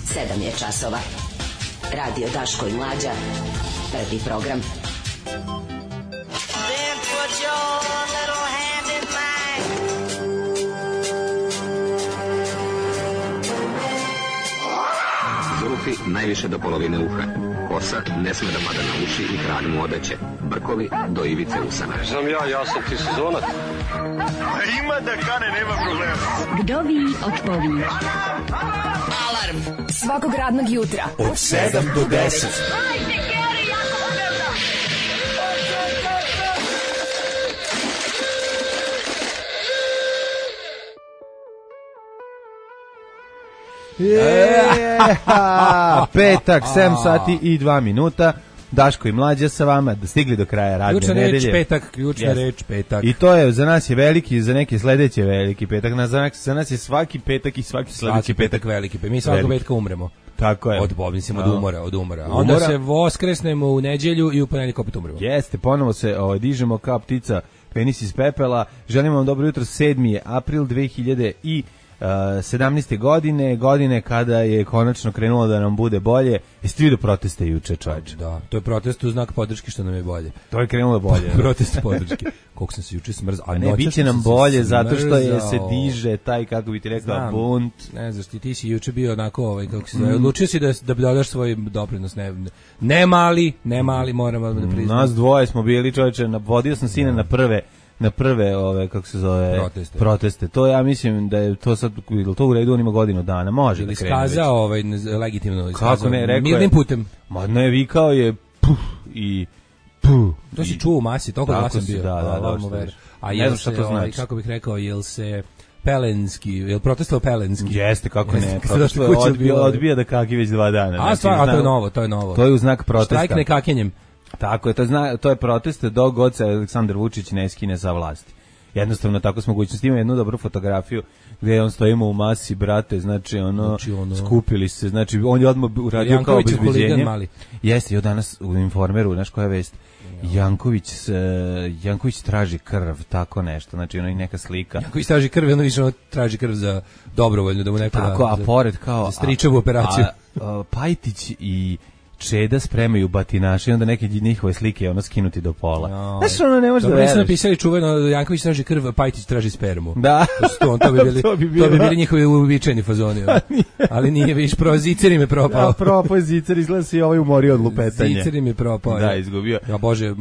7 je časova. Radio Daško i Mlađa. Prvi program. Then put your little hand in mine. Zulufi najviše do polovine uha. Kosa ne sme da pada na uši i kralj mu odeće. Brkovi do ivice usana. Znam ja sam ti sezonac. Ima da kane, nema problema. Kdo vi od ovi? Alarm svakog radnog jutra Od 7 do 10. Petak, 7 sati i 2 minuta. Daško i Mlađa sa vama, da stigli do kraja radne nedelje. Ključna reč, petak. I to je, za nas je veliki, za neke sledeće veliki petak. Za nas je svaki petak i svaki sledeći petak veliki. Mi svakog petka umremo. Tako je. Od umora. Onda se voskresnemo u neđelju i u ponedeljak opet umremo. Jeste, ponovo se dižemo kao ptica penis iz pepela. Želimo vam dobro jutro, 7. je april 2017. godine kada je konačno krenulo da nam bude bolje. Jeste vidio proteste juče, čovječe? Da, to je protest u znak podrške što nam je bolje. To je krenulo bolje. Protest podrške. Koliko sam se juče smrzao. A ne, biće nam bolje zato što je se diže taj, kako bi ti rekao, bunt. Ne znaš, ti si juče bio onako, kako se zove, odlučio si da dodaš svoj doprinos. Ne mali, moramo da priznamo. Nas dvoje smo bili, čovječe, vodio sam sine na prve kako se zove proteste. To ja mislim da je to sad to u redu, on ima godinu dana, može ili da krene. Iskazao legitimno iskazao. Kako ne, rekao mirnim putem. Ma ne, vikao je i to si čuo u masi, toliko glasan bio. Da. A ne znam šta to znači. Kako bih rekao, jel se jel protestovao Pelenski? Jeste, kako ne. Protestovao odbija da kaki već 2 dana. A stvarno, to je novo. To je u znak protesta. Štrajk nekakenjem. Tako je, to je protest dok god se Aleksandar Vučić ne skine sa vlasti. Jednostavno tako s mogućnosti. Ima jednu dobru fotografiju gdje on stojimo u masi, brate, znači skupili se, znači on je odmah uradio kao obezbeđenje. Jeste, i danas u Informeru, znaš koja je vest? Janković traži krv, tako nešto, znači ono i neka slika. Janković traži krv, ono više traži krv za dobrovoljno, da mu neko tako, a pored kao stričevu operaciju. Pajtić i Čeda spremaju batinaše i onda neke njihove slike skinuti do pola. Znaš, ono ne može da veruješ. Dobro, su napisali čuveno, Janković traži krv, Pajtić traži spermu. Da. To bi bili njihovi uobičajeni fazoni. Ali nije, viš, Zicer me propao. Propao Zicer, izgleda se i ovaj umorio od lupetanja. Zicer me propao. Da, izgubio. Ja, Bože,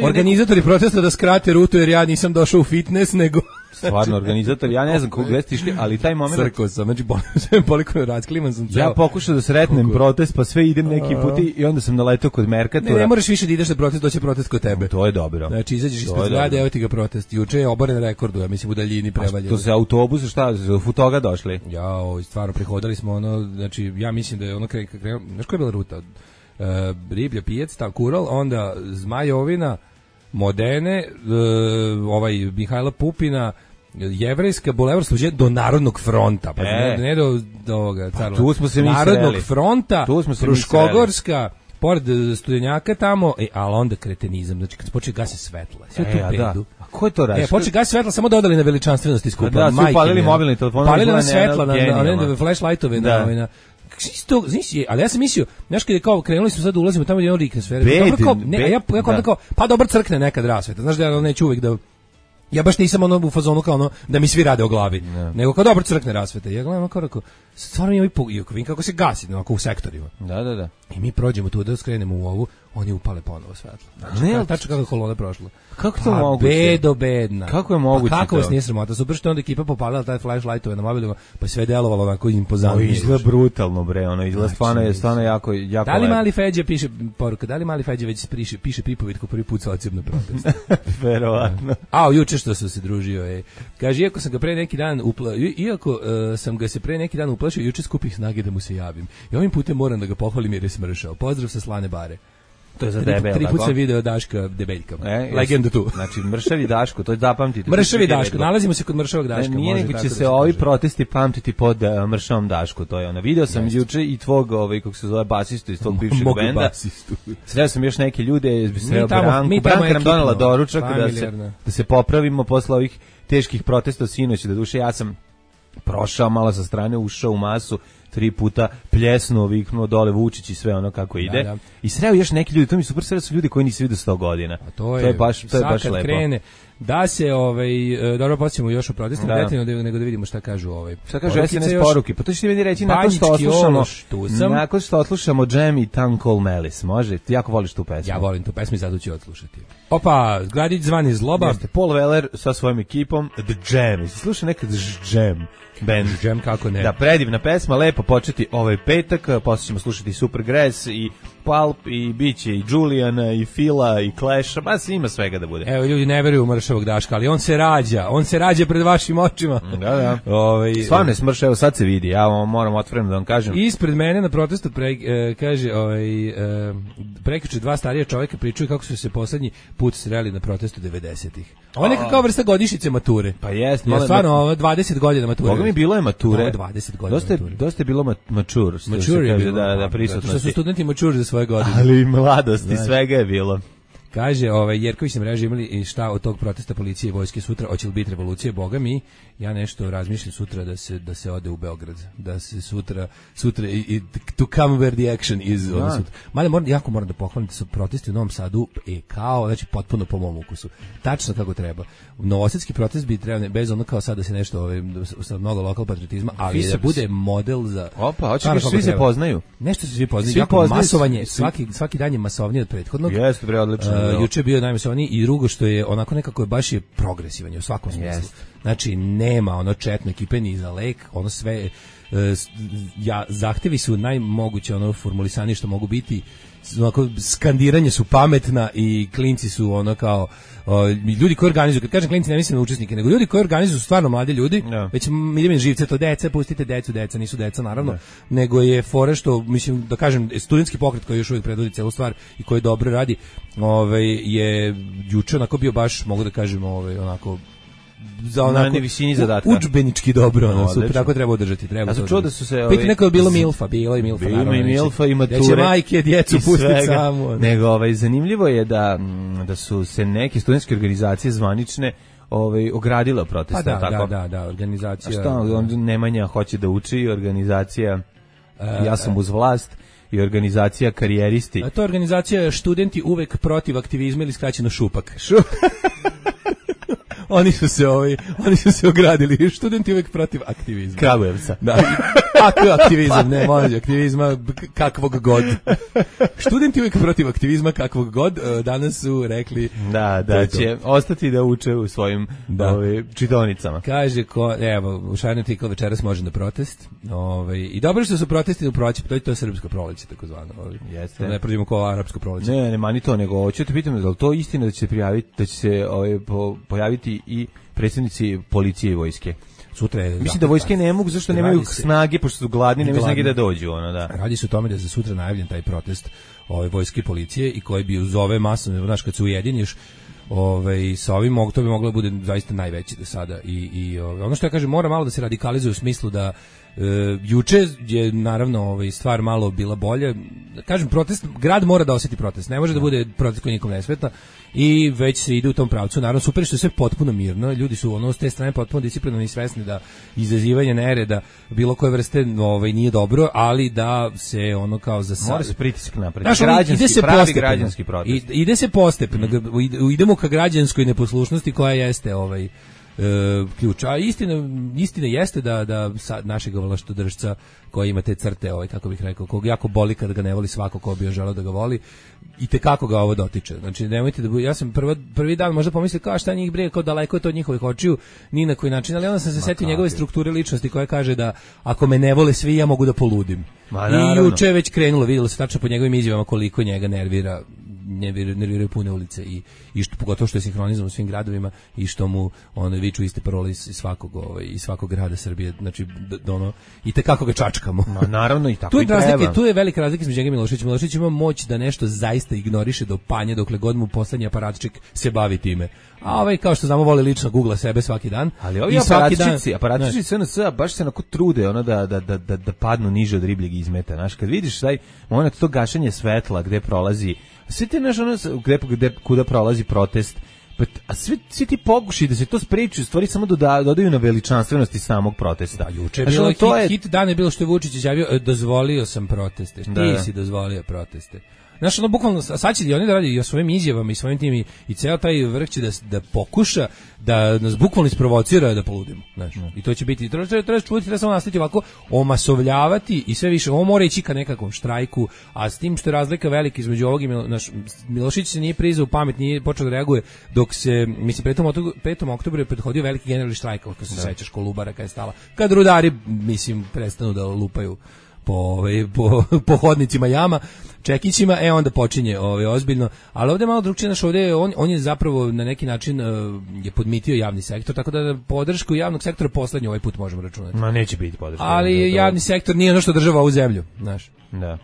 organizatori protesta da skrate rutu jer ja nisam došao u fitness, nego... Stvarno, organizator, ja ne znam kako gde ste išli, ali taj moment... Crko sam, znači poliko razkliman sam ceo. Ja pokušao da sretnem protest, pa sve idem neki puti i onda sam naletao kod Merkatora. Ne moraš više da ideš na protest, doće protest kod tebe. To je dobro. Znači, izađeš ispred zgrade, evo ti ga protest. Juče je oboren rekordu, ja mislim u daljini prevaljen. To se autobus, šta, u toga došli? Stvarno, prihodali smo znači, ja mislim da je krenuo, znaš koja je bila ruta? Riblja pijac, Kural, onda Zmajovina, Modene, Mihajla Pupina, Jevrejska, Bulevar Sluđe do Narodnog fronta, pa ne do ovoga carla. Tu smo se Narodnog fronta, Fruškogorska, pored Studenjaka tamo, ali onda kretenizam, znači kad se počne gasi svetla, sve tu pedu. A ko je to radio? Počne gasi svetla, samo dodali na veličanstvenosti skupa. Da, su upalili mobilni telefon. Palili na svetla, na flashlightove, ali ja sam mislio, znaš kada je kao krenuli smo sad da ulazimo tamo gdje je on rikne sve. Pa dobro crkne nekad rasveta, znaš da ja neću uvijek da... Ja baš nisam u fazonu kao da mi svi rade o glavi, nego kao dobro crkne rasvete. Ja gledam kao stvarno mi vidim kako se gasi u sektorima. Da. I mi prođemo tu da skrenemo u ovu, oni upale ponovo svetlo. Znači, tačno kako kolona prošla. Kako to moguće? Bedna. Kako je moguće? Pa kako vas nije sramota? Super što onda ekipa popalila taj flashlightove na mobilima, pa sve delovalo onako impozantno. Izgleda brutalno, bre, izgleda stvarno jako. Da li mali Feđa piše poruka? Da li mali Feđa već piše Pipovitku prvi put sa ocem na protest? Verovatno. Juče što sam se družio, kaže, iako sam ga pre neki dan uplašio, juče skupih snage da mu se javim. I ovim putem moram da ga pohvalim jer je smršao. Pozdrav sa Slane Bare. To je za debel. 3 puta sam video Daška debeljka. Legenda tu. Znači, mršavi Daško, to je zapamtite. Mršavi Daško, nalazimo se kod mršavog Daška. Nije nego će se ovi protesti pamtiti pod mršavom Dašku, to je video sam juče i tvog, kako se zove, basistu iz tog bivšeg benda. Sreo sam još neke ljude, sreo Branka nam donela doručak da se popravimo posle ovih teških protesta sinoć, da duše ja sam prošao malo sa strane, ušao u masu, 3 puta pljesnuo, viknuo dole Vučić i sve ono kako ide. Da. I sreo još neki ljudi, to mi super, sreo su ljudi koji nisu vidio 100 godina. A to je baš lepo. Krene, da se dobro podsjetimo još o protestima detaljno nego da vidimo šta kažu Šta kažu SNS poruke? Pa to ćete meni reći nakon što odslušamo Jam i Town Call Malice. Može? Ti jako voliš tu pesmu. Ja volim tu pesmu i zato ću odslušati. Opa, Gradić zvani Zloba. Jeste, Paul Weller sa svojom ekipom The Jam. Slušaj nekad Jam. Band. Jam, kako ne. Da, predivna pesma, lepo početi ovaj petak, posle ćemo slušati Supergrass i Pulp i biće i Juliana i Fila i Clash, ba ima svega da bude. Evo, ljudi ne veruju u mršavog Daška, ali on se rađa pred vašim očima. Da. Stvarno je smrš, evo sad se vidi, ja moram otvoreno da vam kažem. Ispred mene na protestu kaže, prekjuče 2 starija čovjeka pričaju kako su se poslednji put sreli na protestu 90-ih. Ovo je nekakva vrsta godišnjice mature. Pa jest. Ja stvarno, 20 godina mature. Boga mi bilo je mature. 20 godina mature. Dosta je bilo mature. Mature je bilo, da prisutnosti. Što su studenti mature za svoje godine. Ali mladosti, svega je bilo. Kaže, Jerković na mreži imali i šta od tog protesta policije i vojske sutra, hoće li biti revolucije, boga mi, ja nešto razmišljam sutra da se ode u Beograd, da se sutra to come where the action is. Mada moram da pohvalim da su protesti u Novom Sadu kao, znači potpuno po mom ukusu, tačno kako treba. Novosadski protest bi trebao, bez ono kao sad da se nešto, sa mnogo lokal patriotizma, ali da bude model za... Opa, hoće da svi se poznaju. Nešto se svi poznaju, jako masovanje, svaki dan je masovnije od prethodnog. Jeste, bre, odlično. Juče je bio najmasovniji i drugo što je onako nekako baš je progresivan u svakom smislu. Znači nema ono četne ekipe ni za lek, ono sve zahtevi su najmoguće ono formulisani što mogu biti, onako skandiranje su pametna i klinci su ono kao ljudi koji organizuju, kad kažem klinci ne mislim na učesnike, nego ljudi koji organizuju su stvarno mladi ljudi, već idem živce to deca, pustite deca, nisu deca naravno, nego je fora što, mislim da kažem, studentski pokret koji još uvijek predvodi celu stvar i koji dobro radi, je juče onako bio baš, mogu da kažem, onako za onako visini zadatka. Udžbenički dobro, super, tako treba održati, treba. A su čuo da su se Piti neko je bilo Milfa, bilo i Milfa i mature. Neće majke djecu pustiti samo. Nego zanimljivo je da su se neke studentske organizacije zvanične ogradila protesta, tako? Da, organizacija. A šta, Nemanja hoće da uči, organizacija Ja sam uz vlast i organizacija karijeristi. A to je organizacija Studenti uvek protiv aktivizma ili skraćeno Šupak. Oni su se ogradili, studenti uvek protiv aktivizma. Kragujevca. Da. Aktivizam, ne, može, aktivizma kakvog god. Studenti uvek protiv aktivizma kakvog god, danas su rekli da će ostati da uče u svojim čitaonicama. Kaže, u Šarni Tikl večeras može na protest. I dobro što su protesti u proći, to je srpsko proleće, tako zvano. Jeste. Ne prođemo kao arapsko proleće. Ne, mani to, nego hoću te pitam, da li to istina da će se pojaviti i predsjednici policije i vojske? Sutra je, mislim da vojske ne mogu, zašto nemaju snage, pošto su gladni, nemaju snage da dođu. Radi se o tome da je za sutra najavljen taj protest vojske i policije i koji bi uz ove masovne, znaš, kad se ujediniš sa ovim, to bi moglo da bude zaista najveći do sada. I ono što ja kažem, mora malo da se radikalizuje u smislu da juče je naravno stvar malo bila bolje. Kažem, protest, grad mora da osjeti protest, ne može da bude protest koji nikom ne smeta i već se ide u tom pravcu. Naravno, super što je sve potpuno mirno, ljudi su s te strane potpuno disciplinovani i svesni da izazivanje nereda bilo koje vrste nije dobro, ali da se kao za sad... Mora se pritisak napraviti. Građanski protest. Ide se postepeno, idemo ka građanskoj neposlušnosti koja jeste ključ. A istina jeste da našeg vlaštodržca koji ima te crte, kako bih rekao, kog jako boli kad ga ne voli svako ko bi želeo da ga voli, i tekako ga ovo dotiče. Znači, nemojte da ja sam prvi dan možda pomislio kao šta njih brije, kao daleko je to od njihovih očiju, ni na koji način, ali onda sam se setio njegove strukture ličnosti koja kaže da ako me ne vole svi, ja mogu da poludim. I juče je već krenulo, vidjelo se tačno po njegovim izjavama koliko njega nerviraju pune ulice i što, pogotovo što je sinhronizam u svim gradovima i što mu viču iste parole iz svakog grada Srbije, znači i tekako ga čačkamo. Naravno, i tako i treba. Tu je velika razlika između njega i Miloševića. Milošević ima moć da nešto zaista ignoriše do panja dokle god mu poslednji aparatčik se bavi time. A kao što znamo, voli lično googla sebe svaki dan. Ali ovi aparatčici SNS baš se onako trude da padnu niže od ribljeg izmeta. Znaš, kad vidiš taj moment, to gašenje svetla gde prolazi, sve te kuda prolazi protest, A svi ti pokušaj da se to spreči, u stvari samo dodaju na veličanstvenosti samog protesta. Juče je bilo hit dana je bilo što je Vučić izjavio, dozvolio sam proteste. Ti si dozvolio proteste. Znaš, ono, bukvalno, sad će oni da radi i o svojim izjavama i svojim tim i ceo taj vrh će da pokuša da nas bukvalno isprovocira da poludimo. Znaš, i to će biti, treba čuvati, treba samo nastaviti ovako, omasovljavati i sve više, ovo mora ići ka nekakvom štrajku, a s tim što je razlika velika između ovog i Milošić se nije prizao u pamet, nije počeo da reaguje, dok se, mislim, 5. oktobru je prethodio veliki generalni štrajk, kako se sećaš, Kolubara kad je stala, kad rudari, mislim, prestanu da lupaju po hodnicima jama, čekićima, onda počinje ozbiljno, ali ovdje je malo drugčije, naš ovdje on je zapravo na neki način je podmitio javni sektor, tako da podršku javnog sektora poslednji ovaj put možemo računati. Ma neće biti podrška. Ali javni sektor nije ono što država ovu zemlju, znaš. Da.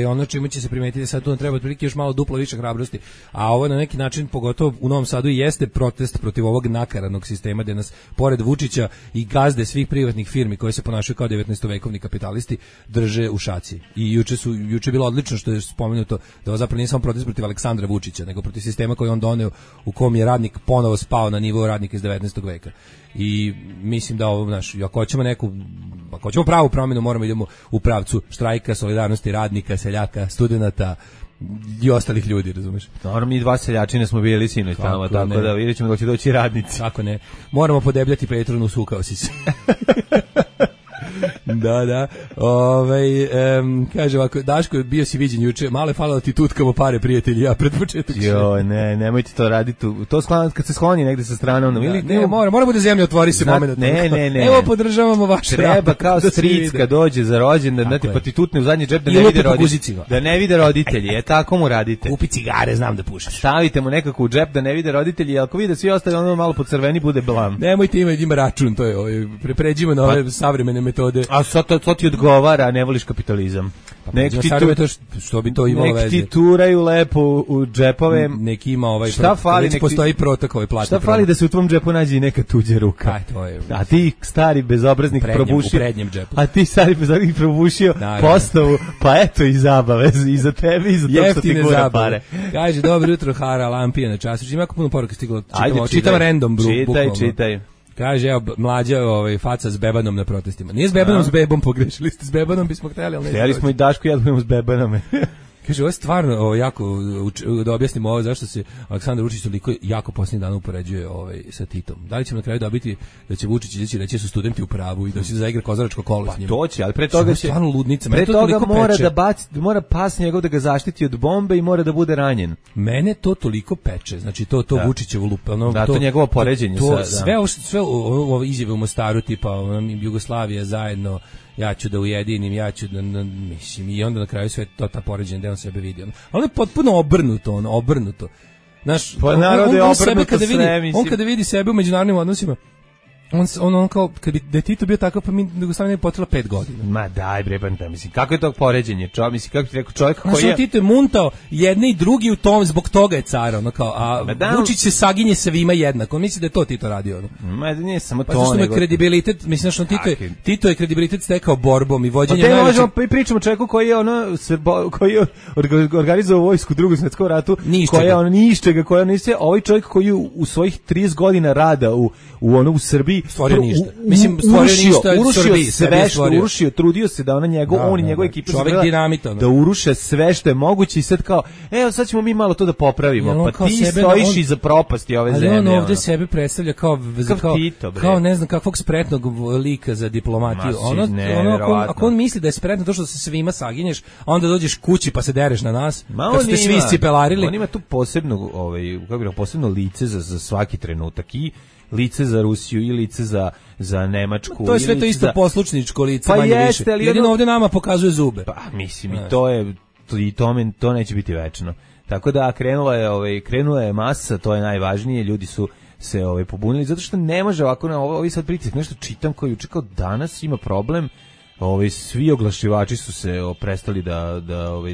Ono čime će se primetiti sad tu treba otprilike još malo duplo više hrabrosti, a ovo na neki način pogotovo u Novom Sadu jeste protest protiv ovog nakaranog sistema gde nas pored Vučića i gazde svih privatnih firmi koje se ponašaju kao 19-vekovni kapitalisti drže u šaci. I juče je bilo odlično što je spomenuto da ovo zapravo nije samo protest protiv Aleksandra Vučića, nego protiv sistema koji on doneo u kom je radnik ponovo spao na nivo radnika iz 19. veka. I mislim da ovo, ako hoćemo pravu promjenu, moramo idemo u pravcu štrajka, solidarnosti radnika, seljaka, studenata i ostalih ljudi, razumeš? Naravno, mi 2 seljačine smo bili sinoć tamo, tako da vidjet ćemo da će doći radnici. Tako ne. Moramo podebljati Petronu, sukao si se. Da. Kaže ovako, Daško, bio si viđen juče, malo je falilo ti tutkamo pare, prijatelji, ja pred početak. Nemojte to raditi. To kad se skloni negde sa strane. Mora bude zemlja, otvori se moment. Ne. Evo, podržavamo vaš rad. Treba kao stric kad dođe za rođendan, pa ti tutne u zadnji džep da ne vide roditelji. Tako mu radite. Kupi cigare, znam da pušiš. Stavite mu nekako u džep da ne vide roditelji, ako vide svi ostali, ono malo po crveni bude blam. Nemojte ima račun, to je. Pređimo na ove savremene metode. A to ti odgovara, a ne voliš kapitalizam. Što bi to imalo veze? Nek ti turaju lepo u džepove. Neki ima šta fali, postoji protokol plati. Šta fali da se u tvom džepu nađe i neka tuđa ruka? A ti stari bezobraznik probušio. U prednjem džepu. A ti stari bezobraznik probušio postavu, pa eto i zabave i za tebe i za to što ti gura pare. Kaže, dobro jutro, Hara, Lampija na času. Ima jako puno poruka stiglo. Čitam random, Čitaj. Kaže, evo, mlađa faca s bebanom na protestima. Nije s bebanom, s bebom, pogrešili ste. S bebanom bismo htjeli, ali ne. Htjeli smo i Dašku i ja budemo s bebanome. Kaže, ovo je stvarno jako, da objasnimo ovo, zašto se Aleksandar Vučić toliko jako posljednjih dana upoređuje sa Titom. Da li ćemo na kraju dobiti da će Vučić izaći reći da su studenti u pravu i da će zaigra kozaračko kolo s njima? Pa to će, ali pre toga će... Stvarno ludnica. Pre toga mora pas njegov da ga zaštiti od bombe i mora da bude ranjen. Mene to toliko peče, znači to Vučićevo lupa. To njegovo poređenje. Sve ovo izjave u Mostaru, tipa Jugoslavija zajedno, ja ću da ujedinim, mislim, i onda na kraju sve to ta poređenja gde on sebe vidi. Ali je potpuno obrnuto. Znaš, on kada vidi sebe u međunarodnim odnosima, on kao, kad bi da Tito bio takav, pa mi Jugoslavija ne bi potrebala 5 godina. Ma daj bre, mislim, kako je to poređenje? Mislim, kako ti rekao, čovjek koji je... Tito je muntao jedne i drugi u tom, zbog toga je car, Vučić se saginje svima jednako, on misli da je to Tito radio, Ma nije samo to, zašto je kredibilitet, mislim, Tito je kredibilitet stekao borbom i vođenjem najvećeg... možemo pričamo čovjeku koji je koji je organizovao vojsku u Drugom svjetskom ratu, koji je ni iz čega, koji je ovaj čovjek koji u svojih 30 godina rada u Srbiji stvorio ništa. Mislim, stvorio ništa od Srbiji. Urušio, trudio se da on i njegova ekipa da uruše sve što je moguće i sad kao, evo sad ćemo mi malo to da popravimo. Pa ti stojiš iza propasti ove zemlje. Ali on ovdje sebe predstavlja kao ne znam kakvog spretnog lika za diplomatiju. Ako on misli da je spretno to što se svima saginješ, a onda dođeš kući pa se dereš na nas, kad ste svi iscipelarili. On ima tu posebno lice za svaki trenutak i lice za Rusiju i lice za Nemačku. To je sve to isto poslušničko lice, manje više. Jedino ovdje nama pokazuje zube. Pa mislim, i to neće biti večno. Tako da krenula je masa, to je najvažnije, ljudi su se pobunili, zato što ne može ovako na ovi sad pritisak. Nešto čitam koji juče kao danas ima problem. Svi oglašivači su se prestali da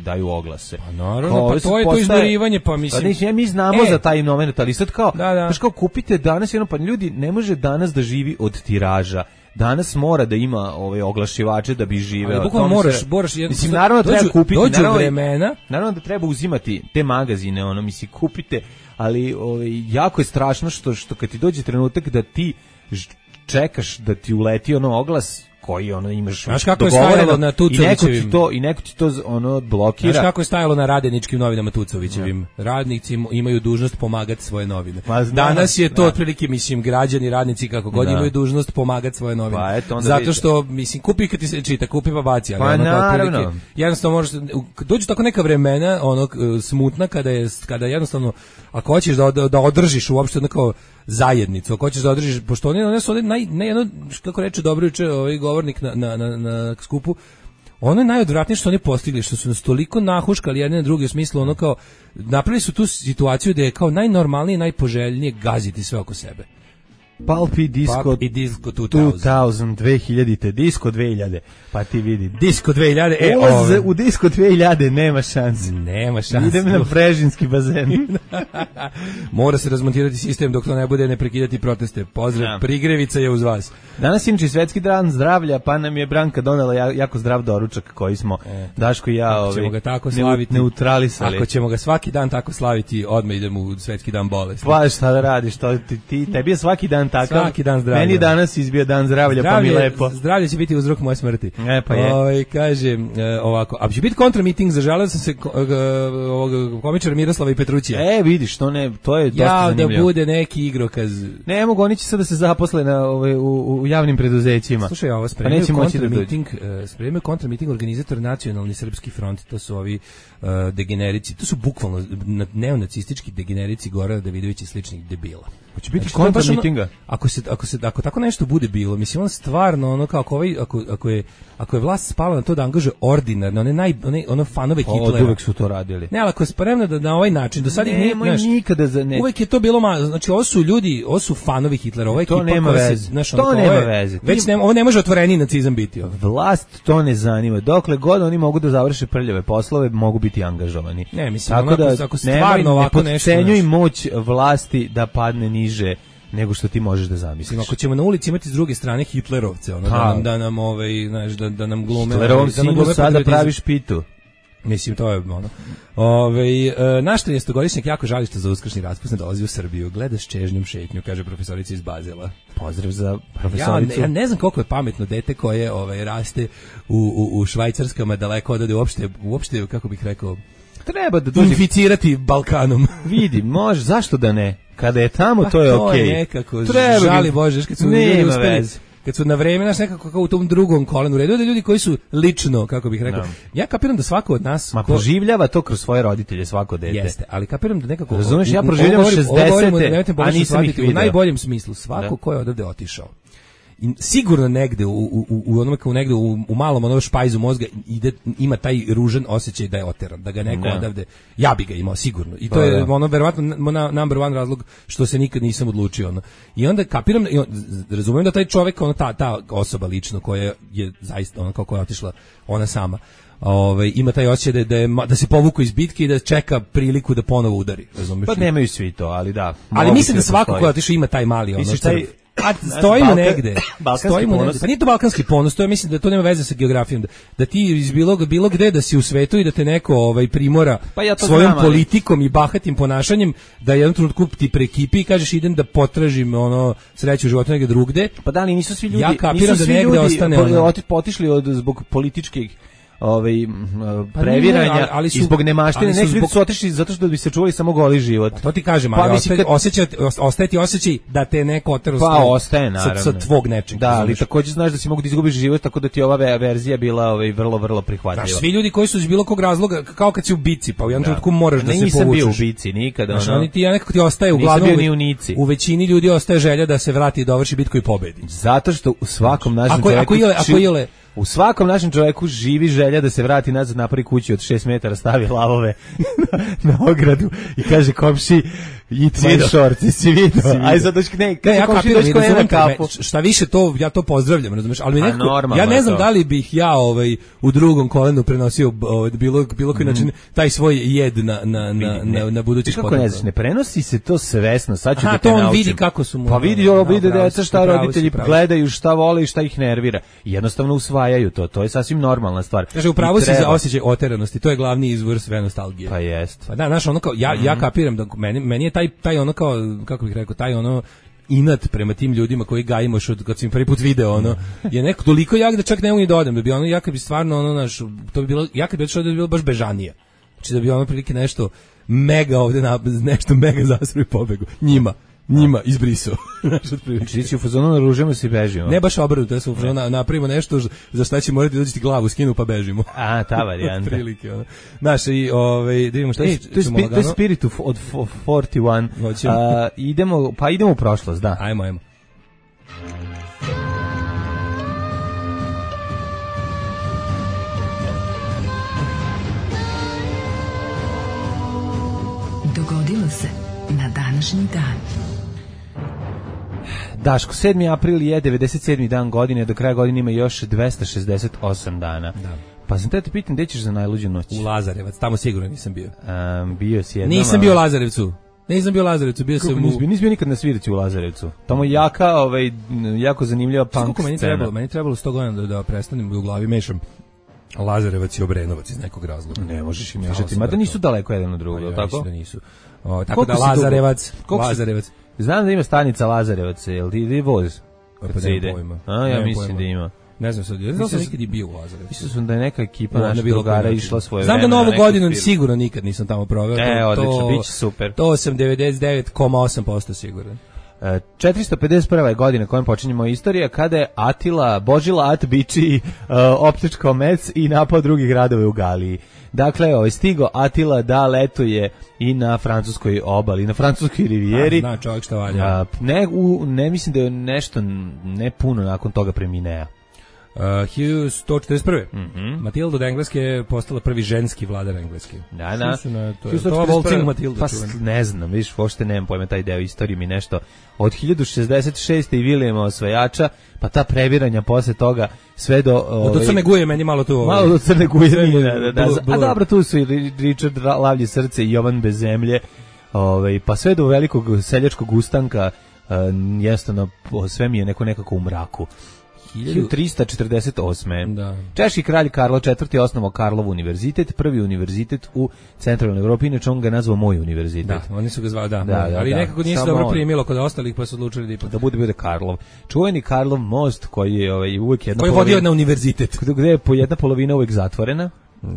daju oglase. Pa naravno, pa to je to izborivanje, pa mislim... Pa mi znamo za taj moment, ali sad kao, kao kupite danas, pa ljudi ne može danas da živi od tiraža. danas mora da ima oglašivače da bi živeo. Bukvalno moraš mislim, naravno treba kupiti, naravno da treba uzimati te magazine, mislim, kupite, ali jako je strašno što kad ti dođe trenutak da ti čekaš da ti uleti oglas koji imaš. Znaš kako je stajalo na Tucovićevim i neko ti to blokira. Znaš kako je stajalo na radeničkim novinama Tucovićevim? Radnici imaju dužnost pomagati svoje novine. Danas je to otprilike, mislim, građani, radnici kako god imaju dužnost pomagati svoje novine. Zato što, mislim, kupi kad ti se čita, kupi pa baci, ali naravno. Jednostavno možeš, dođu tako neka vremena, smutna kada jednostavno, ako hoćeš da održiš uopšte kao zajednicu, ako hoćeš da održiš, pošto one su jedno, kako reče dobro juče govornik na skupu, ono je najodvratnije što oni postigli, što su nas toliko nahuškali jedne na druge, u smislu kao, napravili su tu situaciju da je kao najnormalnije, najpoželjnije gaziti sve oko sebe. Pulp i Disco 2000, Disco 2000, pa ti vidi. Disco 2000, ulaz u Disco 2000 nema šanse. Idem na Prežinski bazen. Mora se razmontirati sistem dok to ne bude, ne prekidati proteste. Pozdrav, Prigrevica je uz vas. Danas inače svetski dan zdravlja, pa nam je Branka donela jako zdrav doručak koji smo Daško i ja neutralisali. Ako ćemo ga svaki dan tako slaviti, odmah idemo u svetski dan bolesti. Pa šta da radiš, tebi je svaki dan takav. Svaki dan zdravlja. Meni danas izbio dan zdravlja, pa mi lepo. Zdravlje će biti uzrok moje smrti. Pa je. Kaže ovako, a će biti kontramiting, zažalio sam se ovog komičara Miroslava i Petrućija. Vidiš, to je dosta zanimljivo. Da bude neki igrokaz. Ne mogu, oni će sad da se zaposle u javnim preduzećima. Slušaj, ovo spremaju kontramiting organizator Nacionalni srpski front, to su ovi degenerici, to su bukvalno neonacistički degenerici Gorana Davidovića i sličnih debila. Hoće biti kontramitinga. Ako tako nešto bude bilo, mislim, on stvarno ako je vlast spala na to da angažuje ordinarno, one fanove Hitlera. Uvek su to radili. Ne, ali ako je spremna da na ovaj način, do sad ih nije, nikada uvek je to bilo znači ovo su ljudi, ovo su fanovi Hitlera, ovo je to nema veze. To nema veze. Već ovo ne može otvoreniji nacizam biti. Vlast to ne zanima. Dokle god oni mogu da završe prljave poslove, mogu biti angažovani. Ne, mislim, ako stvarno ovako nešto. Ne podcenjuj moć vlasti da padne niže nego što ti možeš da zamisliš. Ako ćemo na ulici imati s druge strane Hitlerovce, da nam glume. Hitlerovom sinu sada praviš pitu. Mislim, to je naš 13-godišnjak jako žali što za uskršnji raspust ne dolazi u Srbiju. Gleda s čežnjom šetnju, kaže profesorica iz Bazela. Pozdrav za profesoricu. Ja ne znam koliko je pametno dete koje raste u Švajcarskama daleko odade uopšte, kako bih rekao, treba da dođe inficirati Balkanom. Vidi, može, zašto da ne? Kada je tamo, to je okej. To je nekako, žali Bože, kad su ljudi uspeli, kad su na vreme, nekako kao u tom drugom kolenu redu, da ljudi koji su lično, kako bih rekao, ja kapiram da svako od nas... proživljava to kroz svoje roditelje, svako dete. Jeste, ali kapiram da nekako... Razumeš, ja proživljavam 60-te, a nisam ih vidio. U najboljem smislu, svako ko je odavde otišao. I sigurno negde u malom špajzu mozga ima taj ružan osjećaj da je oteran, da ga neko odavde, ja bi ga imao sigurno, i to je verovatno number one razlog što se nikad nisam odlučio. I onda kapiram, razumijem da taj čovjek, ta osoba lično koja je zaista kako je otišla ona sama, ima taj osjećaj da se povuku iz bitke i da čeka priliku da ponovo udari, razumiješ? Pa nemaju svi to, ali da. Ali mislim da svako ko je otišao ima taj mali stojimo negde. Pa nije to balkanski ponos, to je, mislim da to nema veze sa geografijom, da ti iz bilo gde da si u svetu i da te neko primora svojom politikom i bahatim ponašanjem, da jednom trenutku ti prekipi i kažeš idem da potražim sreću u životu negde drugde. Pa da li nisu svi ljudi, ja kapiram da negde ostane otišli zbog političkih previranja i zbog nemaštine, neki ljudi su otišli zato što bi se čuvali samo goli život. To ti kažem, ali ostaje ti osjećaj da te neko oterao sa tvog nečeg. Da, ali također znaš da si mogu da izgubiš život, tako da ti ova verzija bila vrlo, vrlo prihvatljiva. Svi ljudi koji su iz bilo kog razloga, kao kad si u bici, pa u jednom trenutku moraš da se povučeš. Nisam bio u bici nikada. Nekako ti ostaje uglavnom, u većini ljudi ostaje želja da se vrati i dovrši bitku i pobedi. Zato što u svakom našem čovjeku... U svakom našem čoveku živi želja da se vrati nazad, napravi kući od 6 metara, stavi lavove na ogradu i kaže komši eat my shorts, si vidio. Aj sad doći ja kapiram, na kapu. Šta više to, ja to pozdravljam, razumeš, ali mi nekako, ja ne znam da li bih ja u drugom kolenu prenosio bilo koji način taj svoj jed na budućih potomka. Kako ne znaš, ne prenosi se to svesno, sad ću da te naučim. naučim. On vidi kako su mu. Pa vidi deca šta roditelji gledaju, šta vole i šta ih nervira. Jednostavno usvajaju to je sasvim normalna stvar. Kaže, upravo si za osjećaj oteranosti, to je glavni izvor sve nostalgije. Pa jest. Pa da, znaš, ono kao, ja kapiram da meni je taj ono kao, kako bih rekao, taj ono inat prema tim ljudima koji gajimo kad sam prvi put video, ono, je neko toliko jak da čak ne mogu ni da odem, da bi ono, ja kad bi stvarno, ono, naš, to bi bilo, ja kad bi odšao da bi bilo baš bežanije. Znači da bi ono prilike nešto mega ovde, nešto mega zasru i pobegu. Njima izbrisao. Znači ti u fazonu naružujemo se i bežimo. Ne baš obrnuto, ja sam u fazonu napravimo nešto za šta će morati dođi glavu skinu pa bežimo. A, ta varijanta. Prilike, ono. Znaš, i da vidimo šta to je Spirit od 41. Idemo u prošlost, da. Ajmo. Dogodilo se na današnji dan. Daško, 7. april je 97. dan godine, do kraja godine ima još 268 dana. Da. Pa sam te pitam, gde ćeš za najluđu noć? U Lazarevac, tamo sigurno nisam bio. Bio si jednom. Nisam bio u Lazarevcu. Bio sam Nisi bio nikad na svirci u Lazarevcu. Tamo jako zanimljiva punk scena. Meni trebalo 100 godina da prestanem u glavi mešam Lazarevac i Obrenovac iz nekog razloga. Ne možeš im mešati, mada nisu daleko jedan od drugog, tako? Da nisu. Tako da Lazarevac. Znam da ima stanica Lazarevac, jel ti ide voz? Pa da ide. Ja mislim da ima. Ne znam sad, ja sam nikad i bio u Lazarevcu. Mislim sam da je neka ekipa naših drugara išla svoje vreme. Znam da Novu godinu sigurno nikad nisam tamo proveo. Odlično, bit će super. To sam 99,8% siguran. 451. je godina kojom počinjemo istorija, kada je Atila Božila At Biči opljačkao Mec i napao drugi gradove u Galiji. Dakle, stigo Atila da letuje i na francuskoj obali, na francuskoj rivijeri. Zna čovjek šta valja. Ne mislim da je nešto ne puno nakon toga preminea. 1141. Matilda od Engleske je postala prvi ženski vladar Engleske. Da. To Volcing Matilda. Pa ne znam, vidiš, uopšte nemam pojma, taj deo istorije mi nešto. Od 1066. i Vilijema Osvajača, pa ta previranja posle toga sve do Crne Guje meni malo tu. Malo do Crne Guje. A dobro, tu su i Richard Lavlje srce i Jovan bez zemlje. Pa sve do velikog seljačkog ustanka, jednostavno sve mi je nekako u mraku. 1348. Da. Češki kralj Karlo IV. Osnovao Karlov univerzitet, prvi univerzitet u centralnoj Evropi, inače on ga nazvao Moj univerzitet. Da, oni su ga zvali, ali nekako nije se dobro primilo kod ostalih, pa su odlučili da ipak. Da bude Karlov. Čuveni Karlov most koji je uvijek jedna koji vodio na univerzitet. Gde je jedna polovina uvijek zatvorena.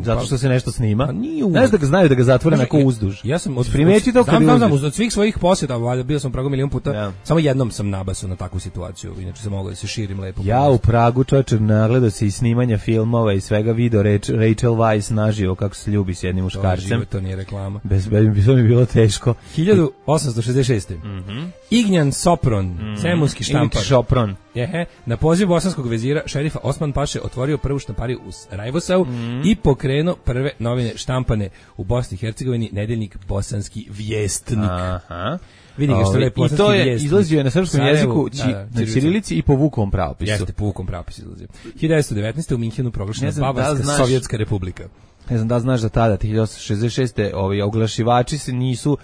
Zato što se nešto snima. Ne znam da ga znaju da ga zatvore neko uzduž. Ja sam primeti to kad znam od svih svojih posjeta, bio sam u Pragu milion puta. Samo jednom sam nabasao na takvu situaciju, inače sam mogao da se širim lepo. Ja u Pragu, čoveče, nagledao se i snimanja filmova i svega, video Rachel Weisz naživo kako se ljubi s jednim muškarcem. To nije reklama. Bez mi bilo teško. 1866. Ignjan Sopron, cemunski štampar. Sopron. Na poziv bosanskog vezira šerifa Osman Paše otvorio prvu štampariju u Rajvosau i pokrenuo prve novine štampane u Bosni i Hercegovini, nedeljnik Bosanski vijestnik. Vidi ga što je i to je izlazio na srpskom jeziku, na ćirilici i po Vukovom pravopisu. Jeste, po Vukovom pravopisu izlazio. 1919. u Minhenu proglašena Bavarska sovjetska republika. Ne znam da znaš da tada 1966. Oglašivači se nisu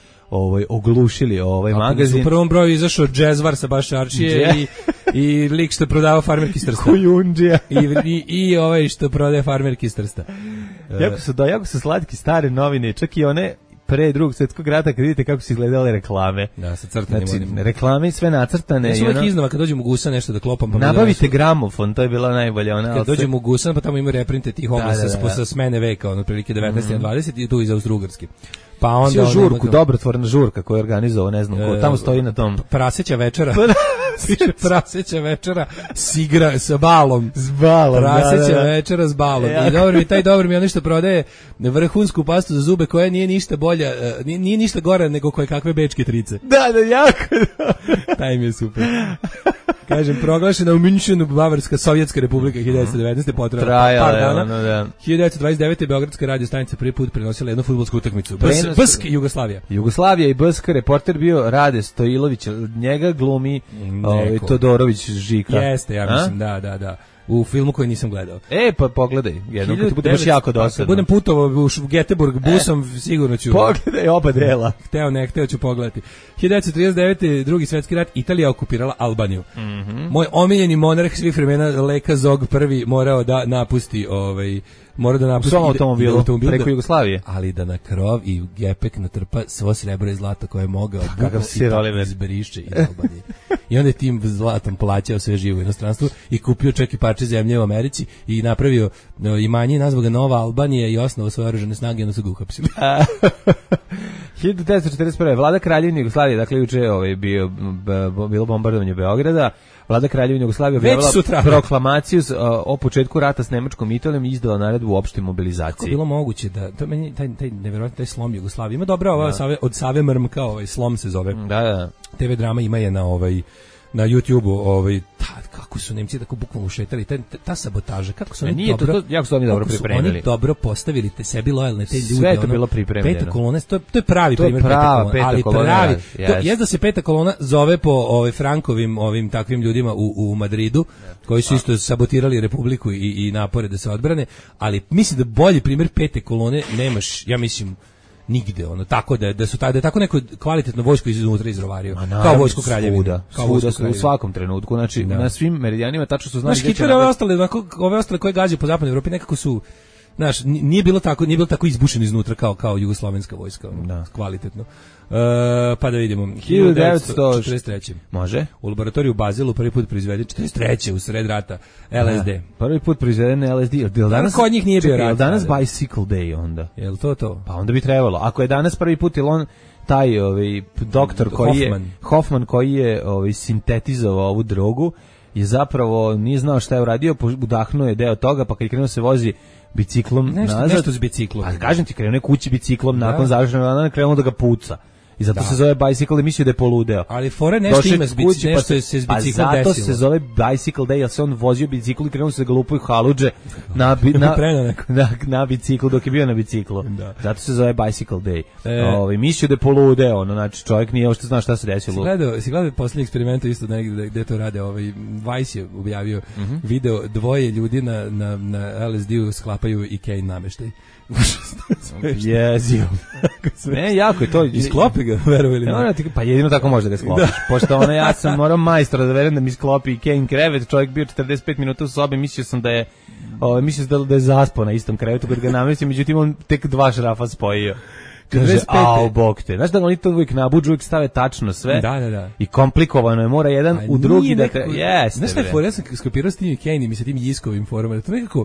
oglušili magazin. U prvom broju izašao Džezvar sa Bašarčije i lik što prodava farmerki iz Trsta. Kujundžija. I ovaj što prodaje farmerki iz Trsta. Jako su slatki stare novine, čak i one pre Drugog svjetskog rata, kad vidite kako su izgledale reklame. Da, sa crtanim. Znači, reklame sve nacrtane. Ja su uvijek iznova, kad dođem u Gusan nešto da klopam. Pa nabavite gramofon, to je bila najbolja. Kad dođem u Gusan, pa tamo ima reprinte tih oglasa sa smene veka, otprilike 19. na 20. i tu iz Austrougarske. Pa onda žurku, dobrotvorna žurka koju je organizovao, ne znam ko, tamo stoji na tom. Praseća večera. Praseća večera s igra sa balom. S balom, praseća večera s balom. I taj dobro mi je ono što prodaje vrhunsku pastu za zube koja nije ništa bolja, nije ništa gore nego koje kakve bečke trice. Da, jako. Taj mi je super. Kažem, proglašena u Münchenu Bavarska Sovjetska republika 1919. potrajala par dana. 1929. Beogradska radio stanica prvi put prenosila jednu fudbalsku utakmicu. BSK Jugoslavija. Jugoslavija i BSK, reporter bio Rade Stojilović, njega glumi Todorović Žika. Jeste, ja mislim, da. U filmu koji nisam gledao. Pa pogledaj, jednom kad ti bude baš jako dosadno. Kad budem putovao u Göteborg busom, sigurno ću. Pogledaj oba dela. Hteo ću pogledati. 1939. Drugi svetski rat, Italija okupirala Albaniju. Moj omiljeni monarh svih vremena, Leka Zog prvi, morao da napusti svom automobilu preko Jugoslavije, ali da na krov i u gepek natrpa svo srebro i zlato koje je mogao, kakav Oliver izbriše iz Albanije. I onda je tim zlatom plaćao sve živo u inostranstvu i kupio čak i parče zemlje u Americi i napravio imanje i nazvao ga Nova Albanija i osnovao svoje oružane snage i onda su ga uhapsili. 1941. Vlada Kraljevine Jugoslavije, dakle juče bilo bombardovanje Beograda. Vlada Kraljevine Jugoslavije objavila proklamaciju o početku rata s Nemačkom i Italijom i izdala naredbu u opštoj mobilizaciji. Kako je bilo moguće da to meni taj neverovatno taj slom Jugoslavije ima dobra od Save Mrmka, slom se zove. Da. TV drama ima je na YouTubeu, kako su Nemci tako bukvalno ušetali, ta sabotaža, kako su oni jako su oni dobro pripremili. Oni dobro postavili sebi lojalne te ljude. Sve je to bilo pripremljeno. Peta kolona, to je pravi primjer peta kolona. Ali pravi, da se peta kolona zove po Frankovim ovim takvim ljudima u Madridu, koji su isto sabotirali Republiku i napore da se odbrane, ali mislim da bolji primjer pete kolone nemaš, ja mislim, nigde, tako da je tako neko kvalitetno vojsko iznutra izrovario, kao vojsko Kraljevine. Svuda u svakom trenutku, znači na svim meridijanima tačno su znali. Hitler ove ostale koje gađaju po zapadnoj Evropi nekako su, nije bilo tako izbušeno iznutra kao jugoslovenska vojska, kvalitetno. Pa da vidimo. 1943. Može. U laboratoriju u Bazelu prvi put proizveden 43. u sred rata LSD. Prvi put proizveden LSD. Danas kod njih nije bio rat. Danas Bicycle Day onda. Jel to? Pa onda bi trebalo. Ako je danas prvi put, ili on taj doktor Hoffman koji je sintetizovao ovu drogu, je zapravo nije znao šta je uradio, udahnuo je deo toga, pa kad je krenuo se vozi biciklom nazad. Nešto s biciklom. A kažem ti, krenuo je kući biciklom, nakon završenog dana krenuo da ga puca. I zato se zove bicycle, mislio da je poludeo. Ali fore nešto ima s biciklom, nešto se s biciklom desilo. Zato se zove bicycle day, jer se on vozio bicikl i krenuo se da ga lupaju haludže na biciklu, dok je bio na biciklu. Zato se zove bicycle day. Mislio da je poludeo, znači čovjek nije uopšte znao šta se desilo. Si gledao posljednji eksperimenta isto negdje gde to rade, Vice je objavio video, dvoje ljudi na LSD-u sklapaju Ikea nameštaj. Jezio. Ne, jako je to. Isklopi ga, verujem ili ne? Pa jedino tako može da ga sklopiš. Pošto ja sam morao majstora da verujem da mi sklopi Ikea krevet, čovjek bio 45 minuta u sobi, mislio sam da je zaspao na istom krevetu kad ga namestio, međutim on tek 2 šrafa spojio. Kaže, bog te. Znaš da oni to uvijek nabuđu, uvijek stave tačno sve. Da. I komplikovano je, mora jedan u drugi da te... Jeste. Znaš šta je for, ja sam skopirao s tim Ikejnim i sa tim Jiskovim forama, to nekako...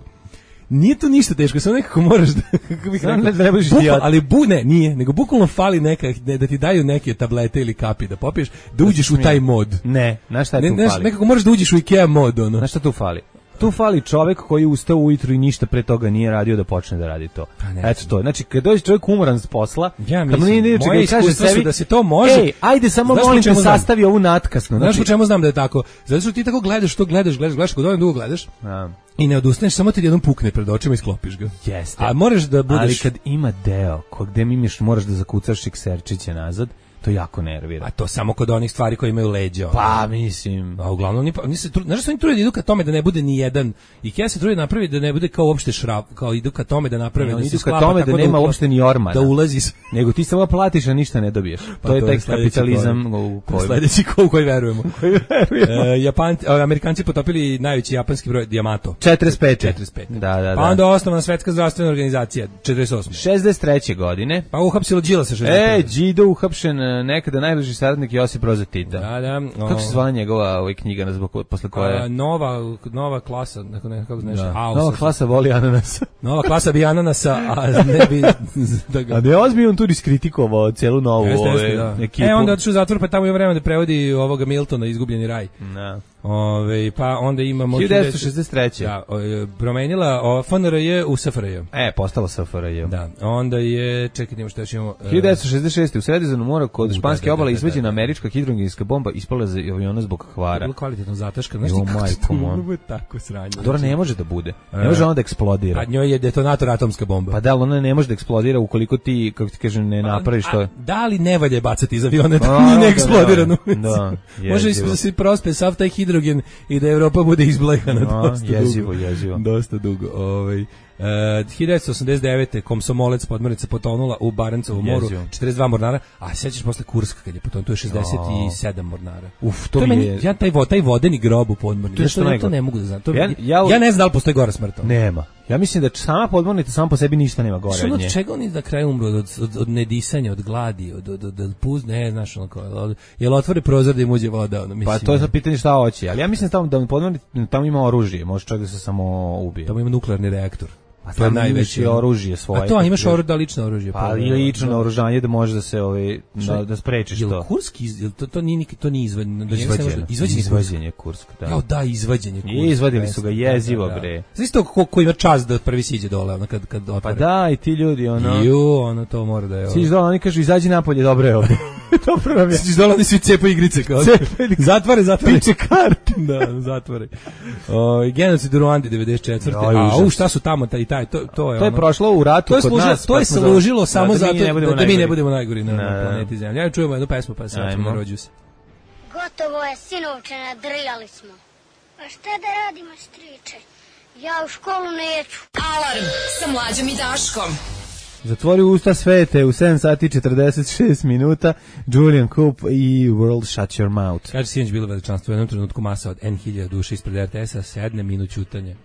Nije to ništa teško, samo nekako moraš da, kako bih rekao, ali nije, nego bukvalno fali da ti daju neke tablete ili kapi da popiješ, da uđeš u taj mod. Ne, znaš šta tu fali? Nekako moraš da uđeš u Ikea mod, Znaš šta tu fali? Tu fali čovjek koji ustao ujutru i ništa pre toga nije radio da počne da radi to. Eto to. Znači, kad dođe čovjek umoran s posla, moje iskustva su da se to može. Ajde, samo molim te sastavi ovu natkasno. Znaš po čemu znam da je tako? Zato što ti tako gledaš, kod ovim dugo gledaš. I ne odustaneš, samo ti jednom pukne pred očima i sklopiš ga. Jeste. A moraš da budeš... Ali kad ima deo, gde moraš da zakucaš ekserčiće nazad, to jako nervira. A to samo kod onih stvari koje imaju leđa. Pa, mislim. A uglavnom, znaš što oni trude da idu ka tome da ne bude ni jedan. Ikea se trude napravi da ne bude kao uopšte šraf, kao idu ka tome da naprave da se sklapa. Idu ka tome da nema uopšte ni ormana. Da ulazi. Nego ti samo platiš, a ništa ne dobiješ. To je taj kapitalizam u kojem. Sledeći u koji verujemo. Amerikanci potopili najveći japanski broj Yamato. 45. Da. Pa onda osnovana Svetska zdravstvena organizacija 48. 63. godine. Pa uhapsilo Đilasa 61. Đido uhapšen nekada najbliži saradnik Josip Broza Tita. Da. Kako se zvala njegova knjiga posle koje? Nova klasa, nekako znaš. Nova klasa voli ananasa. Nova klasa bi ananasa, a ne bi... A ne ozbi on tu diskritikovao cijelu novu ekipu. Onda otišu u zatvor, pa tamo je vreme da prevodi ovoga Miltona, Izgubljeni raj. Pa onda imamo 1963. Da, promenila FNRJ u SFRJ. Postalo SFRJ. Da, onda je, čekaj, šta ćemo... 1966. u Sredozemnom moru kod španske obale izvađena američka hidrogenska bomba ispala za aviona zbog kvara. Bilo kvalitetno zataška. Znaš ti kako to tako sranje? Dobro, ne može da bude. Ne može ona da eksplodira. A njoj je detonator atomska bomba. Pa da, ona ne može da eksplodira ukoliko ti, kako ti kažem, ne napraviš to. Da li ne valje bacati iz aviona, da nije neeksplodirano. Da, može da se prospe sav taj hidrogen i da Evropa bude izblejhana dosta jezivo. Dosta dugo. 1989. Komsomolec podmornica potonula u Barencovom moru, 42 mornara, a sećaš posle Kurska kad je potonuo, to je 67 mornara. To mi je... Ja taj vodeni grob u podmornici, to ne mogu da znam. Ja ne znam da li postoji gora smrta. Nema. Ja mislim da sama podmornica sama po sebi ništa nema gore od nje. Od čega oni na kraju umru? Od nedisanja, od gladi, od puz, ne, znaš, jel otvore prozor da im uđe voda? Pa to je sad pitanje šta hoće, ali ja mislim da podmornica tamo ima oružje, može čak da se samo ubije. Tamo ima nuklearni reaktor. A to je najveće oružje svoje. A to imaš lično oružje. Pa i lično naoružanje da može da se da sprečiš to. Kurski, to nije izvađenje Kursk, da. Da, izvađenje Kursk. Izvadili su ga jezivo bre. Znaš to ko ima čast da prvi siđe dole kad otvore. Pa da, i ti ljudi to mora da je. Siđe dole, oni kažu izađi napolje, dobro je ovdje. Dobro nam je. Siđe dole, oni svi cepaju igrice kao. Zatvore. Piče karte. Da, zatvore. Genocid u Ruandi 94. A šta su tamo taj to je prošlo u ratu kod nas. To je služilo samo zato da mi ne budemo najgori na planeti Zemlja. Ja čujemo jednu pesmu pa se vraćamo na Rođu se. Gotovo je, sinovče, nadrljali smo. A šta da radimo, striče? Ja u školu neću. Alarm sa Mlađom i Daškom. Zatvori usta svete u 7 sati 46 minuta. Julian Coop i World Shut Your Mouth. Kaže sinoć bilo veličanstvo u jednom trenutku masa od N1000 duše ispred RTS-a, sedne minut ćutanje.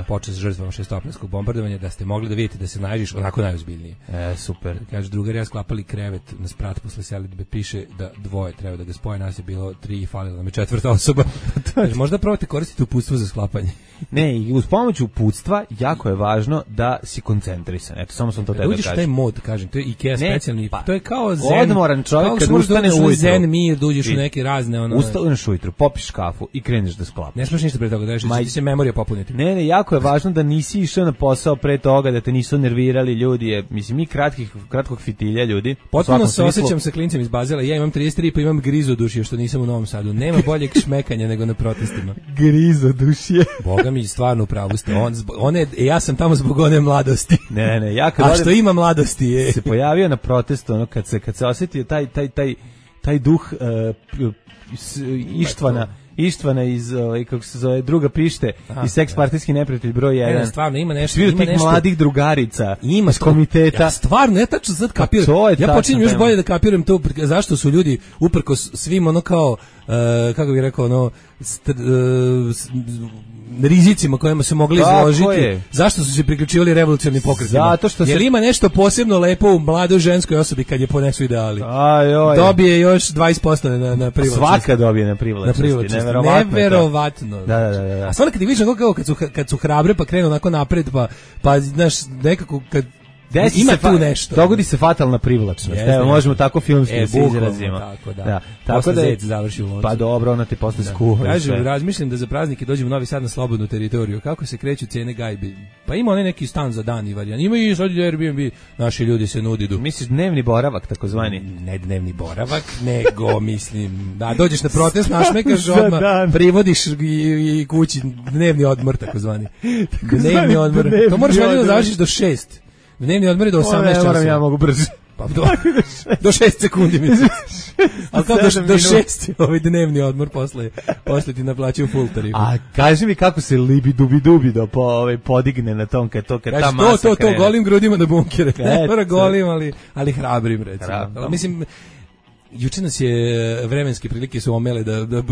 Počet s žrtvama šestoplanskog bombardovanja, da ste mogli da vidite da se nađeš onako najozbiljnije. Super. Kaže, drugari ja sklapali krevet na sprat posle selidbe, piše da dvoje treba da ga spoje, nas je bilo 3 i falila nam je 4. osoba. Kaže, možda probate koristiti uputstvo za sklapanje. Ne, i uz pomoć uputstva jako je važno da si koncentrisan. Eto, samo sam to tebe kažem. Taj mod, kažem, to je IKEA specijalni, to je kao zen. Odmoran čovjek kad ustane ujutru. Zen mir, da uđeš u neke razne ustaneš ujutru, popiš kafu i kreneš da sklapaš. Ne smiješ ništa pre toga, da će se memorija popuniti. Ne, jako je važno da nisi išao na posao pre toga, da te nisu nervirali ljudi. Mislim, mi kratkog fitilja ljudi. Potpuno se osjećam sa klincem iz Bazela. Ja imam 33 pa imam grizodušje što nisam u Novom Sadu. Nema boljeg šmekanja nego na protestima. Grizodušje. Boga mi, stvarno upravo ste. Ja sam tamo zbog one mladosti. Ne, a što ima mladosti je. Se pojavio na protestu, kad se osjetio taj duh Ištvana iz, kako se zove, druga pište i seks partijski neprijatelj broj 1. Stvarno, ima nešto. Svi od tih mladih drugarica iz komiteta. Ja stvarno, ja tačno sad kapiram. Ja počinjem još bolje da kapiram to, zašto su ljudi uprkos svim kao, kako bih rekao, rizicima kojima su mogli izložiti. Zašto su se priključivali revolucionarnim pokretima? Zato što jer ima nešto posebno lepo u mladoj ženskoj osobi kad je ponesu ideali. Dobije još 20% na privlačnosti. Svaka dobije na privlačnosti. Neverovatno. Da. A stvarno kad ti vidiš kad su hrabre pa krenu onako napred pa znaš nekako kad ima tu nešto. Dogodi se fatalna privlačnost. Evo, možemo tako filmski da se izrazimo. Tako da je završi u Loncu. Pa dobro, ona ti posle skuha. Kažem, razmišljam da za praznike dođemo u Novi Sad na slobodnu teritoriju. Kako se kreću cijene gajbi? Pa ima onaj neki stan za dan i varijan. Ima i sad Airbnb. Naši ljudi se nudidu. Misliš dnevni boravak, takozvani? Ne dnevni boravak, nego mislim, da dođeš na protest, našmekaš odmah, privodiš i kući dnevni odmor, takozvani. Dnevni odmor. To moraš da završiš do 6. Dnevni odmor je do 18 časa. Ja mogu brže. Pa do 6 sekundi mislim. Ali kao do 6 ovaj dnevni odmor posle ti naplaćuju full tarifu. A kaži mi kako se libi-dubi-dubi podigne na tom kad ta masa krene. To golim grudima da bunkere. Ne mora golim, ali hrabrim recimo. Mislim, juče nas je vremenske prilike su omele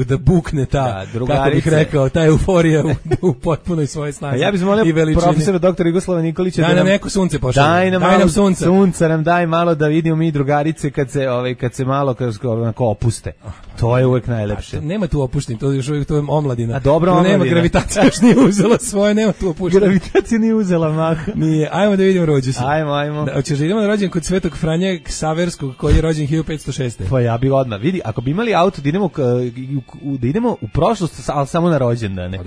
da bukne ta, kako bih rekao, ta euforija u potpunoj svojoj snazi. Ja bih molio profesora doktora Jugoslava Nikolića da nam neko sunce pošalje. Daj nam sunce. Sunca nam daj malo da vidimo mi drugarice kad se malo opuste. To je uvek najlepše. Nema tu opuštenja, to je još uvijek omladina. A dobro, omladina. Nema gravitacija, još nije uzela svoje, nema tu opuštenja. Gravitacija nije uzela maha. Nije. Ajmo da vidimo rođendan. Ajmo. Hoćeš da idemo na rođendan kod Svetog Franje Ksaverskog koji je rođen 1506. Pa ja bih odmah, vidi, ako bi imali auto da idemo u prošlost, ali samo na rođendane.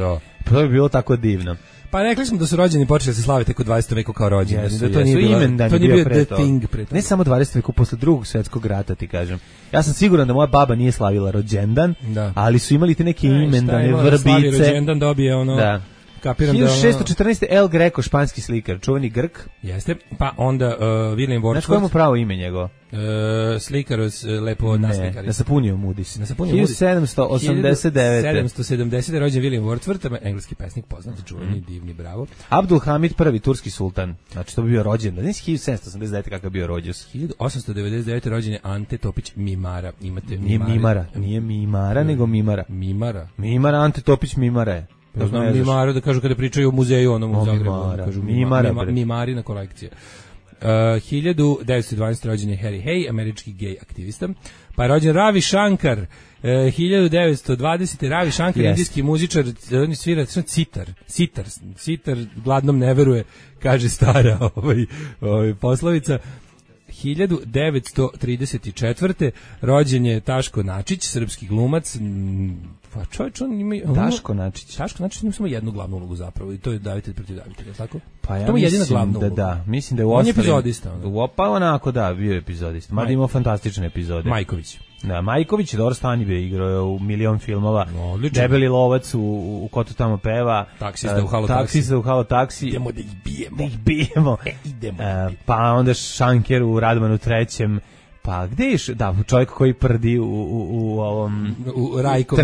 Pa to bi bilo tako divno. Pa rekli smo da su rođeni počeli da se slave tek u 20. veku kao rođeni. Jesu, to nije bio the thing pre toga. Ne samo 20. veku, posle drugog svjetskog rata, ti kažem. Ja sam siguran da moja baba nije slavila rođendan, ali su imali te neke imendane, vrbice. Slavi rođendan dobije ono... Da. 1614. El Greco, španski slikar, čuveni Grk. Jeste, pa onda William Wordsworth. Znaš koje mu pravo ime njegovo? Slikar, lepo naslikari. Na Sapuniju Mudis. 1789. 1770. rođen William Wordsworth, engleski pesnik, poznat, čuveni, divni, bravo. Abdul Hamid I, turski sultan. Znači, to bi bio rođen. Znači, 1789. kakav bio rođus. 1899. rođen je Ante Topić Mimara. Imate Mimara. Nije Mimara, nego Mimara. Mimara, Ante Topić Mimara je. Ja znam Mimara da kažu kada pričaju o muzeju onom u Zagrebu. Kažu Mimarina kolekcija. 1912. rođen je Harry Hay, američki gej aktivista. Pa je rođen Ravi Shankar. 1920. Ravi Shankar, indijski muzičar, on svira sitar, gladnom ne veruje, kaže stara poslovica. 1934. rođen je Taško Načić, srpski glumac. Pa čovječ, on ima... Taško Načić ima samo jednu glavnu ulogu zapravo i to je Davitelj protiv Davitelja, tako? Pa ja mislim da. Mislim da je u ostalim... On je epizodista. Pa onako da, bio je epizodista. Mada imao fantastične epizode. Majković. Da, Majković je dobro stani bio, igrao u milion filmova. Odlično. Debeli lovac u Ko to tamo peva. Taksista u Halo taksi. Idemo da ih bijemo. Idemo. Pa onda Šanker u Radmanu trećem. Pa gde je čovjek koji prdi u ovom... U Rajko,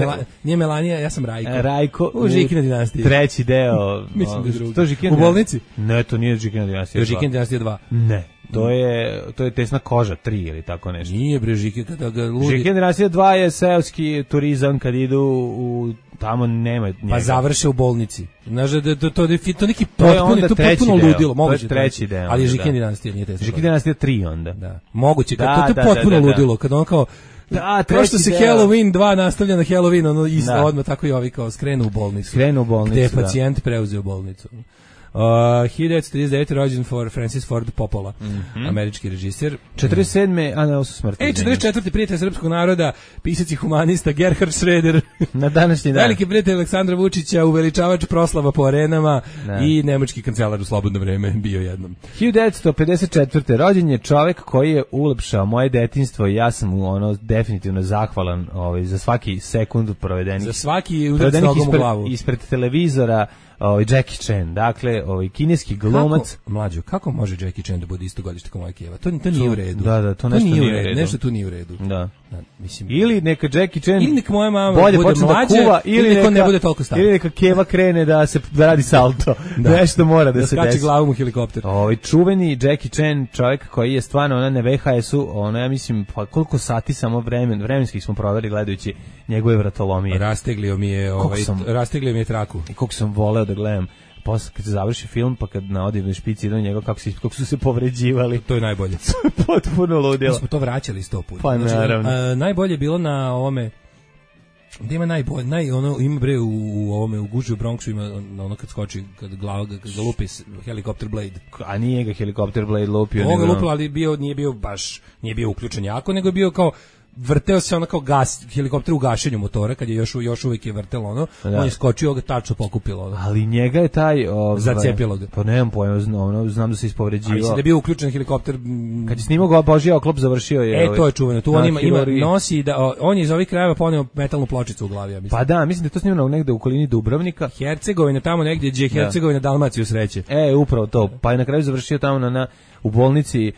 nije Melanija, ja sam Rajko. Rajko u Žikina dinastija. Treći deo. Mislim da je drugi. U bolnici? Ne, to nije Žikina dinastija 2. To je Žikina dinastija 2. Ne. To je Tesna koža 3 ili tako nešto. Nije bre Žikina, kada ga ludi. Žikina dinastija 2 je seoski turizam kad idu u tamo nema njega. Pa završe u bolnici. Znaš da to neki potpuno ludilo, moguće. To je treći deo. Ali Žikina dinastija nije Tesna. Žikina dinastija 3 onda. Da. Moguće, to je potpuno ludilo, kad on kao kao što se Halloween 2 nastavlja na Halloween, ono isto odmah tako i ovi kao skrenu u bolnicu. Gde je pacijent preuzeo bolnicu. 1939. rođen Francis Ford Coppola, američki režiser. 47. Su smrtni. 44. prijatelj srpskog naroda, pisac i humanista Gerhard Schröder. Na današnji dan. Veliki prijatelj Aleksandra Vučića, uveličavač proslava po arenama i nemački kancelar u slobodno vreme bio jednom. 1954. rođen je čovek koji je ulepšao moje detinjstvo i ja sam mu definitivno zahvalan za svaki sekund provedenih. Za svaki udarac nogom u glavu. Ispred televizora. Jackie Chan, dakle, kineski glumac. Kako može Jackie Chan da bude isto godište kao Mike Eva? To nije u redu. Da, to nešto nije u redu. Nešto tu nije u redu. Da. Ili neka Jackie Chan ili neka moja mama bude mlađa, ili neka ne bude toliko stara. Ili neka Keva krene da radi salto. Nešto mora da se desi. Skače glavom u helikopter. Čuveni Jackie Chan, čovjek koji je stvarno na VHS-u, ja mislim, pa koliko sati samo vremenskih smo proveli gledajući njegove vratolomije. Rasteglio mi je traku. I koliko sam voleo da gledam. Posle kad se završi film, pa kad na odivnoj špici idu njega kako su se povređivali. To je najbolje. Potpuno ludilo. Mi smo to vraćali 100 puta. Pa naravno. Najbolje je bilo na ovome, gde ima najbolje, ima bre u Guži u Bronxu, ima ono kad skoči, kad ga lupi helikopter Blade. A nije ga helikopter Blade lupio. Ovo ga lupio, ali nije bio uključen jako, nego je bio kao vrteo se kao helikopter u gašenju motora, kad je još uvijek je vrtelo on je skočio, ga tačno pokupilo. Ali njega je taj... Zacepilo ga. Pa nemam pojma, znam da se ispovređivao. Ali da je bio uključen helikopter... Kad je snimao Božija oklop, završio je... To je čuveno, tu on ima nosi, on je iz ovih krajeva poneo metalnu pločicu u glavi, ja mislim. Pa da, mislim da je to snimano negde u okolini Dubrovnika. Hercegovina, tamo negdje gdje je Hercegovina Dalmaciju sreće. Upravo to, pa je na kraju završio tamo u bolnici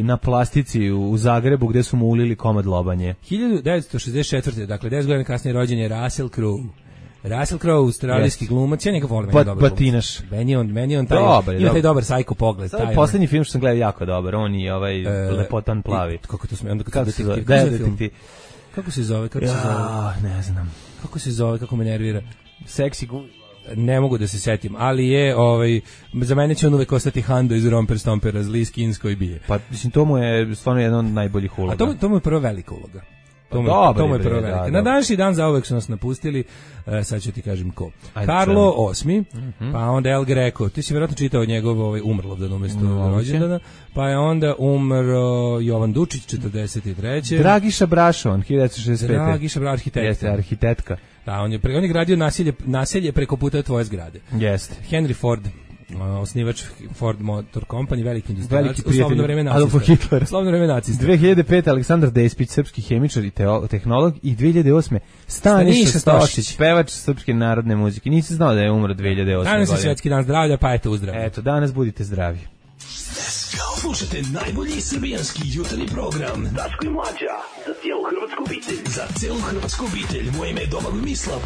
na plastici u Zagrebu gdje su mu ulili komad lobanje. 1964. Dakle 10 godina kasnije rođen je Russell Crowe. Russell Crowe, australijski glumac, ja njega volim, meni dobar glumac. Meni on taj dobar sajko pogled. To je posljednji film što sam gledao jako dobar, on i lepotan plavi. Kako to sme, onda kako se zove? Kako se zove? Ne znam. Kako se zove, kako me nervira? Seksi guž. Ne mogu da se setim, ali je za mene će on uvek ostati Hando iz Romper Stompera, zli skinsko i bije. Pa mislim, to mu je stvarno jedna od najboljih uloga. A to mu je prva velika uloga. To mu je prvo velike. Na današnji dan zauvek su nas napustili, sad ću ti kažem ko. Karlo VIII, pa onda El Greco, ti si vjerojatno čitao njegov Umrlovdan umjesto rođendana, pa je onda umro Jovan Dučić, 43. Dragiša Brašovan, 1965. Dragiša Brašovan, arhitektka. Jeste, arhitektka. Da, on je gradio naselje preko puta tvoje zgrade. Jeste. Henry Ford, osnivač Ford Motor Company, veliki industrijalac, u slobodno vreme nacista. Slobodno vreme nacista. 2005. Aleksandar Despić, srpski hemičar i tehnolog, i 2008. Staniša Stošić, pevač srpske narodne muzike. Nisi znao da je umro 2008. godine. Danas je svjetski dan zdravlja, pa eto uzdravlja. Eto, danas budite zdravi. Slušajte najbolji srbijanski jutarnji program Daško i Mlađa, za cijelu hrvatsku obitelj. Za cijelu hrvatsku obitelj, moje ime je Domagoj Mislav.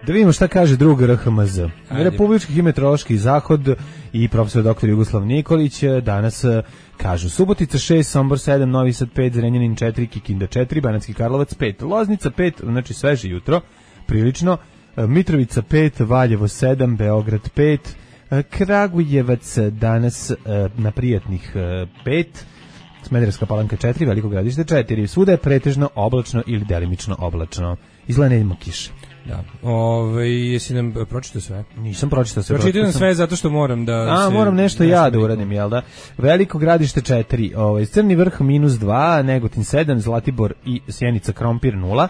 Da vidimo šta kaže drug RHMZ. Republički meteorološki zahod i profesor dr. Jugoslav Nikolić danas kažu: Subotica 6, Sombor 7, Novi Sad 5, Zrenjanin 4, Kikinda 4, Banatski Karlovac 5, Loznica 5, znači sveže jutro, prilično, Mitrovica 5, Valjevo 7, Beograd 5, Kragujevac danas na prijatnih 5, Smederevska Palanka 4, Veliko Gradište 4, svuda je pretežno oblačno ili delimično oblačno. Izgleda neljimo kiše. Da. Jesi nam pročitao sve? Nisam pročitao sve. Pročitam sve zato što moram da moram nešto ja da uradim, jel da? Veliko Gradište 4, Crni Vrh -2, Negotin 7, Zlatibor i Sjenica Krompir 0.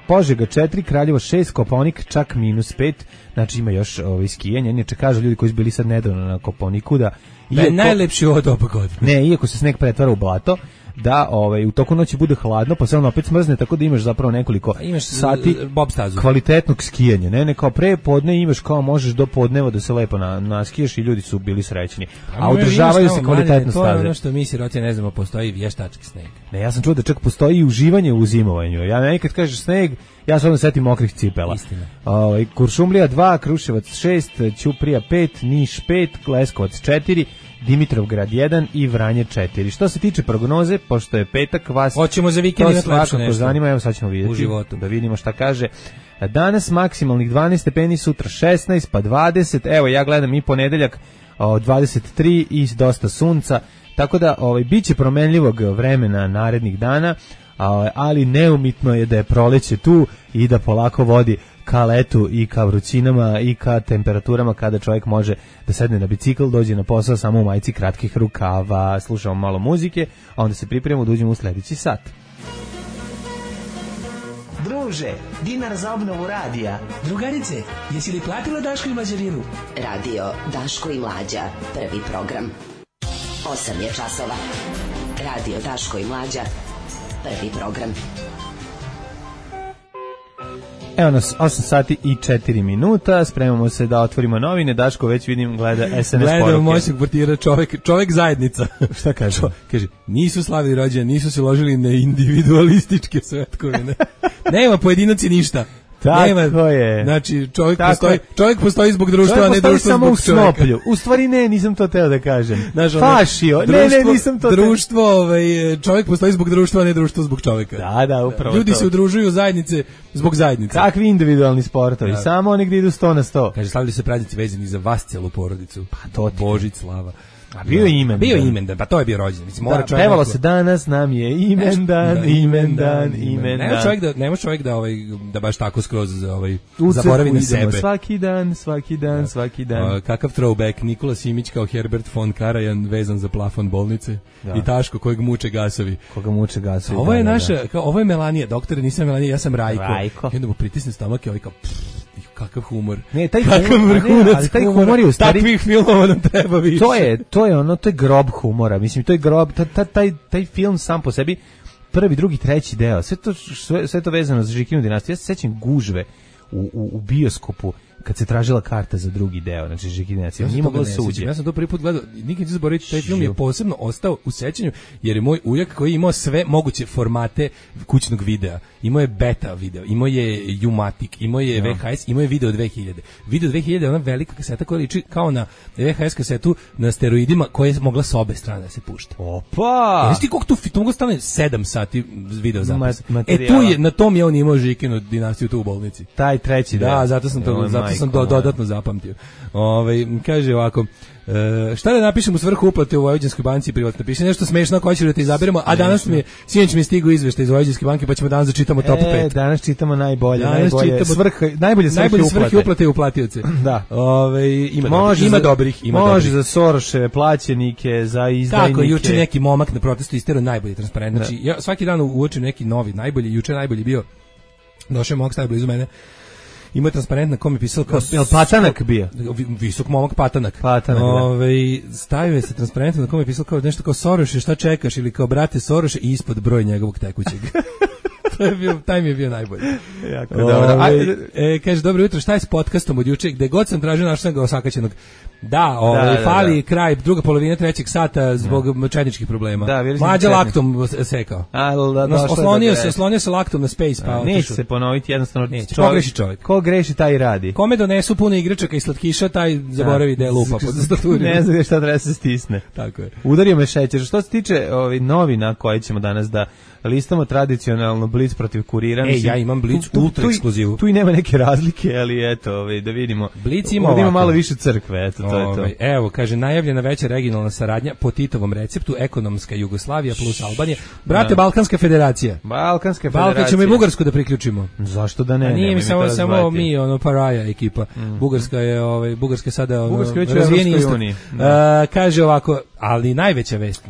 Požega 4, Kraljevo 6, Kopaonik čak -5, znači ima još skijanje. Inače kažu ljudi koji su bili sad nedavno na Kopaoniku da je najlepši od oba godine. Ne, iako se sneg pretvara u blato, da u toku noći bude hladno, pa se on opet smrzne, tako da imaš zapravo nekoliko sati kvalitetnog skijanja. Ne, kao pre podne imaš kao možeš do podneva da se lepo naskiješ i ljudi su bili srećni. A održavaju se kvalitetno staze. To je ono što mi siroci ne znamo, postoji vještački sneg. Ne, ja sam čuo da čak postoji i uživanje u zimovanju. Ja nekad kažeš sneg, ja se onda setim mokrih cipela. Kuršumlija 2, Kruševac 6, Ćuprija 5, Niš 5, Leskovac 4, Dimitrovgrad 1 i Vranje 4. Što se tiče prognoze, pošto je petak, vas hoćemo za vikend imati lepše nešto. Zanima, evo sad ćemo vidjeti u životu. Da vidimo šta kaže. Danas maksimalnih 12 stepeni, sutra 16, pa 20. Evo ja gledam i ponedeljak 23 i dosta sunca. Tako da biće promenljivog vremena narednih dana, ali neumitno je da je proleće tu i da polako vodi ka letu i ka vrućinama i ka temperaturama kada čovjek može da sedne na bicikl, dođe na posao samo u majici kratkih rukava, slušamo malo muzike, a onda se pripremimo da uđemo u sljedeći sat. Druže, dinar za obnovu radija. Drugarice, jesi li platila Daško i Mlađarinu? Radio Daško i Mlađa, prvi program. 8 je časova. Radio Daško i Mlađa, prvi program. Evo nas, 8 sati i 4 minuta, spremamo se da otvorimo novine, Daško već vidim gleda SNS poruke. Gledam moćnog portira, čovjek zajednica. Šta kaže? Kaže, nisu slavili rođendan, nisu se ložili na individualističke svetkovine. Nema pojedinaci ništa. Tako je. Znači, čovjek postoji zbog društva, a ne društvo samo zbog čovjeka. Snoplju. U stvari ne, nisam to teo da kažem. Fašio. Ne, nisam to društvo, čovjek postoji zbog društva, a ne društvo zbog čovjeka. Da, upravo ljudi se udružuju zajednice zbog zajednice. Kakvi individualni sportovi, samo oni gdje idu 100 na 100. Kaže, slavili se praznici vezani za vas celu porodicu. Pa to Božić, slava. A bio je imendan. Bio je imendan, pa to je bio rođendan. Mislim, mora čovjek. Pevalo se danas nam je imendan. Ne može čovjek da baš tako skroz zaboravi na sebe. Svaki dan. Kakav throwback, Nikola Simić kao Herbert von Karajan vezan za plafon bolnice i Taško kojeg muče gasovi. Ovo je naša, ovo je Melanija, doktore, nisam Melanija, ja sam Rajko. I onda mu pritisne stomak i kao kakav humor. Ne, taj humor je u stvari takvih filmova nam treba više. To je grob humora. Mislim, to je grob, taj film sam po sebi, prvi, drugi, treći deo, sve to vezano za Žikinu dinastiju. Ja se sećam gužve u bioskopu kad se tražila karta za drugi deo, znači Žikinacija, nije mogla suđe. Ja sam to prvi put gledao, nikad neću zaboraviti, taj film je posebno ostao u sećanju, jer je moj ujak koji je imao sve moguće formate kućnog videa. Imao je beta video, imao je U-matic, imao je VHS, imao je video 2000. Video 2000 je ona velika kaseta koja liči kao na VHS kasetu na steroidima koja je mogla s obe strane da se pušta. Opa! Znaš ti koliko tu moglo stane 7 sati video zapisa. Tu je, na tom je on imao Žikinu dinastiju tu u bolnici. Taj treći da, zato sam dodatno zapamtio. Kaže ovako, šta da napišem u svrhu uplate u Vojvođanskoj banci privatno? Piše nešto smešno ako hoćeš da te izaberemo, a danas sinoć mi je stigao izveštaj iz Vojvođanske banke, pa ćemo danas da čitamo top 5. Danas čitamo najbolje svrhe uplate i uplatioce. Da. Ima dobrih, ima može dobrih. Za Soroševe plaćenike, za izdajnike. Tako, juče neki momak na protestu isterao najbolji transparent. Znači, ja svaki dan uočim neki novi, najbolji, juče najbolji bio, došao je momak stavio blizu mene, ima transparent na kom je pisalo kao Patanak bio. Visok momak Patanak. Stavio se transparentom na kom je pisalo kao nešto kao Soroše, šta čekaš, ili kao brate Soroše i ispod broj njegovog tekućeg. Taj mi je bio najbolji. Jako dobro. Kaže, dobro jutro, šta je s podcastom od juče? Gde god sam tražio, našao sam ga osakaćenog. Da, fali kraj, druga polovina trećeg sata zbog četničkih problema. Mlađa laktom sekao. Oslonio se laktom na space. Pa neće se ponoviti, jednostavno. Ko greši čovjek? Ko greši, taj radi. Kome donesu puno igračaka i slatkiša, taj zaboravi da je lupa pod staturom. Ne znam šta treba se stisne. Tako je. Udario me šećer. Što se tiče novina koje ćemo danas da listamo tradicionalno Blic protiv Kurira. Ja imam Blic ultra ekskluzivu. Tu i nema neke razlike, ali eto, da vidimo. Blic ima malo više crkve, eto, to je to. Evo, kaže, najavljena veća regionalna saradnja po Titovom receptu, ekonomska Jugoslavija plus Albanija. Brate, Balkanska federacija. Balkan ćemo i Bugarsku da priključimo. Zašto da ne? Nije mi samo mi, paraja ekipa. Bugarska je sada razvijeni istok. Kaže ovako, ali najveća vest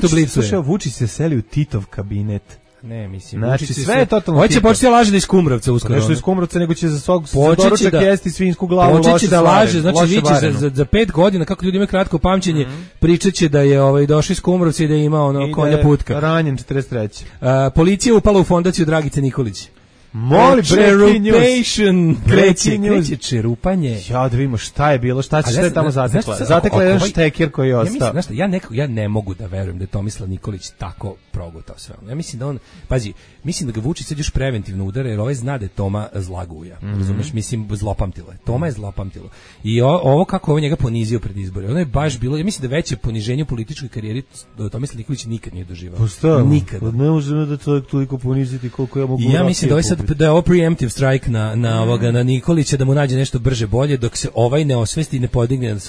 u Blicu je. Slušaj, Vučić se seli u Titov kabinet. Ne, mislim. Znači, sve je totalno. Hoće početi da laže da iz Kumrovca uskoro. Nešto iz Kumrovca, nego će za svog doručak jesti svinsku glavu, loše počeće da laže, znači viće za 5 godina, kako ljudi imaju kratko pamćenje, pričaće da je došao iz Kumrovca i da ima konja putka. Ranjen 43. Policija upala u fondaciju Dragice Nikolić. Moli kreće čerupanje. Ja da vidimo šta je bilo, šta će tamo zatekla. Zatekla je jedan štekir koji je ostao. Ja ne mogu da verujem da je Tomislav Nikolić tako progutao sve. Ja mislim da on, pazi, mislim da ga Vučić sad još preventivno udara, jer ovaj zna da je Toma zlaguja. Razumeš, mislim, zlopamtilo je. Toma je zlopamtilo. I ovo kako ovo njega ponizio pred izbore, ono je baš bilo, ja mislim da veće poniženje u političkoj karijeri Tomislav Nikolić nikad nije doživao. Nikad. Ne možemo da čovjek toliko poniziti koliko ja mogu. Ja mislim da je ovo preemptive strike na Nikolića, da mu nađe nešto brže bolje, dok se ovaj ne osvesti i ne podigne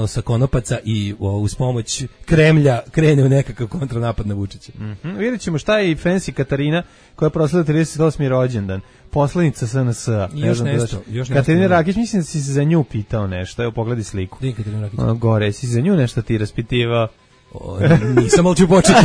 sa konopaca i uz pomoć Kremlja krene u nekakav kontranapad na Vučića. Vidjet ćemo šta je i Fancy Katarina koja je proslavila 38. rođendan. Poslanica SNS-a. Još nešto. Katarina Rakić, mislim da si se za nju pitao nešto. Evo, pogledaj sliku. Katarina Rakić. Gore, si za nju nešto ti raspitivao. Nisam, ali ću početi.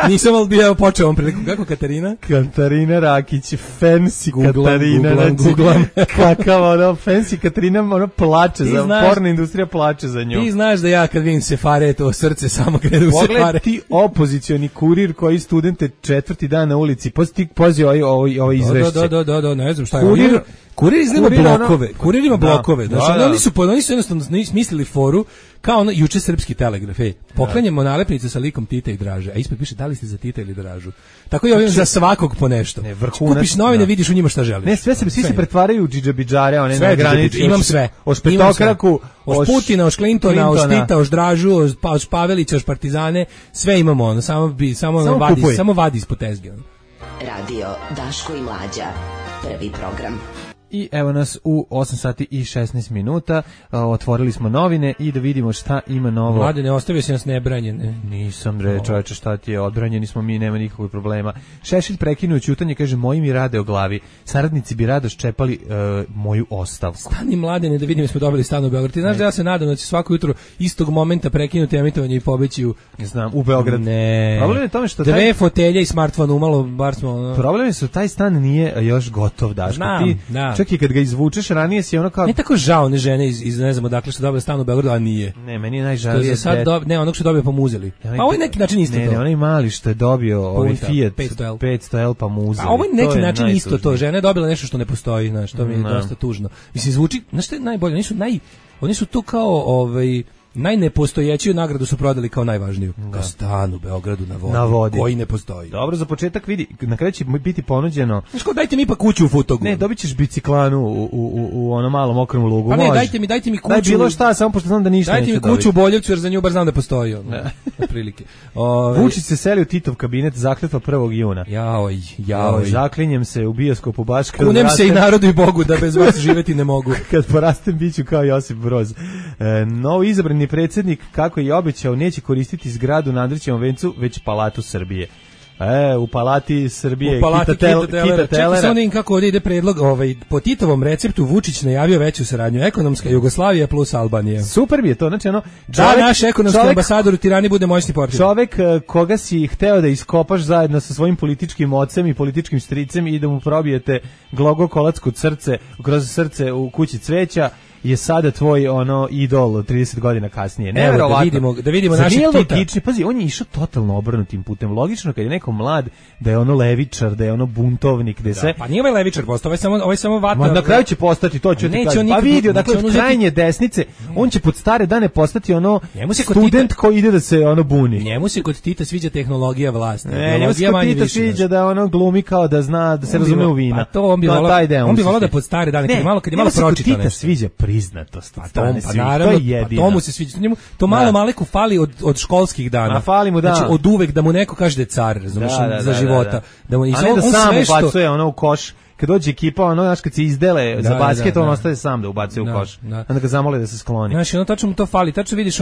Nisam, ali bi počeo ovom priliku. Kako Katarina? Katarina Rakić, Fancy Katarina. Googlam. Kakav Fancy Katarina, plače, porna industrija plače za nju. Ti znaš da ja kad vidim Sefare, to srce samo krene u Sefare. Pogledaj ti opozicioni kurir koji studente 4. dan na ulici. Pazi ovo izvešće. Da, ne znam šta je. Kurir izgleda blokove. Kurir ima blokove. Znači, oni su jednostavno smislili foru kao juče Srpski telegraf. Poklanjamo nalepnice sa likom Tita i Draže, a ispod piše da li ste za Tita ili Dražu. Tako je ovim za svakog po nešto. Kupiš novine, vidiš u njima šta želiš. Ne, svi se pretvaraju u džidžabidžare, one na granici. Imam sve. Od Petokraku, od Putina, od Clintona, od Tita, od Dražu, od Pavelića, od Partizane, sve imamo, samo vadi ispod tezge. Radio Daško i Mlađa, prvi program. I evo nas u 8 sati i 16 minuta, otvorili smo novine i da vidimo šta ima novo. Mlade, ne ostavio si nas nebranjen. Nisam čoveče, šta ti je, odbranjeni smo mi, nema nikakvog problema. Šešelj prekinuo ćutanje, kaže, moji mi rade o glavi, saradnici bi rado ščepali moju ostavku. Stani Mladene, da vidim, smo dobili stan u Beogradu. Ti znaš da ja se nadam da će svako jutro istog momenta prekinuti emitovanje i pobeći u Beograd. Ne. Problem je tome što dve fotelje i smartfon umalo, bar smo... Problem je što taj stan nije još gotov, Daško. Znam, da. uvek kad ga izvučeš, ranije si ono kao... Ne tako žao one žene iz ne znam odakle što dobile stan u Beogradu, a nije. Ne, meni je najžalije... Ne, onog što dobio pa mu uzeli. A ovo je neki način isto to. Ne, onaj mali što je dobio ovaj Fiat 500L pa mu uzeli. A ovo je neki način isto to. Žena je dobila nešto što ne postoji, znaš, to mi je dosta tužno. Mislim, zvuči, znaš što je najbolje? Oni su tu kao najnepostojećiju nagradu su prodali kao najvažniju. Kao stan u Beogradu na vodi. Koji ne postoji. Dobro, za početak vidi, na kraju će biti ponuđeno... Znaš ko, dajte mi pa kuću u Futogu. Ne, dobit ćeš biciklanu u onom malom okrom lugu. Pa ne, dajte mi kuću... Daj bilo šta, samo pošto znam da ništa neće dobiti. Dajte mi kuću u Boljevcu, jer za nju bar znam da postoji. Prilike. Vučić se seli u Titov kabinet, zakletva 1. juna. Jao. Zaklinjem se u bioskopu baš kad... Kunem se i narodu i Bogu da bez vas živeti ne mogu. Kad porastem biću kao Josip Broz. Novo izabrani predsjednik, kako je obećao, neće koristiti zgradu na Andrićevom vencu, već Palatu Srbije. U Palati Srbije, Kita Telera. Čekaj samo nekim kako ovdje ide predlog. Po Titovom receptu Vučić najavio veću saradnju. Ekonomska Jugoslavija plus Albanija. Super bi je to. Znači, naš ekonomski ambasador u Tirani bude moćni portir. Čovek koga si hteo da iskopaš zajedno sa svojim političkim ocem i političkim stricem i da mu probijete glogokolac kroz srce u kući cveća, je sada tvoj idol 30 godina kasnije. Neverovatno. Da vidimo našeg Tita. Pazi, on je išao totalno obrnutim putem. Logično kad je neko mlad da je levičar, da je buntovnik, da je sve. Pa nije ovaj levičar postao, ovaj samo vata. Ma na kraju će postati, to ću ti kažem. Pa vidio, dakle od krajnje desnice, on će pod stare dane postati student koji ide da se buni. Njemu se kod Tita sviđa tehnologija vlasti. Njemu se kod Tita sviđa da glumi kao da zna, da se razume u vina. Pa to on bi volao da pod stare dane, kad je malo pročitao nešto. Priznatost. To mu se sviđa. To malo Maleku fali od školskih dana. A fali mu, da. Znači od uvek da mu neko kaže da je car, razumiješ, za života. Da mu a ne da sam ubacuje u koš. Kad dođe ekipa, znaš, kad se izdele za basket, on ostaje sam da ubacuje u koš. Onda ga zamole da se skloni. Znači, tačno mu to fali. Tačno vidiš,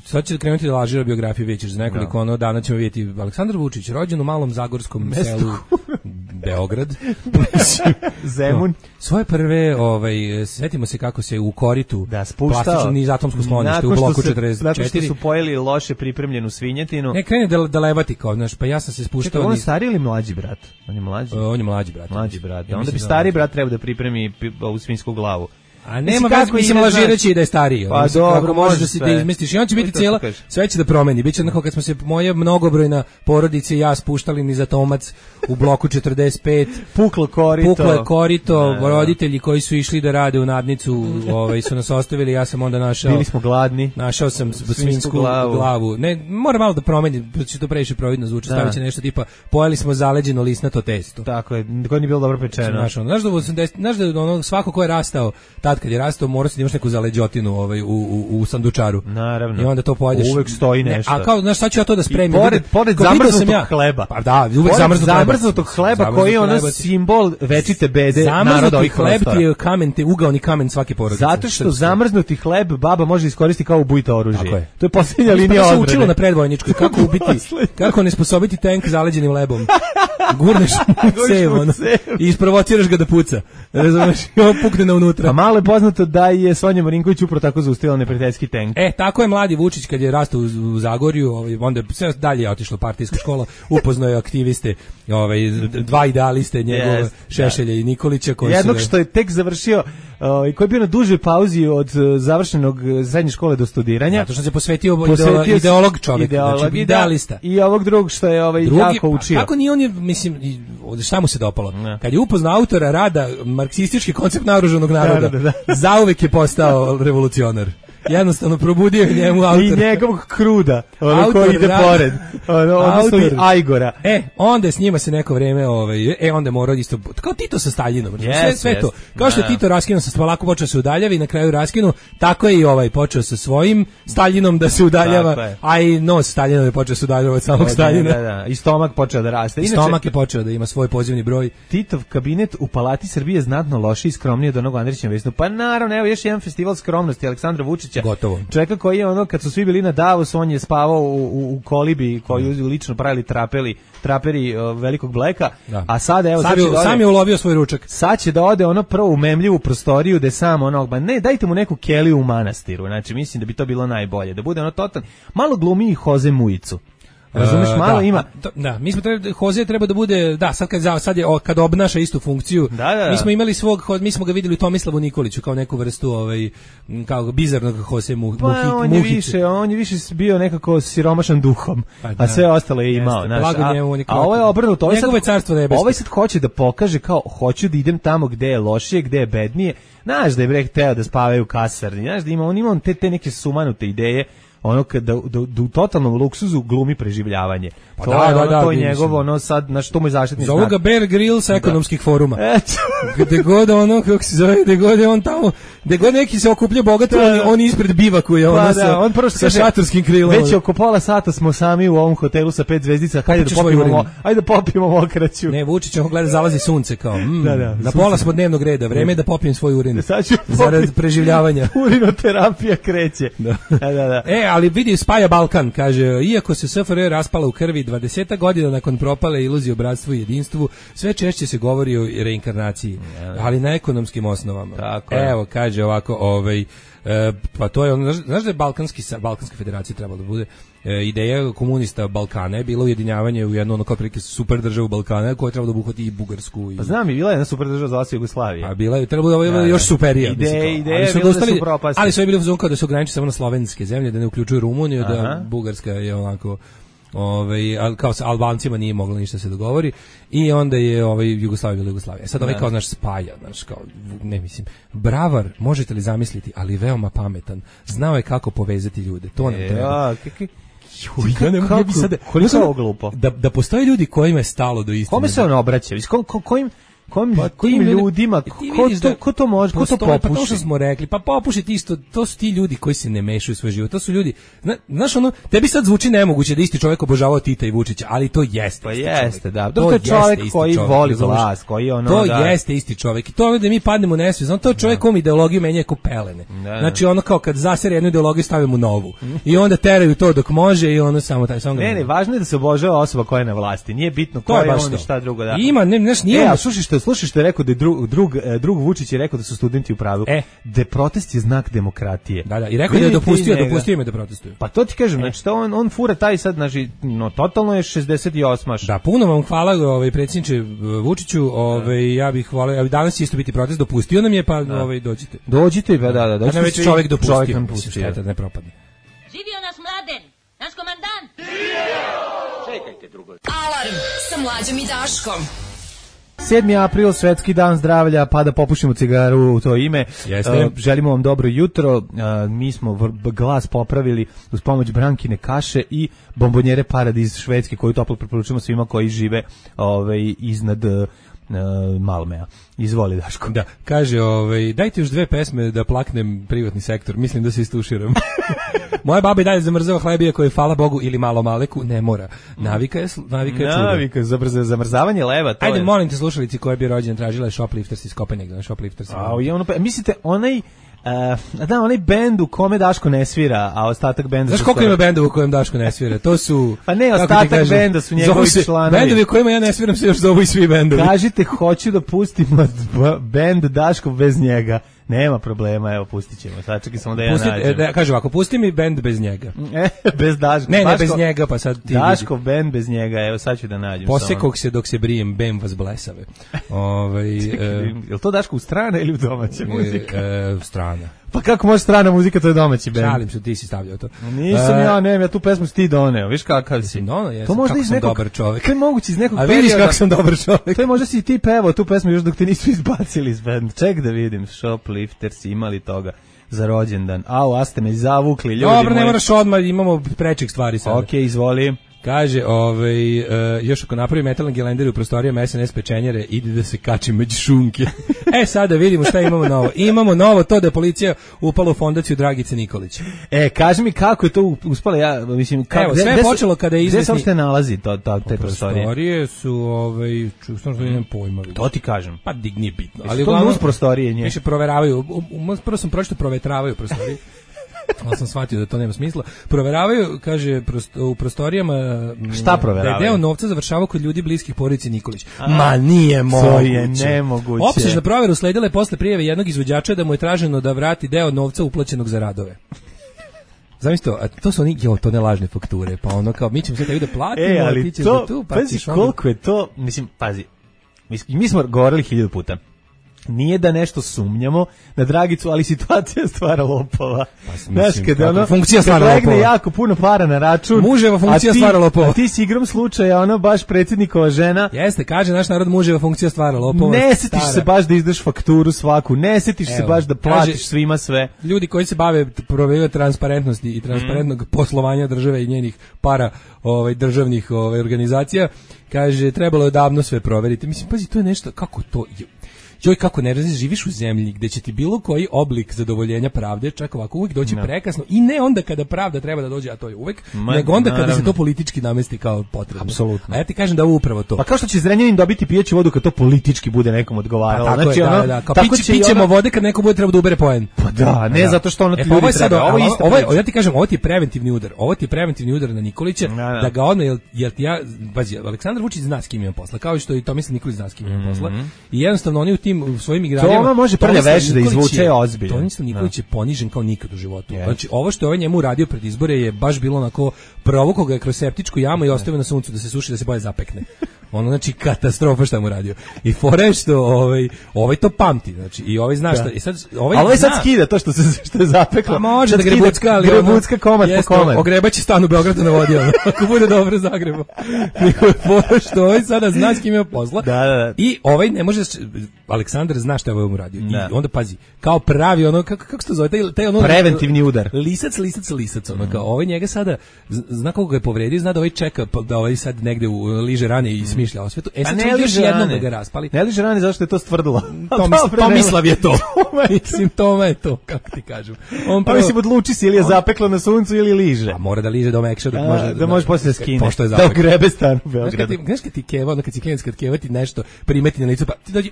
sad će krenuti da lažira biografiju, vidjet ćeš za nekoliko dana ćemo vidjeti Aleksandar Vučić, rođen u malom zagorskom selu Beograd. Zemun. Svoje prve, setimo se kako se u koritu plastično nizatomsko sklonište u bloku 44. Nakon što su pojeli loše pripremljenu svinjetinu. Ne, krene da levati kao, znaš, pa ja sam se spuštao. Čekaj, on je stariji ili mlađi brat? On je mlađi. On je mlađi brat. Brat. Onda bi stari brat trebao da pripremi ovu svinsku glavu. A nema veze, mislim lažirajući da je stariji. Pa dobro, možeš da se izmestiš. I on će biti cijela, sve će da promeni. Biće onako kad smo se moje mnogobrojna porodica i ja spuštali niza Tomac u bloku 45. Puklo korito, roditelji koji su išli da rade u nadnicu, su nas ostavili, ja sam onda našao. Bili smo gladni. Našao sam svinsku glavu. Ne, mora malo da promeni, će to previše providno zvuči, stavit će nešto tipa pojeli smo zaleđeno lisnato testo. Tako je, koje nije bilo dobro pečeno. Znaš da svako ko je rastao kad je rastao, morao si da imaš neku zaleđotinu u sandučaru. Naravno. I onda to pojedeš. Uvek stoji nešto. A kao, znaš, šta ću ja to da spremim? Pored zamrznutog hleba. Pa da, uvek zamrznutog hleba koji je ono simbol večite bede naroda ovih prostora. Zamrznuti hleb ti je ugaoni kamen svake porodice. Zato što zamrznuti hleb baba može iskoristiti kao ubojito oružje. Tako je. To je posljednja linija odbrane. To se učilo na predvojničkoj. Kako ne sposobiti tank zaleđenim lebom. Gurneš mu cev, i isprovociraš ga da puca. Razumeš? I on pukne na unutra. A malo je poznato da je Sonja Marinković upravo tako zaustavila neprijateljski tank. Tako je mladi Vučić kad je rastao u Zagorju, onda sve dalje je otišla partijska škola, upoznao je aktiviste, dva idealiste, njegove Šešelja i Nikolića. Jednog što je tek završio i koji je bio na dužoj pauzi od završenog srednje škole do studiranja. Zato što se posvetio ideolog čovjek, znači idealista. I ovog drugog što je jako učio. Kako nije on je, mislim, šta mu se dopalo? Kad je upoznao autora rada marksistički koncept naoružanog naroda, zauvek je postao revolucionar. Jednostavno probudio njemu autor. I njegovog kruda, koji ide pored. Odnosno i Ajgora. Onda s njima se neko vreme, onda mora isto, kao Tito sa Staljinom. Sve to. Kao što je Tito raskinuo sa Spalaku, počeo se udaljavi i na kraju raskinuo, tako je i počeo sa svojim Staljinom da se udaljava, a i nos Staljinov je počeo se udaljava od samog Staljina. I stomak počeo da raste. I stomak je počeo da ima svoj pozivni broj. Titov kabinet u Palati Srbije znatno lošiji i skromniji od onog Andrićeva vesnu. Pa naravno, evo još jedan festival skromnosti Aleksandra Vučića. Gotovo. Čovjeka koji je kad su svi bili na Davosu, on je spavao u kolibi koju lično pravili traperi velikog Bleka, a sada evo sam je ulovio svoj ručak. Sad će da ode prvo u memljivu prostoriju da sam ne, dajte mu neku keliju u manastiru. Znači mislim da bi to bilo najbolje, da bude totalno malo glumi Jose Mujicu. Razumeš, malo ima. Da, mi smo Hoze treba da bude, da, sad je kad obnaša istu funkciju. Mi smo imali mi smo ga videli u Tomislavu Nikoliću kao neku vrstu kao bizarnog Hose Muhice. On je više bio nekako siromašan duhom, a sve ostalo je imao, znaš. A ovo je obrnuto, ovaj sad hoće da pokaže kao hoću da idem tamo gde je lošije, gde je bednije. Znaš da je hteo da spavaju u kasarni, znaš da ima te neke sumanute ideje, ono da u totalnom luksuzu glumi preživljavanje. To je njegovo, sad, znači, to mu je zaštitni znak. Zovu ga Bear Grylls ekonomskih foruma. Gde god kako se zove, gde god je on tamo, gde god neki se okuplja bogato, on ispred bivakuje, on sa šatorskim krilom. Već oko pola sata smo sami u ovom hotelu sa 5 zvezdica, ajde da popijemo mokraću. Ne, Vučić on gleda zalazi sunce kao, na pola smo dnevnog reda, vreme je da popijem svoj urin. Zarad preživljavanja. Urinoterapija kreće. Ali vidi, spaja Balkan, kaže, iako se SFRJ raspala u krvi 20 godina nakon propale iluzije o bratstvu i jedinstvu, sve češće se govori o reinkarnaciji, ali na ekonomskim osnovama. Evo, kaže ovako, pa to je ono, znaš da je Balkanska federacija trebala da bude ideja komunista Balkana je bilo ujedinjavanje u jednu ono kao prilike super državu Balkana koja je trebala da obuhvati i Bugarsku. Pa znam, bila je jedna super država zvala se Jugoslavija. A bila je, trebalo da je još superija. Ideje su propasti. Ali su bili u fazonu kao da se ograniči samo na slovenske zemlje, da ne uključuju Rumuniju, da Bugarska je onako kao sa Albancima nije moglo ništa se dogovori i onda je Jugoslavija bila Jugoslavija. Sad kao naš spaja, kao ne mislim, bravar, možete li zamisliti, ali veoma pametan. Znao je kako povezati ljude. To nam treba. Koliko je ovo glupo? Da postoje ljudi kojima je stalo do istine. Kome se on obraća? Kojim ljudima, ko to može, ko to popuši? Pa to što smo rekli, pa popušiti isto, to su ti ljudi koji se ne mešaju u svoj život, to su ljudi, znaš ono, tebi sad zvuči nemoguće da isti čovjek obožavao Tita i Vučića, ali to jeste pa jeste, da, to je čovjek koji voli vlast, koji je ono, to jeste isti čovjek i to je da mi padnemo u nesvijest, to je čovjek kom ideologiju menja ko pelene, znači ono kao kad zasere jednu ideologiju stavimo novu i onda teraju to dok može i ono samo taj samo. Ne, važno je da se obožava osoba koja je na vlasti, nije bitno ko je on i šta drugo da. Ima, Slušaj što je rekao da je drug Vučić je rekao da su studenti u pravu. Da protest je znak demokratije. Da, i rekao da je dopustio me da protestuju. Pa to ti kažem, znači on fura taj sad, znači, totalno je 68. Da, puno vam hvala, predsjedniče Vučiću, ja bih voleo, danas će isto biti protest, dopustio nam je, pa dođite. Dođite, pa da. Dođite već čovjek dopustio, da ne propadne. Živio nas Mladen, naš komandant. Čekajte drugo. Alarm sa Mlađom i Daškom. 7. april, svetski dan zdravlja, pa da popušimo cigaru u to ime. Želimo vam dobro jutro. Mi smo glas popravili uz pomoć Brankine kaše i bombonjere Paradiz švedske, koju toplo preporučujemo svima koji žive iznad Malmea. Izvoli, Daško. Da, kaže, dajte još 2 pesme da plaknem privatni sektor, mislim da se istuširam. Moja baba i dalje zamrzava hlebije koje, hvala Bogu, ili malo maleku, ne mora. Navika je čudo. Navika, zamrzavanje leva, to Ajde, je. Molim te, slušalici koja bi rođena tražila je Shoplifters iz Kopenhagena. Mislite, onaj bend u kome Daško ne svira, a ostatak benda... Znaš koliko ima benda u kojem Daško ne svira? To su... Pa ne, ostatak benda su njegovi članovi. Bendovi u kojima ja ne sviram se još zovu i svi bendovi. Kažite, hoću da pustim bend Daško bez njega. Nema problema, evo, pustit ćemo. Sad čekaj samo da ja nađem. Kaže ovako, pusti mi bend bez njega. Bez Daško. Ne, bez njega, pa sad ti Daškov bend bez njega, evo, sad ću da nađem. Posekog se dok se brijem, bem vas blesave. Je li to Daško u strana ili u domaća muzika? Strana. Pa kako može strana muzika, to je domaći bend? Šalim se, ti si stavljao to. Nisam ja tu pesmu si ti doneo, viš kakav si. To možda iz nekog dobar čovjek. To je moguće iz nekog perioda. A vidiš kako sam dobar čovjek. To je možda si ti pevao tu pesmu još dok te nisu izbacili iz benda. Ček da vidim, Shoplifters imali toga za rođendan. A ste me zavukli, ljudi moji. Dobro, ne moraš odmah, imamo prečih stvari sada. Okej, izvoli. Kaže, još ako napravi metalni gelender u prostorijama SNS pečenjere, ide da se kači među šunke. Sada vidimo šta imamo novo. Imamo novo to da je policija upala u fondaciju Dragice Nikolić. Kaži mi kako je to uspalo, ja mislim... Evo, sve je počelo kada je izvesni... Gde se uopšte nalazi te prostorije? Prostorije su, što nemam pojma. To ti kažem. Pa nije bitno. Ali uglavnom uz prostorije nje. Više proveravaju, prvo sam pročito provetravaju prostorije. Ali sam shvatio da to nema smisla. Proveravaju, kaže, u prostorijama šta proveravaju? Da je deo novca završavao kod ljudi bliskih porodici Nikolić. Ma nije moguće. To je nemoguće. Opsežna provera usledila je posle prijave jednog izvođača da mu je traženo da vrati deo novca uplaćenog za radove. Zamisli to su oni, to ne lažne fakture, pa ono kao, mi ćemo sve tebi da platimo, ali ti ćeš to, da tu, pa pazi, koliko je to, mislim, pazi, mi smo govorili 1000 puta. Nije da nešto sumnjamo na Dragicu, ali situacija stvara lopova. Znaš, kada ono, funkcija stvara lopova. Legne jako puno para na račun. Muževa funkcija stvara lopova. A ti si igrom slučaja, ono, baš predsjednikova žena. Jeste, kaže naš narod, muževa funkcija stvara lopova. Ne setiš se baš da izdaš fakturu svaku, ne setiš se baš da platiš svima sve. Ljudi koji se bave provedom transparentnosti i transparentnog poslovanja države i njenih para državnih organizacija, kaže, trebalo je davno sve proveriti. Mislim, pazi, to je nešto, kako to je... Joj, kako ne razliš, živiš u zemlji gde će ti bilo koji oblik zadovoljenja pravde čak ovako uvijek doći prekasno i ne onda kada pravda treba da dođe, a to je uvijek, nego onda kada se to politički namesti kao potrebno. Apsolutno. A ja ti kažem da je upravo to. Pa kao što će Zrenjanin dobiti pijeću vodu kad to politički bude nekom odgovaralo. Pa, znači, pićemo vode kad neko bude treba da ubere poen. Pa da, ne zato što ono ljudi treba. Ja ti kažem, ovo ti je preventivni udar. Ovo ti je preventivni udar na Nikolića, da ga odmah, jer ja, bazi, Aleksandar Vučić zna s kim ima posla, kao što i Tomislav Nikolić zna s kim ima posla. I jednostavno oni u svojim igrarijama. To može prlja veš da izvuče ozbiljno. Tomislav Nikolić je ponižen kao nikad u životu. Znači, ovo što je ovaj njemu uradio pred izbore je baš bilo onako provukao ga je kroz septičku jamu i ostavio na suncu da se suši, da se bolje zapekne. Ono, znači, katastrofa šta mu radio. I fore što ovaj to pamti, znači, i ovaj zna šta. I sad, ovaj sad skida to što je zapeklo. Pa može da grebucka, ali grebucka komad po komad. Ogrebaće stan u Beogradu na vodi, ako bude dobro Zagrebo. Nego je fore što ovaj sada zna s kim ima posla. Da. I ovaj ne može, Aleksandar zna šta je ovaj mu radio. I onda pazi, kao pravi ono, kako se to zove, taj ono... Preventivni udar. Lisac, ono, kao ovaj njega sada, zna kako ga je povredio, zna da ovaj čeka, da ovaj sad negde liže rane i smišlja o svetu. Sad će još jednom da ga raspali. Ne liže rane, zašto je to stvrdilo? Tomislav je to. Mislim, Toma je to, kako ti kažem. Pa mislim, odluči si ili je zapeklo na suncu ili liže. A mora da liže do mekša, da može posle skine. Pošto je zapeklo. Da grebe stan u Beogradu. Znaš kad ti keva, onda kad si klijent, kad keva ti nešto primeti na licu, pa ti dođi,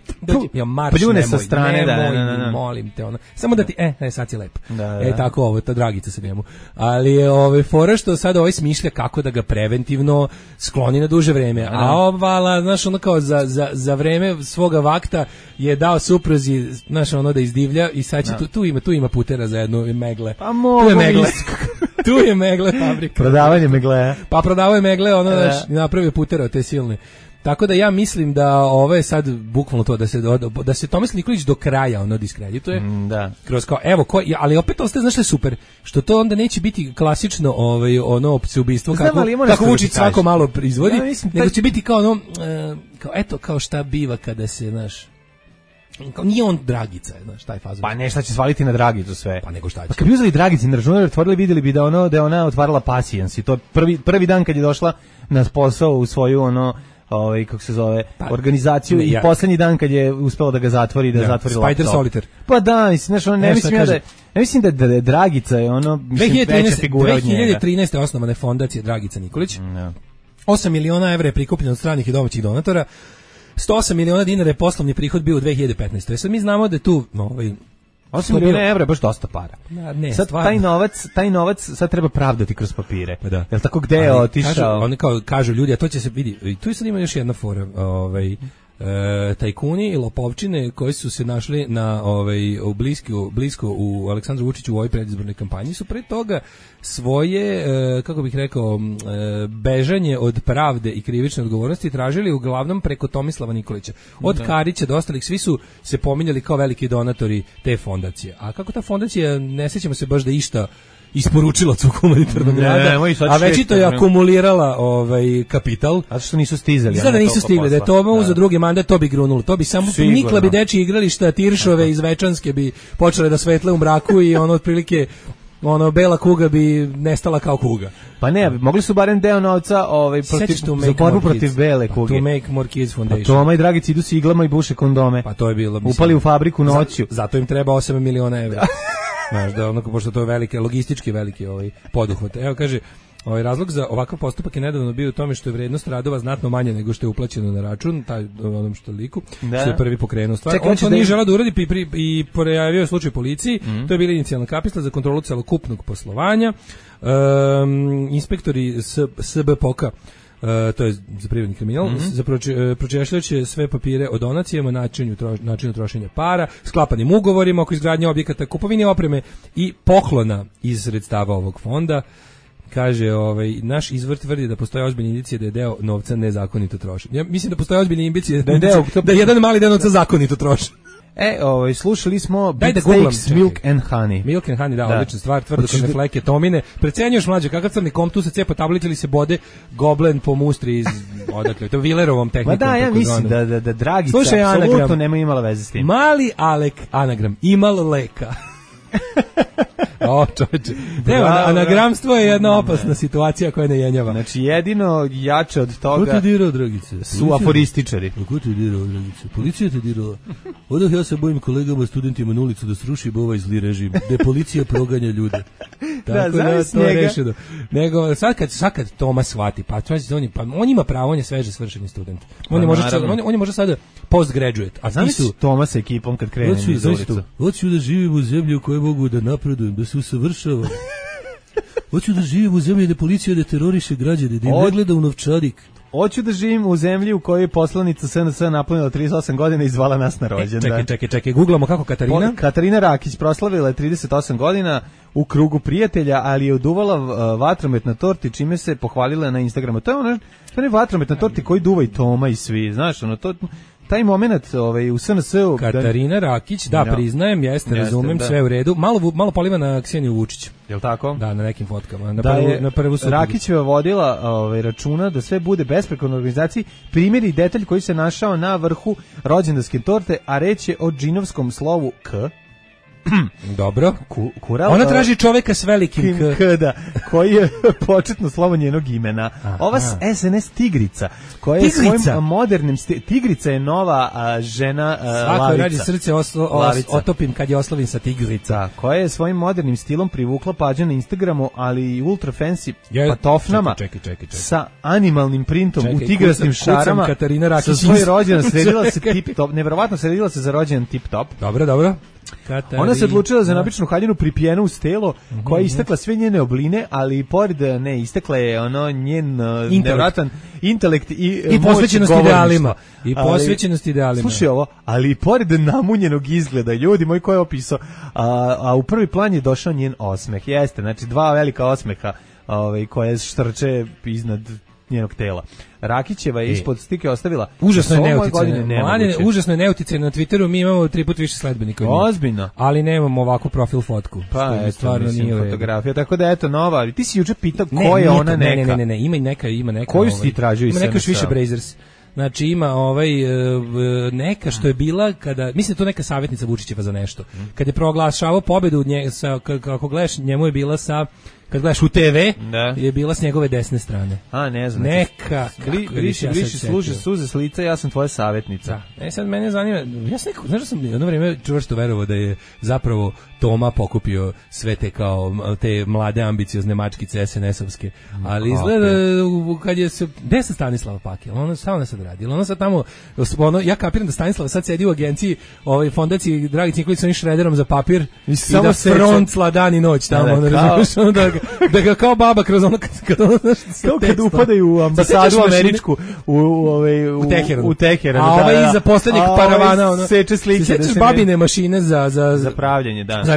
ja marš, nemoj, sa strane, nemoj, molim te, ono. Samo da ti, sad si lep. Tako ovo, ta Dragica se njemu. Ali je fora što sad ovaj smišlja kako da ga preventivno skloni na duže vreme. A ovala, znaš, ono kao za vreme svoga vakta je dao supruzi, znaš, ono da izdivlja i sad će tu ima putera za jednu megle. Pa mogu. Tu je megle fabrika. Prodavanje megle. Pa prodavao je megle, ono, znaš, napravio putera od te silne. Tako da ja mislim da ovo je sad bukvalno to da se Tomislav Nikolić do kraja ono diskredituje. Da. Kroz kao evo ali opet ostaje, znaš što je super, što to onda neće biti klasično ono ubistvo kako Vučić svako malo izvodi, nego će biti kao ono kao šta biva kada se, znaš, kao nije on Dragica, znaš, taj fazon. Pa ne, šta će svaliti na Dragicu sve. Pa nego šta će. Pa kad bi uzeli Dragici na računar, otvorili, vidjeli bi da je ona otvarala Pasijans i to prvi dan kad je došla na posao u svoju kako se zove, organizaciju i posljednji dan kad je uspela da ga zatvori, zatvori laptop. Spider Solitaire. Pa da, mislim, ne mislim da je Dragica je veća figura od njega. 2013. osnovana je fondacija Dragica Nikolić. 8 miliona evra je prikupljeno od stranih i domaćih donatora. 108 miliona dinara je poslovni prihod bio u 2015. Sad mi znamo da je tu 8 miliona evra je baš dosta para. Ne, sad taj novac sad treba pravdati kroz papire. Pa da. Jel tako gde je otišao? Oni kao kažu ljudi, a to će se vidi. I tu sad ima još jedna fora, tajkuni i lopovčine koji su se našli na blisko u Aleksandru Vučiću u ovoj predizbornoj kampanji su pre toga svoje, kako bih rekao, bežanje od pravde i krivične odgovornosti tražili uglavnom preko Tomislava Nikolića. Od Karića do ostalih, svi su se pominjali kao veliki donatori te fondacije. A kako ta fondacija, ne sjećamo se baš da išta isporučila svog humanitarnog rada, a već to je akumulirala kapital. A što nisu stizali? Sada nisu stigli, da je to za drugi mandat, to bi grunulo. To bi samo nikla bi dečji igrališta, Tiršove iz Večanske bi počele da svetle u mraku i otprilike bela kuga bi nestala kao kuga. Pa ne, mogli su barem deo novca za borbu protiv bele kuge. To Make More Kids Foundation. Pa Toma i Dragici idu s iglama i buše kondome. Pa to je bilo. Upali u fabriku noću. Zato im treba 8 miliona evra. Znaš, pošto to je logistički veliki poduhvat. Evo kaže, razlog za ovakav postupak je nedavno bio u tome što je vrednost radova znatno manja nego što je uplaćeno na račun, onom što liku, što je prvi pokrenuo stvar. On to nije želeo da uradi i pojavio je slučaj policiji, to je bila inicijalna kapisla za kontrolu celokupnog poslovanja. Inspektori SBPOK-a to je za privredni kriminal, pročešljajući sve papire o donacijama, načinu trošenja para, sklapanim ugovorima oko izgradnje objekata, kupovine opreme i poklona iz sredstava ovog fonda. Kaže, naš izvor tvrdi da postoje ozbiljne indicije da je deo novca nezakonito trošen. Ja mislim da postoje ozbiljne indicije da je jedan mali deo novca zakonito trošen. Slušali smo Beatsteaks Milk and Honey. Milk and Honey, da, odlična stvar, tvrdo kod fleke, tomine. Precenjuješ mlađe, kakav crni kom, tu se cepa tablica ili se bode goblen po mustri iz, odakle, to Willerovom tehnikom. Ma da, ja mislim da Dragica apsolutno nema imala veze s tim. Mali Alek, anagram, imal leka. Čovječe. Anagramstvo je jedna opasna situacija koja ne jenjava. Znači, jedino jače od toga... Ko te dirao, Dragice? Su aforističari. Ko te dirao, Dragice? Policija te dirala. Odah ja se bojim kolegama, studentima na ulicu da sruši ovaj zli režim, da policija proganja ljude. Tako da, to je rešeno. Nego, sad kad Toma shvati, on ima pravo, on je sveže svršeni student. On je možda sada postgraduate. A znaš Toma sa ekipom kad krene iz ulicu? Hoću da živim u zemlji u kojoj mogu da napredujem, da se usavršavam. Hoću da živim u zemlji da policija ne teroriše građane, da im ne gleda u novčanik. Hoću da živim u zemlji u kojoj je poslanica SNS napunila 38 godina i zvala nas na rođendan. Čekaj, googlamo kako Katarina? Katarina Rakić proslavila je 38 godina u krugu prijatelja, ali je oduvala vatromet na torti, čime se pohvalila na Instagramu. To je onaj vatromet na torti koji duva i Toma i svi, znaš, taj moment u SNS-u... Katarina Rakić, da, priznajem, jeste, razumem, sve u redu. Malo poliva na Kseniju Vučić. Jel' tako? Da, na nekim fotkama. Na prvu Rakićeva vodila računa da sve bude besprekorno organizaciji. Primjer i detalj koji se našao na vrhu rođendanske torte, a reč je o džinovskom slovu K. Dobro. Ona traži čoveka s velikim K. Da, koji je početno slovo njenog imena. Ova SNS Tigrica, koja je svojim modernim... Tigrica je nova žena Lavica. Svako radi srce otopim kad je oslovim sa Tigrica. Koja je svojim modernim stilom privukla pađe na Instagramu, ali i ultra fancy patofnama sa animalnim printom u tigrastim šarama. Sa svoj rođendan sredila se tip-top. Nevjerovatno sredila se za rođendan tip-top. Dobro. Ona se odlučila za napičnu haljinu pripijenu uz telo, koja je istakla sve njene obline, ali i pored istakla je njen nevratan intelekt i posvećenost idealima. Slušaj ovo, ali i pored namunjenog izgleda, ljudi moji, ko je opisao, a u prvi plan je došao njen osmeh. Jeste, znači dva velika osmeha koje štrče iznad njenog tela. Rakićeva je ispod stike ostavila užasno je neuticajno na Twitteru, mi imamo 3 puta više sledbenika. Ozbiljno. Ali nemamo ovakvu profil fotku. Pa stvarno nije fotografija, tako da eto nova. Ti si juče pitao ko je ona neka. Ne, ima neka. Koju si tražio iz SNS? Ima neka više Brazers. Znači ima neka što je bila kada, mislim da to neka savjetnica Vučićeva za nešto. Kad je proglašavao pobedu kako gledaš, njemu je bila sa, kad gledaš u TV, je bila s njegove desne strane. A, ne znam. Neka. Briši služe suze s lica, ja sam tvoja savjetnica. Da. Sad mene zanima, ja sam znaš da sam jedno vrijeme čvrsto verovao da je zapravo Toma pokupio sve te te mlade ambiciozne mačkice SNS-ovske. Ali izgleda kad je se, gde se Stanislava Paki? Ona sad radi. Ona sad tamo, ja kapiram da Stanislava sad sedi u agenciji fondaciji Dragić Nikolić onim šrederom za papir i da frontla dan i noć tamo. Da ga kao baba kroz ono kad upadaju u ambasadu američku u Teheranu. A ovaj iza poslednjeg paravana seče slike. Sećaš babine mašine za pravljenje, da. Za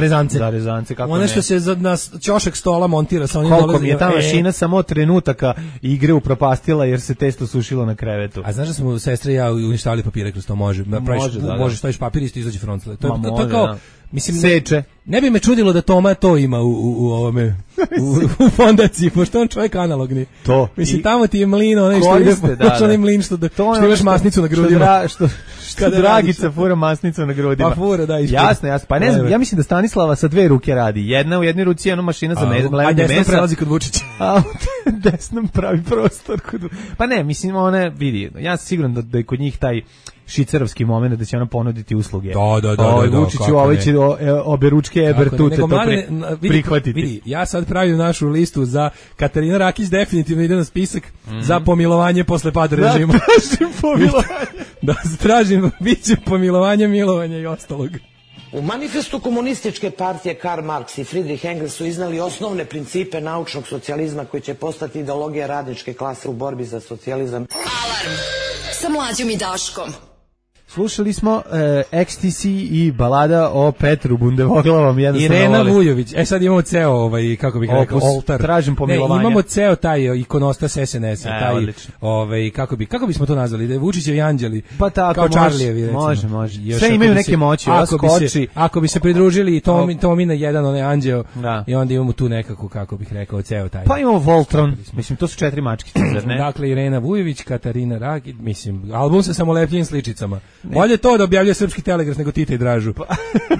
rezance. Kako ono što se na ćošak stola montira sa onim koliko mi je ta mašina samo trenutaka igre upropastila jer se testo sušilo na krevetu. A znaš da smo sestra i ja uništavali papire kroz to? Može, staviš papir i izađe frontle. To je kao, mislim, seče. Ne bi me čudilo da Toma to ima u ovome u fondaciji, pošto on čovjek analogni. To. Mislim, tamo ti je mlin, onaj što ide, onaj mlin što imaš masnicu na grudima. Što Dragica fura masnicu na grudima. Pa fura, da. Jasno. Pa ne znam, ja mislim da Stanislava sa 2 ruke radi. Jedna u jednoj ruci je ono mašina za gledanje mesa. A desnom prelazi kod Vučića. A desnom pravi prostor. Pa ne, mislim, ona vidi, ja sam siguran da je kod njih taj šicerovski moment da će ona ponuditi usluge. Da. Vučiću, ovaj će oberučke Ebertute to prihvatiti. Vidi, ja sad pravim našu listu za Katarina Rakić, definitivno ide na spisak za pomilovanje posle pada režima. Da, tražim pomilovanje. Da, tražim, bit će pomilovanje, milovanje i ostalog. U manifestu komunističke partije Karl Marx i Friedrich Engels su iznali osnovne principe naučnog socijalizma koji će postati ideologija radničke klase u borbi za socijalizam. Alarm sa Mlađom i Daškom. Slušali smo XTC i balada o Petru Bundevoglavom. Irena Vujović. Sad imamo ceo, kako bih rekao, oltar. Tražim pomilovanje. Imamo ceo taj ikonostas SNS-a. Kako bismo to nazvali? Da je Vučićevi anđeli. Pa tako, kao Čarlijevi. Može. Sve imaju neke moći. Ako bi se pridružili i Tomina jedan, onaj anđeo, i onda imamo tu nekako, kako bih rekao, ceo taj. Pa imamo Voltron. Mislim, to su 4 mačkice, zar ne? Dakle, Irena Vujović, Katarina Rakić, mislim, album sa samolepljivim sličicama. Bolje to da objavljuje Srpski telegraf nego Tita i Dražu.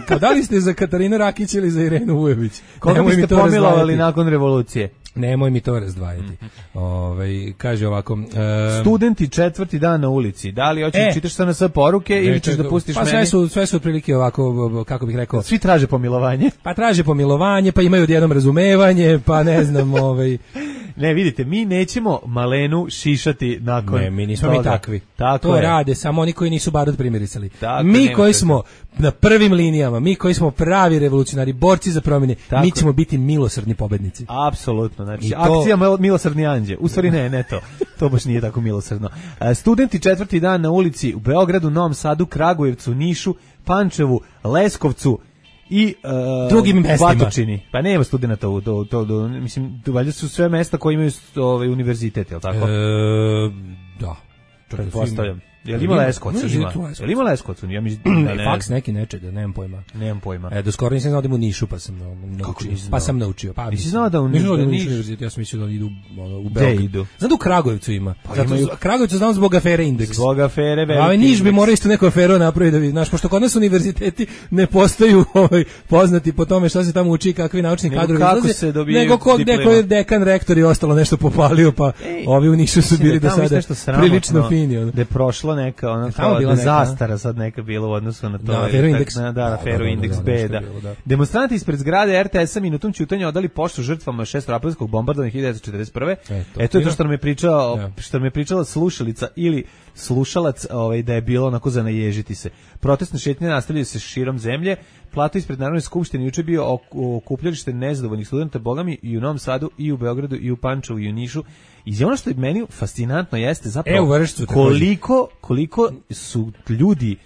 Kao da li ste za Katarinu Rakić ili za Irenu Vujović? Koga biste pomilovali nakon revolucije? Nemoj mi to razdvajati. Kaže ovako... Studenti 4. dan na ulici. Da li hoćeš čitaš sa nas poruke ili ćeš da pustiš meni? Sve su otprilike ovako, kako bih rekao... Svi traže pomilovanje. Pa traže pomilovanje, pa imaju odjednom razumevanje, pa ne znam... Ne, vidite, mi nećemo Malenu šišati nakon. Ne, mi nismo toga. Mi takvi. Tako to je. Rade samo oni koji nisu barut primirisali. Mi koji smo na prvim linijama, mi koji smo pravi revolucionari, borci za promjene, mi ćemo biti milosrdni pobednici. Apsolutno, znači akcija milosrdni anđe. U stvari ne to. To baš nije tako milosrdno. Studenti 4. dan na ulici u Beogradu, Novom Sadu, Kragujevcu, Nišu, Pančevu, Leskovcu i drugim mestima. Batočini. Pa nema studenata mislim, valjda su sve mesta koje imaju univerzitet, je li tako? Da. Pretpostavljam. Jel ima Leskovac? Jel ima Leskovac? Ja mislim da ne. Faks neki nečega, nemam pojma. Do skoro nisam znao da im u Nišu, pa sam naučio. Pa nisi znao da u Nišu univerzitet, ja sam mislio da idu u Beogradu. Znam da u Kragujevcu ima. Kragujevcu znam zbog afere Indeks. Zbog afere veliki. A Niš bi morao isto neku aferu napraviti da vidi, znaš, pošto kod nas univerziteti ne postaju poznati po tome šta se tamo uči, kakvi naučni kadrovi izlaze, nego kod neko je dekan, rektor i ostalo nešto popalio, pa ovi u Nišu su bili do sada prilično fini. Da je prošlo neka zastara sad neka bila u odnosu na to. Aferu Indeks B. Demonstranti ispred zgrade RTS-a minutom ćutanja odali poštu žrtvama 6. aprilskog bombardovanja 1941. To je to što nam je pričala slušalica ili slušalac, da je bilo onako za naježiti se. Protestne šetnje nastavljaju se širom zemlje. Plato ispred Narodne skupštine juče bio okupljalište nezadovoljnih studenta, bogami, i u Novom Sadu, i u Beogradu, i u Pančevu, i u Nišu. I ono što je meni fascinantno jeste zapravo koliko su ljudi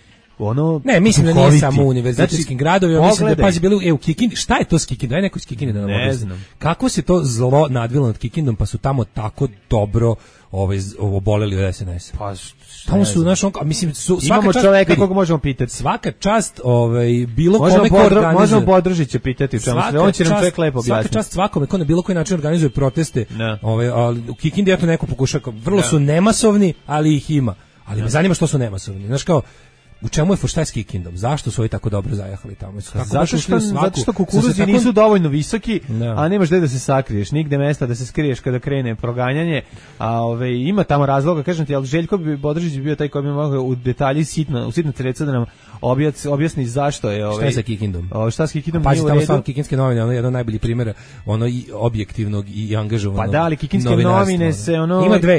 ne, mislim da nije samo u univerzitetskim gradovima, mislim da je pazi bilo u Kikindi. Šta je to s Kikindom? Daj neko iz Kikinde da nam objasni. Kako se to zlo nadvilo nad Kikindom, pa su tamo tako dobro oboleli od SNS. Pa tamo su mislim imamo čoveka koga možemo pitati. Svaka čast bilo kome ko organizuje. Možemo Bodržića pitati, on će nam čovjek lepo objasniti. Svaka čast svakome ko na bilo koji način organizuje proteste. Ali u Kikindi eto neko pokušava, vrlo su nemasovni, ali ih ima. Ali me zanima što su nemasovni. Znaš kao u čemu je šta je s Kikindom? Zašto su ovi tako dobro zajahali tamo? Zato što kukuruzi nisu dovoljno visoki, a nemaš gde da se sakriješ, nigde mesta da se skriješ kada krene proganjanje, a ima tamo razloga, kažem ti, ali Željko Bodržić bi bio taj koji bi mogao u detalji u sitno treca da nam objasni zašto je šta je sa Kikindom? Šta s Kikindom? Pazi, tamo su Kikinske novine, ono je jedan od najboljih primjera i objektivnog i angažovanog. Pa da, ali Kikinske novine se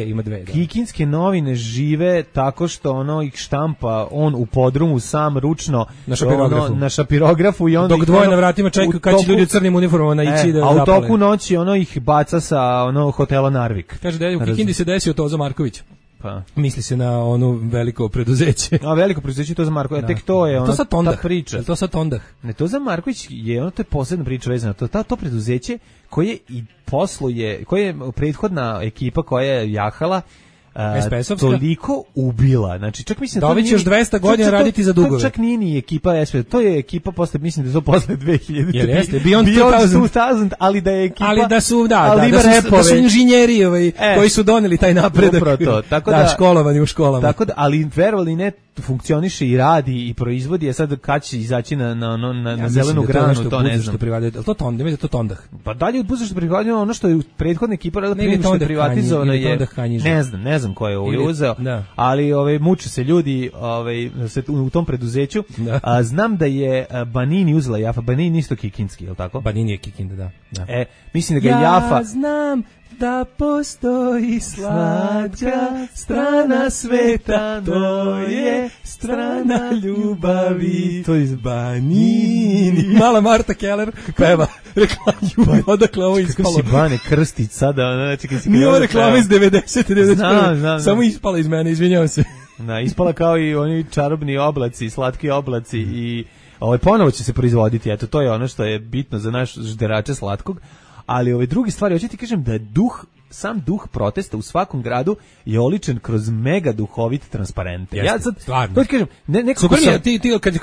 ima dve. Kikinske novine žive tako što ih štampa on u podrumu sam ručno na šapirografu i onda dok dvoje na vratima čekaju kad će ljudi u crnim uniformama naići da zapale. A u toku noći ih baca sa hotela Narvik. Kaže da je u Kikindi se desio Toza Marković. Pa misli se na veliko preduzeće. A veliko preduzeće to za Marković, tek to je ta priča. Je to sad Tondah? Ne, to za Marković je to je posebna priča vezana. To preduzeće koje i posluje, koje je prethodna ekipa koja je jahala toliko ubila. Znači čak mislim da će još 200 godina raditi za dugove. To čak nije ni ekipa SPS, to je ekipa posle, mislim da je to posle 2000. Jeste, Beyond 2000, ali da je ekipa. Ali da su da su inženjeri koji su doneli taj napredak. Tako da školovani u školama. Tako da, ali verovali ne, funkcioniše i radi i proizvodi, a sad kad će izaći na zelenu granu, to ne znam. To Tondah, to Tondah. Pa dalje od budućnosti privatizovano ono što je prethodna ekipa radila, privatizovano je. Ne znam ko je ovo uzeo, ali muče se ljudi u tom preduzeću. Znam da je Banini uzela Jafa. Banini isto kikinski, je li tako? Banini je Kikinda, da. Mislim da ga Jafa... Ja znam da postoji slatka strana sveta, to je strana ljubavi. To je iz Banini. Mala Marta Keller peva reklamu, odakle ovo ispalo. Kako si Bane Krstić sada? Nije ovo reklama iz 90. Znam. Samo ispala iz mene, izvinjavam se. Da, ispala kao i oni čarobni oblaci, slatki oblaci i ponovo će se proizvoditi, eto, to je ono što je bitno za naš žderače slatkog, ali ove druge stvari, hoću ti kažem da je sam duh protesta u svakom gradu je oličen kroz mega duhovit transparente. Jeste, ja sad, stvarno. to ti kažem, Super mi je, ti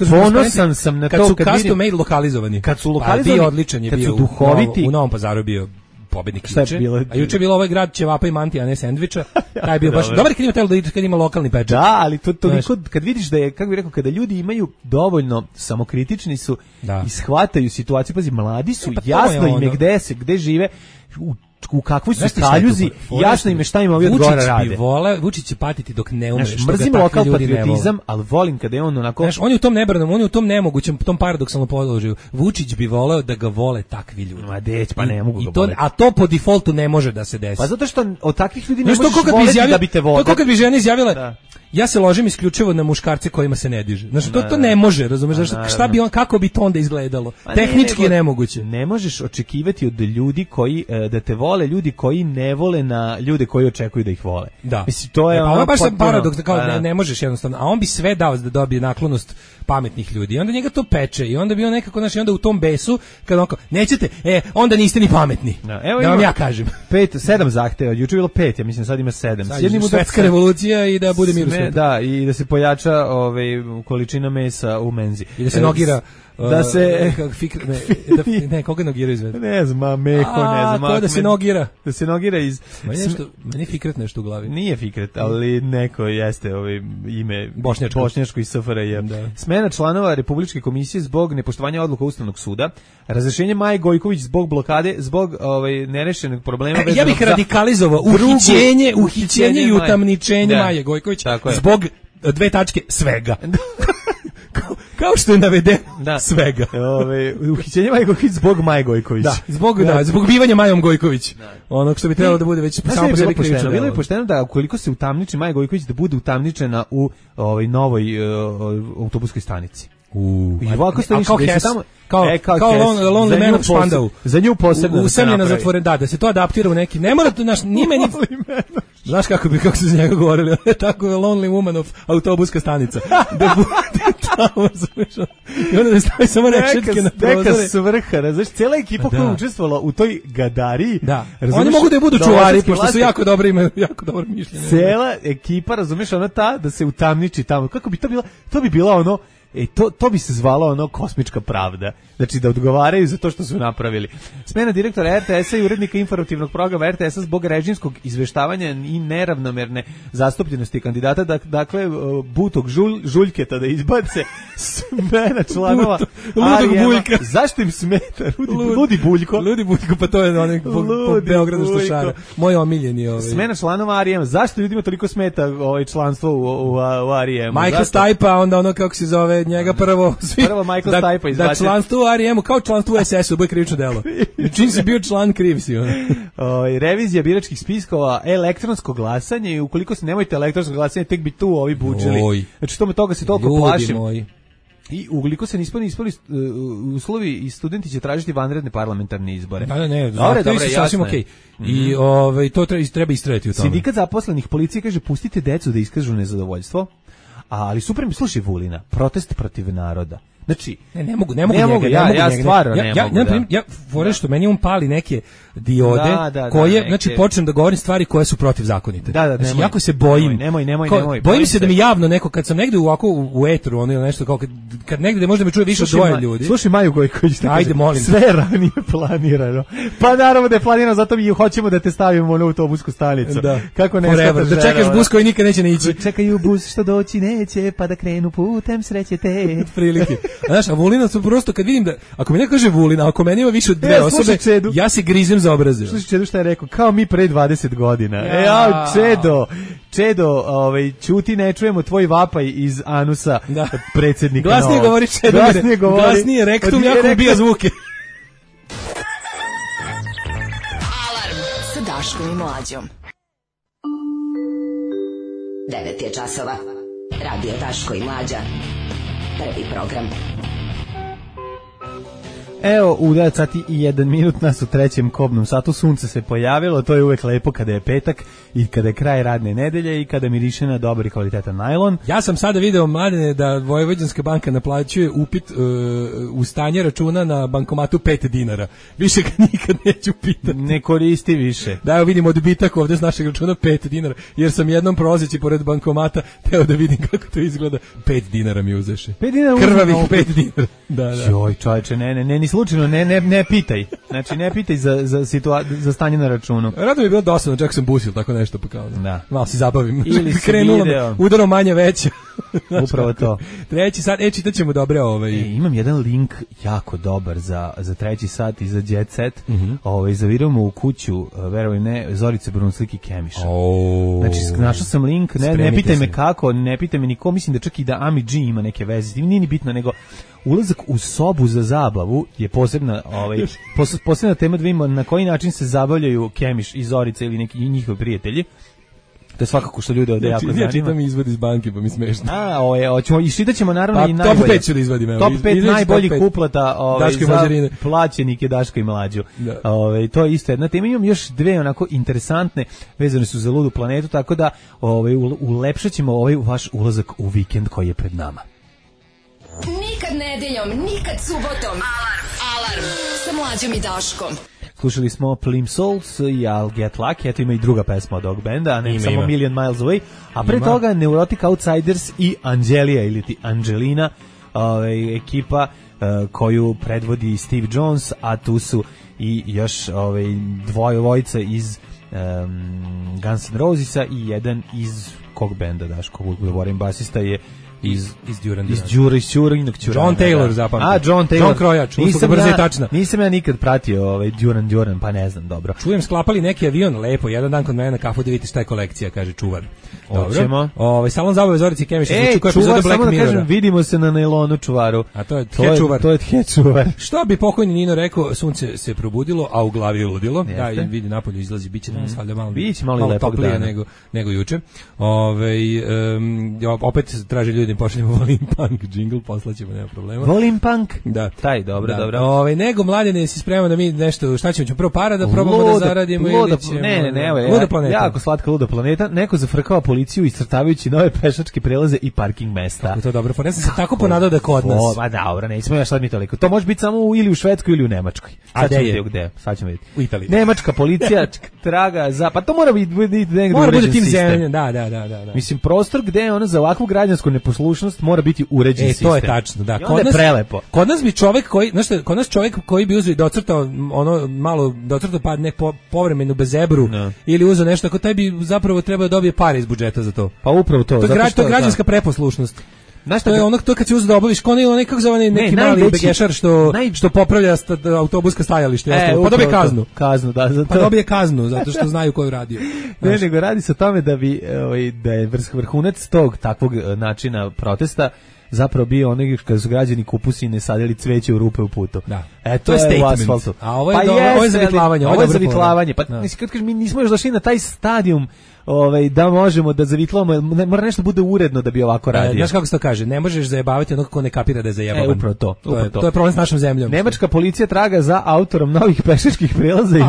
ponosan sam na kad to, su custom made lokalizovani. Kad su lokalizovani, bio odličan je bio duhoviti, u Novom Pazaru bio pobednik juče. A juče je bilo ovaj grad ćevapa i mantija, a ne sendviča. Taj je bio baš dobar kad ima telo kad ima lokalni pečat. Da, ali to toliko kad vidiš da je, kako bih rekao, kada ljudi imaju dovoljno samokritični su i shvataju situaciju, pazi, mladi su, jasno im je gde žive, u kakvoj su kaljuzi, jasno im je šta im ovi od gore rade. Vučić će patiti dok ne umre. Mrzim lokal patriotizam, ali volim kada je on onako... Znaš, on je u tom nebranom, on je u tom nemogućem, tom paradoksalnom položaju. Vučić bi voleo da ga vole takvi ljudi. Ma deć, pa ne mogu ga voleti. A to po defaultu ne može da se desi. Pa zato što od takvih ljudi ne možeš voleti da bi te voleli. To kako bi žena izjavila, ja se ložim isključivo na muškarce kojima se ne diže. Znači, to ne može, razumeš? Šta bi on, kako bi to onda izgledalo? Tehnički je nemoguće. Ne možeš očekivati od ljudi koji, da te vole ljudi koji ne vole na ljude koji očekuju da ih vole. Da. Mislim, to je pa ono baš paradoks, da kao ne možeš jednostavno, a on bi sve dao da dobije naklonost pametnih ljudi. I onda njega to peče i onda bi on nekako, znači, onda u tom besu, kad on kao, nećete, onda niste ni pametni. Da vam ja kažem. 7 zahteva, juče bilo 5, ja mislim sad ima 7. Sad svetska revolucija i da bude mir u svijetu. Da, i da se pojača količina mesa u menzi. I da se nogira da se koga nogira izved. Ne znam, Meho, ne znam. Ko da se nogira? Da se nogira iz Meni je Fikret nešto u glavi. Nije Fikret, ali neko jeste ime bošnjačko iz SFRJ. Smena članova Republičke komisije zbog nepoštovanja odluka Ustavnog suda, razrešenje Maje Gojković zbog blokade, zbog nerešenog problema ja bih radikalizovao uhićenje i utamničenje Maje Gojković zbog 2 tačke svega. Kao što je navedeno svega. Uhićenje Maje Gojković zbog Maje Gojković. Zbog bivanja Majom Gojković. Onog što bi trebalo da bude već samo po sebi krivično. Bilo je pošteno da ukoliko se utamniči Maja Gojković da bude utamničena u novoj autobuskoj stanici. I ovako stojiš kao Lonely Man of Spandau. Za nju posebno. Usamljena zatvoren, da se to adaptira u neki. Ne mora to naš znaš kako se za njega govorili, tako je Lonely Woman of autobuska stanica. Da bude tamo, i onda da stavi samo rešetke na prozore. Neka svrha, znaš, cijela ekipa koja je učestvovala u toj gadariji. Da, oni mogu da budu čuvari, pošto su jako dobri, imaju jako dobro mišljenje. Cijela ekipa, razumiješ, ona da se utamniči tamo. Kako bi to bilo? To bi bila ono, to bi se zvalo kosmička pravda. Znači da odgovaraju za to što su napravili. Smena direktora RTS-a i urednika informativnog programa RTS-a zbog režimskog izveštavanja i neravnomerne zastupljenosti kandidata, dakle Butog Žuljketa da izbace, smena članova Ludog Buljka. Zašto im smeta? Ludi Buljko. Ludi Buljko, pa to je onih po Beogradu stošara. Moj omiljeni. Smena članova Arijema. Zašto ljudima toliko smeta članstvo u Arijemu? Michael Stipe, onda ono kako se zove njega prvo Michael Stipe izbacio. Da članstvo u Arijemu kao članstvo u SS-u, bude krivično delo. Čim si bio član, kriv si. Revizija biračkih spiskova, elektronsko glasanje i ukoliko se nemojte elektronsko glasanje, tek bi tu ovi budžili. Znači toga se toliko plašim. I ukoliko se nisu ispali uslovi i studenti će tražiti vanredne parlamentarne izbore. To je sasvim okej. I to treba istrajati u tome. Sindikat zaposlenih policije kaže pustite decu da iskažu nezadovoljstvo. Ali super mi slušaj Vulina, protest protiv naroda. Znači, ne mogu njega. Ja stvarno ne mogu. Ja fore što meni on pali neke diode koje, znači počnem da govorim stvari koje su protivzakonite. Znači, jako se bojim. Nemoj. Bojim se da mi javno neko, kad sam negde u etru, ono ili nešto, kao kad negde možda me čuje više od 2 ljudi. Slušaj Maju Gojković, ajde, molim. Sve ranije planirano. Pa naravno da je planirano, zato mi hoćemo da te stavimo na autobusku stanicu. Kako ne shvataš da čekaš bus koji nikad neće ići. Čekaju bus što doći neće, pa da krenu putem sreće te. Prilike. Znaš, a Vulina su prosto, kad vidim da, ako mi neko kaže Vulina, ako meni ima više od 2 osobe, ja se grizem za obraze. Slušaj Čedu šta je rekao, kao mi pre 20 godina. Čedo, ćuti, ne čujemo tvoj vapaj iz anusa predsjednika. Glasnije govori Čedo, glasnije rektum, jako ubija zvuke. Alarm sa Daškom Daškom i Mlađom. 9 je časova. Radio Daško i Mlađa. Prvi program. Evo, u 9 sati i 1 minut nas u trećem kobnom satu. Sunce se pojavilo, to je uvek lepo kada je petak i kada je kraj radne nedelje i kada miriše na dobar i kvalitetan najlon. Ja sam sada video, Mladene, da Vojvođanska banka naplaćuje upit u stanje računa na bankomatu 5 dinara. Više ga nikad neću pitati. Ne koristi više. Da, evo vidim odbitak ovde s našeg računa 5 dinara, jer sam jednom prolazeći pored bankomata teo da vidim kako to izgleda. 5 dinara mi uzeše. 5 dinara krvavih 5 dinara. Da. Joj, čoveče, ne, ni slučajno, ne pitaj. Znači, ne pitaj za stanje na računu. Rado mi bilo dosadno, čak sam busil, tako nešto pa kao. Da. Malo se zabavim. Ili si krenulo udarom manje veće. Upravo to. Treći sat, čitat ćemo dobre imam jedan link jako dobar za treći sat i za Jet Set. Zaviramo u kuću, verujem ne, Zorice Brunslik i Kemiša. Znači, našao sam link, ne pitaj me kako, ne pitaj me niko, mislim da čak i da Ami G ima neke veze, nije ni bitno, nego ulazak u sobu za zabavu je posebna tema da vidimo na koji način se zabavljaju Kemiš i Zorica ili neki njihovi prijatelji. To je svakako što ljude ovde jako zanima. Ja čitam izvod iz banke, pa mi smešno. Hoćemo i šitaćemo naravno i najbolje. Top 5 ću da izvadim. Top 5 najboljih kuplata za plaćenike Daško i Mlađu. To je isto jedna tema. Imam još dve onako interesantne, vezane su za ludu planetu, tako da ulepšat ćemo ovaj vaš ulazak u vikend koji je pred nama. Nikad nedeljom, nikad subotom. Alarm sa Mlađom i Daškom. Slušali smo Plimsouls i I'll Get Lucky, eto ima i druga pesma od ovog benda, a ne samo Million Miles Away, a pre toga Neurotic Outsiders i Angelija ili ti Angelina, ekipa koju predvodi Steve Jones, a tu su i još dvojica iz Guns N' Rosesa i jedan iz kog benda, Daško, govorim, basista je iz Duranda. John Taylor zapamtio. John Taylor. John Krojač, nisam ja nikad pratio Duran, pa ne znam, dobro. Čujem sklapali neki avion, lepo, jedan dan kod mene na kafu da vidite šta je kolekcija, kaže čuvar. Dobro. Salon zabave Zorici Kemiša, čuvar, samo da kažem, vidimo se na nailonu čuvaru. A to je čuvar. To je čuvar. Što bi pokojni Nino rekao, sunce se probudilo, a u glavi je ludilo. Da, i vidi napolju izlazi, biće danas valjda malo toplije nego juče. Opet traže ljudi pošaljemo Volim Punk jingle, poslaćemo, nema problema. Volim Punk? Da. Taj, dobro. Nego, Mladene, si spreman da mi nešto, šta ćemo prvo para da probamo da zaradimo ili ćemo... Ne, Luda planeta. Jako slatka Luda planeta. Neko zafrkava policiju iscrtavajući nove pešačke prelaze i parking mesta. Kako to dobro, ja sam se tako ponadao da kod nas. Dobro, nećemo ja sad mi toliko. To može biti samo ili u Švedskoj ili u Nemačkoj. A gde je? Sad ćemo vidjeti. U Italiji. Nemačka policija traga za... Pa to mora biti negdje mora biti tim zemlje, da. Mislim, prostor gde je ono za ovakvu građansku neposlušnost mora biti uređen sistem. To je tačno, da. Kod nas prelepo. Kod nas bi čovjek koji, znaš šta, kod nas čovjek koji bi uzeo i docrtao pa ne povremenu bezebru ili uzeo nešto, ako taj bi zapravo trebao da dobije pare iz budžeta za to. Pa upravo to. To je građanska preposlušnost. Znaš, to je ono kad se uzeo da obaviš, onaj kako zove neki mali begešar što popravlja autobuska stajalište, pa dobije kaznu. Pa dobije kaznu zato što znaju koju radio. Ne, nego radi se o tome da je vrhunac tog takvog načina protesta zapravo bio onaj kada su građani kupusine sadili cveće u rupe u putu. Da. To je statement. A ovo je zavitlavanje. Ovo je zavitlavanje. Pa kad kažeš, mi nismo još došli na taj stadijum da možemo da zavitlavamo, mora nešto bude uredno da bi ovako radio. Znaš kako se to kaže, ne možeš zajebavati onog ko ne kapira da je zajebavan. Upravo to. To je problem s našom zemljom. Nemačka policija traga za autorom novih pešačkih prelaza i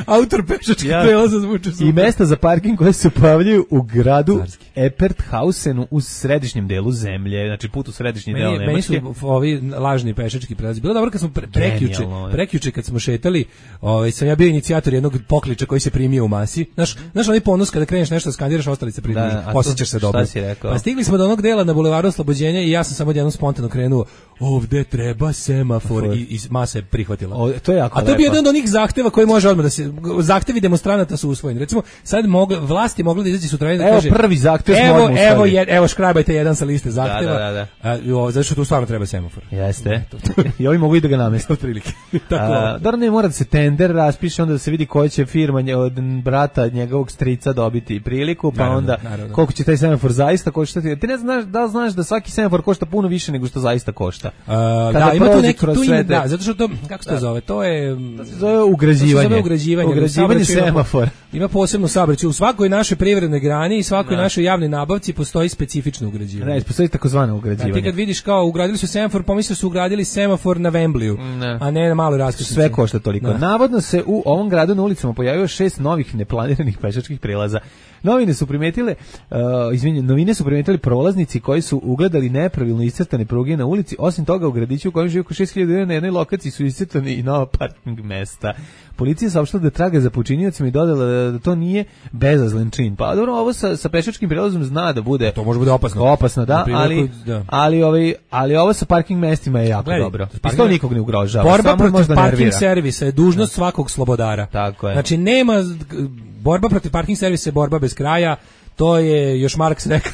autor pešačkih prelaza zvuči super. I mesta za parking koje se pojavljaju u gradu Eperthausenu u središnjem delu zemlje, znači put u središnji deo Nemačke. Meni su ovi lažni pešački prelazi. Bilo dobro kad smo prekjuče kad smo šetali, sam ja bio inicijator jednog pokliča koji se primio u masi. Znaš onaj ponos kada kreneš nešto skandiraš, ostali se pridruži, osjećaš se dobro. Pa stigli smo do onog dela na bulevaru Oslobođenja i ja sam samo jednom spontano krenuo, ovde treba semafor i masa je prihvatila. To je jako a to je bio jedan od onih zahteva koji može odmah da se, zahtevi demonstranata su usvojeni. Recimo, sad vlasti mogli da izađe sutra i da kaže, prvi zahtev evo škrabajte jedan sa liste zahteva. Zato što tu stvarno treba semafor. Jeste. I ovi mogu i da ga nameste otprilike. Dobro, ne mora da se tender raspiše, onda da se vidi koja će firma od brata njegovog strica dobiti priliku, pa onda koliko će taj semafor zaista koštati. Ti ne znaš da znaš da svaki semafor košta puno više nego što zaista košta. Da, ima tu neki zato što to, kako se to zove? To je ugrađivanje semafora. Ima posebno saobraćaj u svakoj našoj privrednoj grani i svakoj našoj javnoj nabavci postoji specifično ugrađivanje. Ne, postoji takozvano ugrađivanje. Ti kad vidiš kao ugradili su semafor, pomisliš su ugradili semafor na Wembleyu, a ne na maloj raskrsnici. Sve košta toliko. Navodno se u ovom gradu na ulicama pojavio 6 novih neplaniranih pešačkih prelaza. Novine su primetili prolaznici koji su ugledali nepravilno iscrtane pruge na ulici. Osim toga, u gradiću u kojem živi oko 6.000 ljudi na jednoj lokaciji su iscrtani i nova parking mesta. Policija saopštila da traga za počiniocima i dodala da to nije bezazlen čin. Pa dobro, ovo sa pešačkim prelazom zna da bude... To može bude opasno. Opasno, da, ali ovo sa parking mestima je jako dobro. I to nikog ne ugrožava. Borba protiv parking servisa je dužnost svakog slobodara. Tako je. Znači, nema... Borba protiv parking servisa je borba bez kraja, to je još Marks rekao.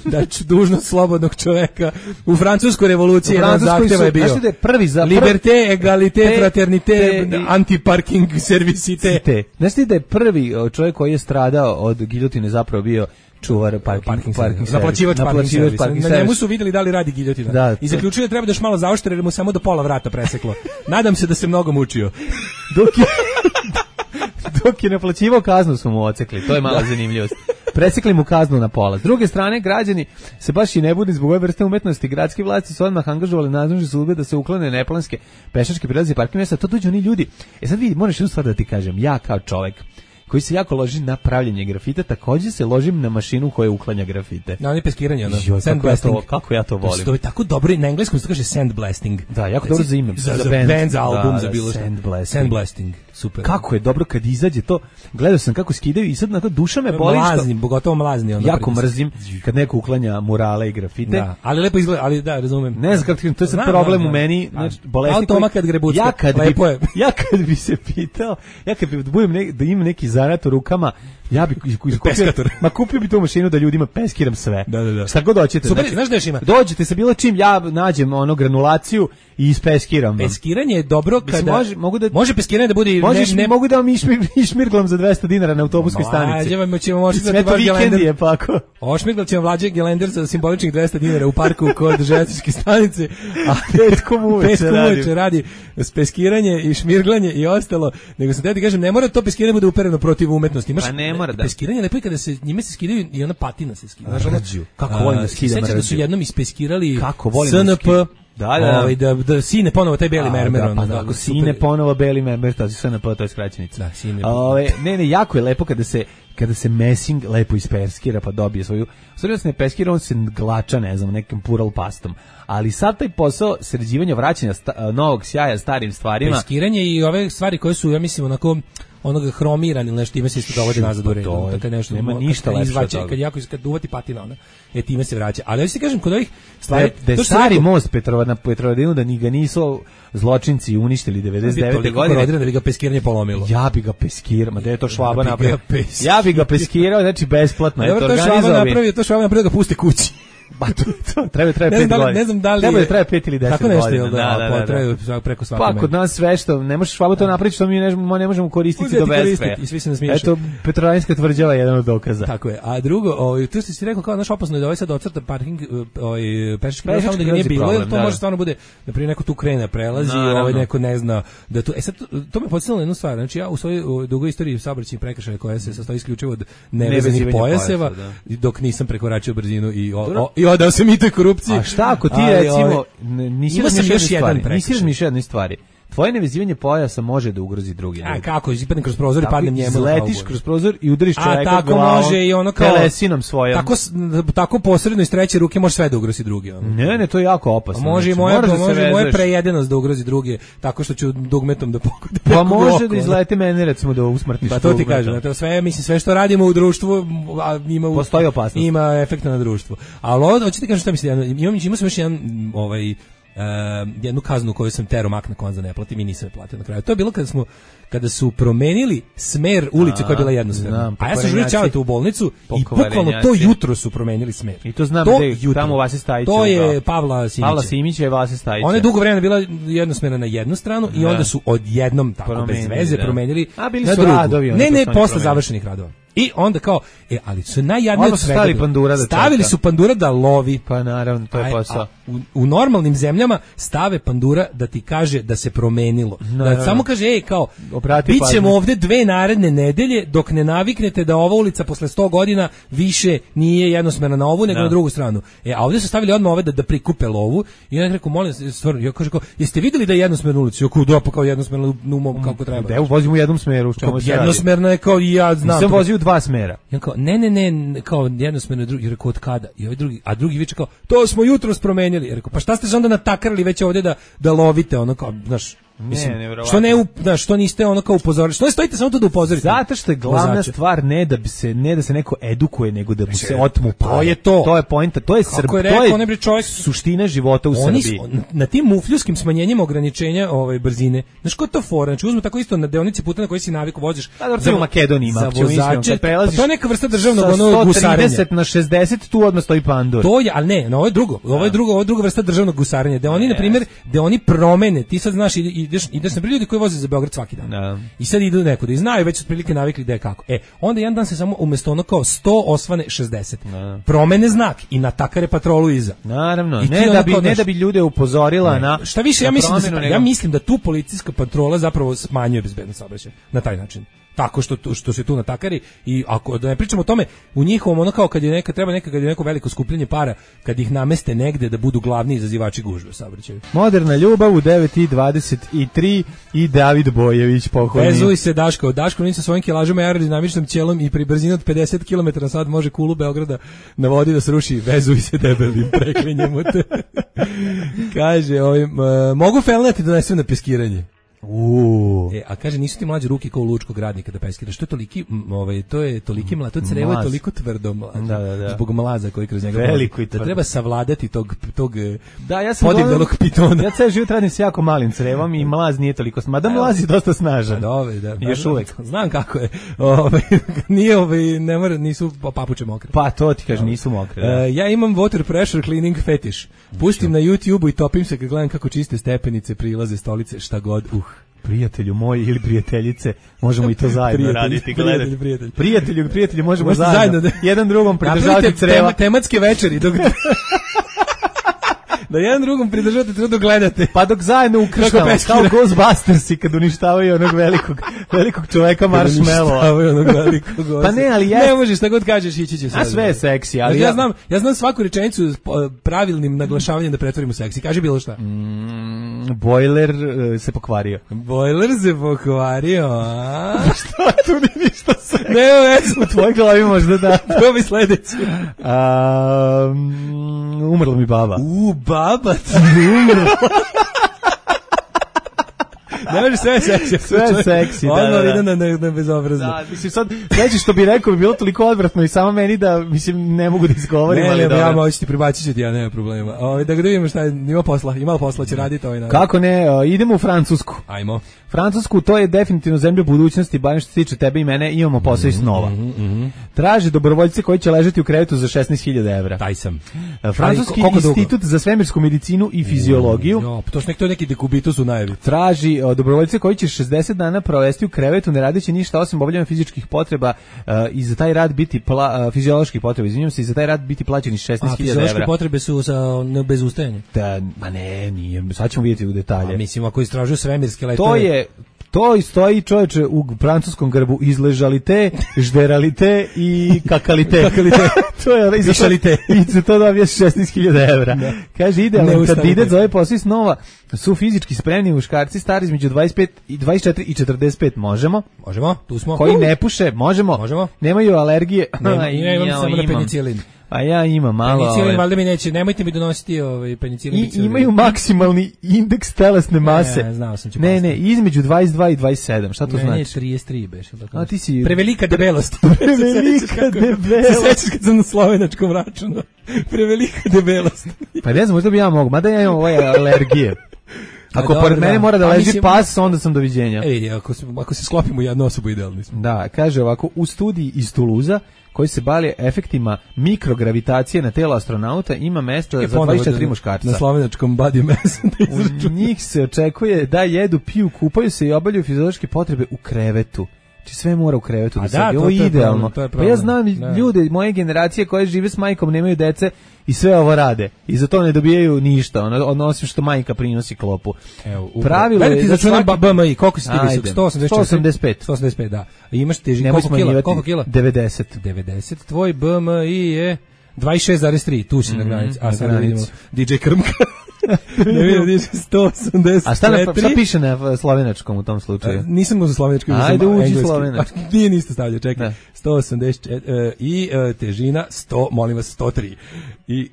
Znači, dužnost slobodnog čoveka u francuskoj revoluciji jedan zahteva je bio. Znači da je prvi za... Liberté, égalité, fraternité, anti-parking servicité. Znači da je prvi čovjek koji je stradao od giljotine zapravo bio čuvar parking naplaćivač parking servisa. Na njemu su vidjeli da li radi giljotina. I zaključio da treba da još malo zaoštre jer mu samo do pola vrata preseklo. Nadam se da se mnogo mučio. Dok je naplaćivao kaznu su mu ocekli, to je mala zanimljivost. Presekli mu kaznu na pola. S druge strane, građani se baš i ne budi zbog ove vrste umetnosti. Gradske vlasti su odmah angažovali nadležne službe da se uklone neplanske pešačke prelaze i parking mjesta. To dođu oni ljudi. Sad vidi, moraš jednu stvar da ti kažem. Ja kao čovjek koji se jako loži na pravljenje grafita, također se ložim na mašinu koja uklanja grafite. Na peskiranje, sandblasting. Kako ja to volim. To je tako dobro, na engleskom se kaže sandblasting. Da, jako dobro za ime. Za band, za album, za bilo što. Sandblasting. Super. Kako je dobro kad izađe to. Gledao sam kako skidaju i sad na to duša me boli. Pogotovo mlazni. Jako mrzim kad neko uklanja murale i grafite. Da, ali lepo izgleda, ali da, razumem. Ne znam kako to je sad problem u meni, znači bolesti. Automa kad grebucka. Ja kad bi se pitao, ja kad bi da imam neki zanat u rukama, ja bi kupio bi tu mašinu da ljudima peskiram sve. Da. Šta god hoćete. Super, znaš da još ima? Dođete sa bilo čim, ja nađem granulaciju i ispeskiram. Peskiranje je dobro kada može peskiranje da bude mogu da vam išmirglam za 200 dinara na autobuskoj stanici. Ćemo ošmirglat ćemo Vlađe Gelender za simboličnih 200 dinara u parku kod željezničke stanice, a petkom uveče radi peskiranje i šmirglanje i ostalo. Nego sam ti kažem, ne mora to peskiranje bude upereno protiv umetnosti. Pa ne mora da. Peskiranje lepo je kada se njime se skidaju i ona patina se skida. Kako volim da skidam mrđu. Sećam da su jednom ispeskirali SNP. Da sine ponovo taj beli mermer. Ako sine ponovo beli mermer, to je SNP, to je skraćenica. Da, sine. Ne, jako je lepo kada se messing lepo ispeskira pa dobije svoju. Stvarno se ne peskira, on se glača, ne znam, nekim pural pastom. Ali sad taj posao sređivanja, vraćanja novog sjaja starim stvarima. Peskiranje i ove stvari koje su, ja mislim, onako onoga hromiran ili nešto, time se isto dovodi nazad u red. To nešto nema ništa lepše od toga. Kad uvati patina, ona, time se vraća. Ali ja ti kažem, kod ovih stvari... Da je stari most na Petrovaradinu, da ni ga nisu zločinci uništili 99. godine. Da bi ga peskiranje polomilo. Ja bi ga peskirao, da je to Švaba napravio. Ja bi ga peskirao, znači besplatno. To Švaba napravio da ga puste kući. Ba to treba 5 godina. Ne znam da li treba 5 ili 10 godina. Tako nešto da treba preko svakog. Pa kod nas sve što ne možeš Švaba to napraviti, što mi ne možemo koristiti do beskraja. I svi se nasmiješu. Eto, Petrovaradinska tvrđava je jedan od dokaza. Tako je. A drugo, tu si rekao kao naš opasno je da ovaj sad ocrta parking pešački prelaz, samo da ga nije bilo, jer to može stvarno bude da prije neko tu krene prelazi, neko ne zna da tu. Sad to me podsjetilo na jednu stvar. Znači ja u svojoj dugoj istoriji saobraćajnih prekršaja koja se sastoji isključivo od nevezanih pojaseva, dok nisam prekoračio brzinu i odao se mitoj korupciji. A šta ako ti recimo nisi razmišljao jedne stvari? Tvoje nevezivanje pojasa može da ugrozi drugi. A kako, izpadne kroz prozor i padnem njemu. Letiš kroz prozor i udariš čoveka glavom. A tako može i ono kao telesinom svojom. Tako posredno iz treće ruke može sve da ugrozi drugi. Ne, to je jako opasno. Može i moja prejedenost da ugrozi drugi, tako što ću dugmetom da pokudim. Pa može da izlete mene recimo da usmrtiš. Pa to ti kažem, to sve što radimo u društvu postoji opasnost. Ima efekta na društvo. Ali hoćete kažem šta mislim, imamo još jedan jednu kaznu koju sam tero mak na konza ne platim i nisam je platio na kraju. To je bilo kada su promenili smer ulice koja je bila jednosmerna. A ja sam žurio ćavati u bolnicu i bukvalno to jutro su promenili smer. I to znam tamo u Vasi Stajića. To je Pavla Simića. Pavla Simića i Vasi Stajića. Ona je dugo vremena bila jednosmerna na jednu stranu i onda su odjednom tako bez veze promenili na drugu. Radovi, ne, posle završenih radova. I onda kao, ali su najjadnije od svega. Stavili su pandura da lovi. Pa naravno, to je posao. U normalnim zemljama stave pandura da ti kaže da se promenilo. Da samo kaže, kao, bit ćemo ovde 2 naredne nedelje dok ne naviknete da ova ulica posle 100 godina više nije jednosmerna na ovu nego na drugu stranu. A ovde su stavili odmah ove da prikupe lovu i ja rekao, molim, stvarno, ja kažem, jeste videli da je jednosmerna ulica? Ja kao jednosmerna numom kako treba. Evo, vozimo u jednom smeru. Jednosmerna je kao i ja znam. Sam vozio 2 smera. Ja kao, ne, kao jednosmerno drugi, rekao od kada? I ovaj drugi, a drugi viče kao, to smo jutros promenili. Ja rekao, pa šta ste se onda natakarali već ovdje da lovite, ono kao, znaš, mislim, što niste ono kao upozorili? Što ne stojite samo to da upozorite? Zato što je glavna stvar ne da se neko edukuje, nego da mu se otmu pare. To je poenta, to je suština života u Srbiji. Na tim mufljuskim smanjenjima ograničenja brzine, znaš ko je to fora? Znači uzmu tako isto na deonici puta na kojoj si naviku voziš. U Makedoniji ima, to je neka vrsta državnog gusarenja. Sa 130 na 60 tu odmah stoji pandur. To je, ali ne, ovo je druga vrsta državnog gusarenja. Da oni, na primjer, da oni promene, ti sad znaš, ideš na ljudi koji voze za Beograd svaki dan. I sad idu nekuda i znaju već otprilike navikli da je kako. Onda jedan dan se samo umjesto ono kao 100 osvane 60. Promene znak i natakare patrolu iza. Naravno, ne da bi ljude upozorila na... Šta više, ja mislim da tu policijska patrola zapravo smanjuje bezbednost saobraćaja na taj način. Tako što se tu natakari i ako da ne pričamo o tome u njihovom ono kao kad je neko veliko skupljenje para, kad ih nameste negde da budu glavni izazivači gužve u saobraćaju. Moderna ljubav u 9:23 i David Bojević pokojni. Vezuj se Daško ni sa svojim kilažama i aerodinamičnom ćelom i pri brzini od 50 km/h može kulu Beograda na vodi da sruši. Vezuj se debelim, preklinjemo te. Kaže, mogu felnati da donesem na peskiranje. A kaže, nisu ti mlađe ruke kao u lučkog radnika da peskiraš. To je toliki mlaz, to crevo je toliko tvrdo mlaz. Zbog mlaza koji kroz njega veliko da treba savladati tog podivljalog pitona. Ja ceo život radim s jako malim crevom i mlaz nije toliko, mada mlaz je dosta snažan. Još uvek. Znam kako je. Nisu papuče mokre. Pa to ti kaže, nisu mokre. Ja imam water pressure cleaning fetiš. Pustim na YouTube-u i topim se kad gledam kako čiste stepenice, prilaze, stolice, šta god. Prijatelju moji ili prijateljice, možemo i to zajedno raditi. Prijatelju, možemo zajedno. Jedan drugom pridržavati creva. Tematske večeri. Da jedan drugom pridržavate treba dok gledate. Pa dok zajedno ukrštamo, kao Ghostbustersi kad uništavaju onog velikog čoveka Marshmallowa. Pa ne, ali ne možeš, šta god kažeš, ići će sad. A sve je seksi, ali ja znam svaku rečenicu s pravilnim naglašavanjem da pretvorimo seksi. Kaži bilo šta. Bojler se pokvario. A? Šta tu nije ništa seksi? Ne, u tvojoj glavi možda da. To bi sledeći. Umrla mi baba. Baba ti umrla. Ne može sve seksi. Sve seksi, na bezobrazno. Da, mislim sad, sveći što bi rekao bi bilo toliko odvratno i samo meni da, mislim, ne mogu da izgovorim. Ne, ja moći ti pribacit ću ti, ja nema problema. Da ga vidimo šta je, ima posla, će raditi ovaj narod. Kako ne, idemo u Francusku. Ajmo. Francusku, to je definitivno zemlja budućnosti, barem što se tiče tebe i mene, imamo posao i snova. Traže dobrovoljce koji će ležati u krevetu za 16.000 evra. Taj sam. Francuski institut za svemirsku medicinu i fiziologiju. To su neki dekubitus u najavi. Traži dobrovoljce koji će 60 dana provesti u krevetu, ne radeći ništa osim obavljanja fizičkih potreba i za taj rad biti fizioloških potreba, izvinjavam se, i za taj rad biti plaćeni 16.000 evra. Fiziološke potrebe su bez ustajanja. Ma ne, nije. Sad ćemo vidjeti u detalje. Mislim, ako istražuju svemirske letove. To stoji, čovječe, u francuskom grbu: izležalite, žderalite i kakalite. To je višalite. I za to dobiješ 16.000 evra. Kaže, idealan kandidat za ovaj posao snova su fizički spremni muškarci stari između 24 i 45. Možemo, tu smo. Koji ne puše, možemo. Nemaju alergije. Imam samo na penicilin. A ja imam malo... Penicilin, valjda mi neće, nemojte mi donositi penicilin. I imaju maksimalni indeks telesne mase. Ne, znao sam ću Ne, između 22 i 27, šta to znači? Ne, 33 beš. A ti si... Prevelika debelost. Prevelika debelost. Se sećaš kad sam na slovenačkom računu? Prevelika debelost. Pa ne znam, možda bi ja mogu, mada ja imam ove alergije. Ako pored mene mora da leži pas, onda sam doviđenja. Vidi, ako se sklopimo jednu osobu, idealni smo. Da, kaže ovako, u studiji iz Tuluza, koji se bavi efektima mikrogravitacije na telo astronauta, ima mesta za 24 muškarca. Na slovenačkom body mass. U njih se očekuje da jedu, piju, kupaju se i obavljaju fiziološke potrebe u krevetu. Znači sve mora u krevetu da se ovo je idealno. Pa ja znam ljude moje generacije koje žive s majkom, nemaju dece i sve ovo rade. I za to ne dobijaju ništa, osim što majka prinosi klopu. Pravilo je da svaki... BMI, koliko si ti visok? 185. 185, da. I imaš težinu, koliko kila? 90. 90. Tvoj BMI je 26,3, tu si na granici. A sad vidimo DJ Krmka. Ne vidim, 184. A šta piše na slovenačkom u tom slučaju? Nisam u slovenačkom, ajde uđi slovenački. Nije niste stavljao, čekaj. 184 i težina 100, molim vas, 103. I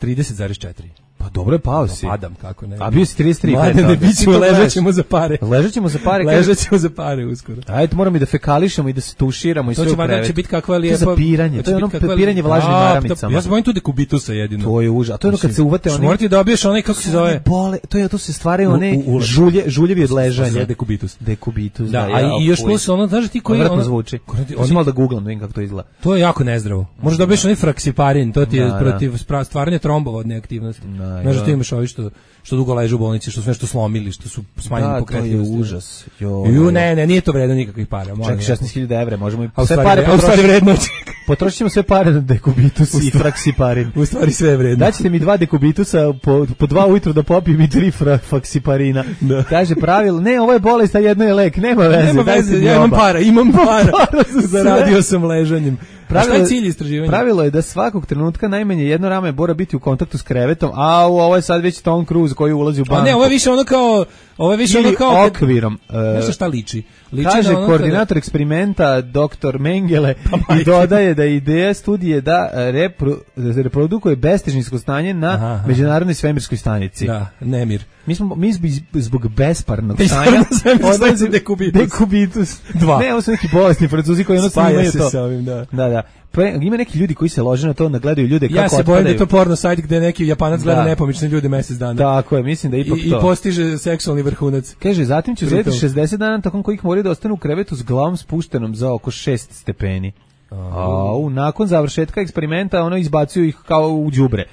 30,4. Pa dobro je pao si. Padam, kako ne. A bio si 33. Mlade, ne bićemo, ležećemo za pare. Ležećemo za pare. Ležećemo za pare uskoro. Ajde, moramo i da fekališemo i da se tuširamo i sve u krevet. To će biti kakva lijepa... To je zapiranje, to je ono piranje vlažnim maramicama. Ja se bojim tu dekubitusa jedino. To je užas. A to je ono kad se uvate oni... Morate da obiješ onaj, kako se zove? To se stvaraju one žuljevi od ležanja. Dekubitus. Dekubitus, da. A i još plus ono, znaš ti koji... Vratno zvuči. Osim malo da googlam, da vidim kako to izgleda. To je jako nezdravo. Možeš da obiješ onaj fraksiparin, to ti je protiv stvaranja trombova od neaktivnosti. Znaš da ti imaš ovi što dugo leže u bolnici, što su nešto slomili, što su smanjeni pokretljivosti. To je užas. Ne, nije to vredno nikakvih para. Čekaj, 16.000 evra, možemo i sve pare potrošiti. Potrošit ćemo sve pare na dekubitus i fraksiparin. U stvari sve je vredno. Daćete mi 2 dekubitusa po 2 ujutru da popijem i 3 fraksiparina. Kaže pravilo, ne, ovo je bolest, a jedno je lek, nema veze. Ja imam para. Zaradio sam ležanjem. Šta je cilj istraživanja? Pravilo je da svakog trenutka najmanje jedno rame mora biti u kontaktu s krevetom, a ovo je sad već Tom Cruise koji ulazi u banku. A ne, ovo je više ono kao... Ili okvirom. Nešto šta liči. Kaže koordinator eksperimenta dr. Mengele i dodaje da ideja studije da reprodukuje bestežinsko stanje na međunarodnoj svemirskoj stanici. Da, nemir. Mi zbog besparnog stanja odlazi dekubitus. 2. Ne, ovo su neki bolesni Francuzi koji jednostavno imaju to. Sa ovim, da. Da. Pa ima neki ljudi koji se lože na to, gledaju ljude kako otpadaju. Ja se bojim da je to porno sajt gde neki Japanac gleda nepomične ljude mesec dana. Tako je, mislim da ipak to. I postiže seksualni vrhunac. Kaže, zatim će uzeti 60 dana tokom kojih moraju da ostanu u krevetu s glavom spuštenom za oko 6 stepeni. Nakon završetka eksperimenta ono izbacuju ih kao u đubre.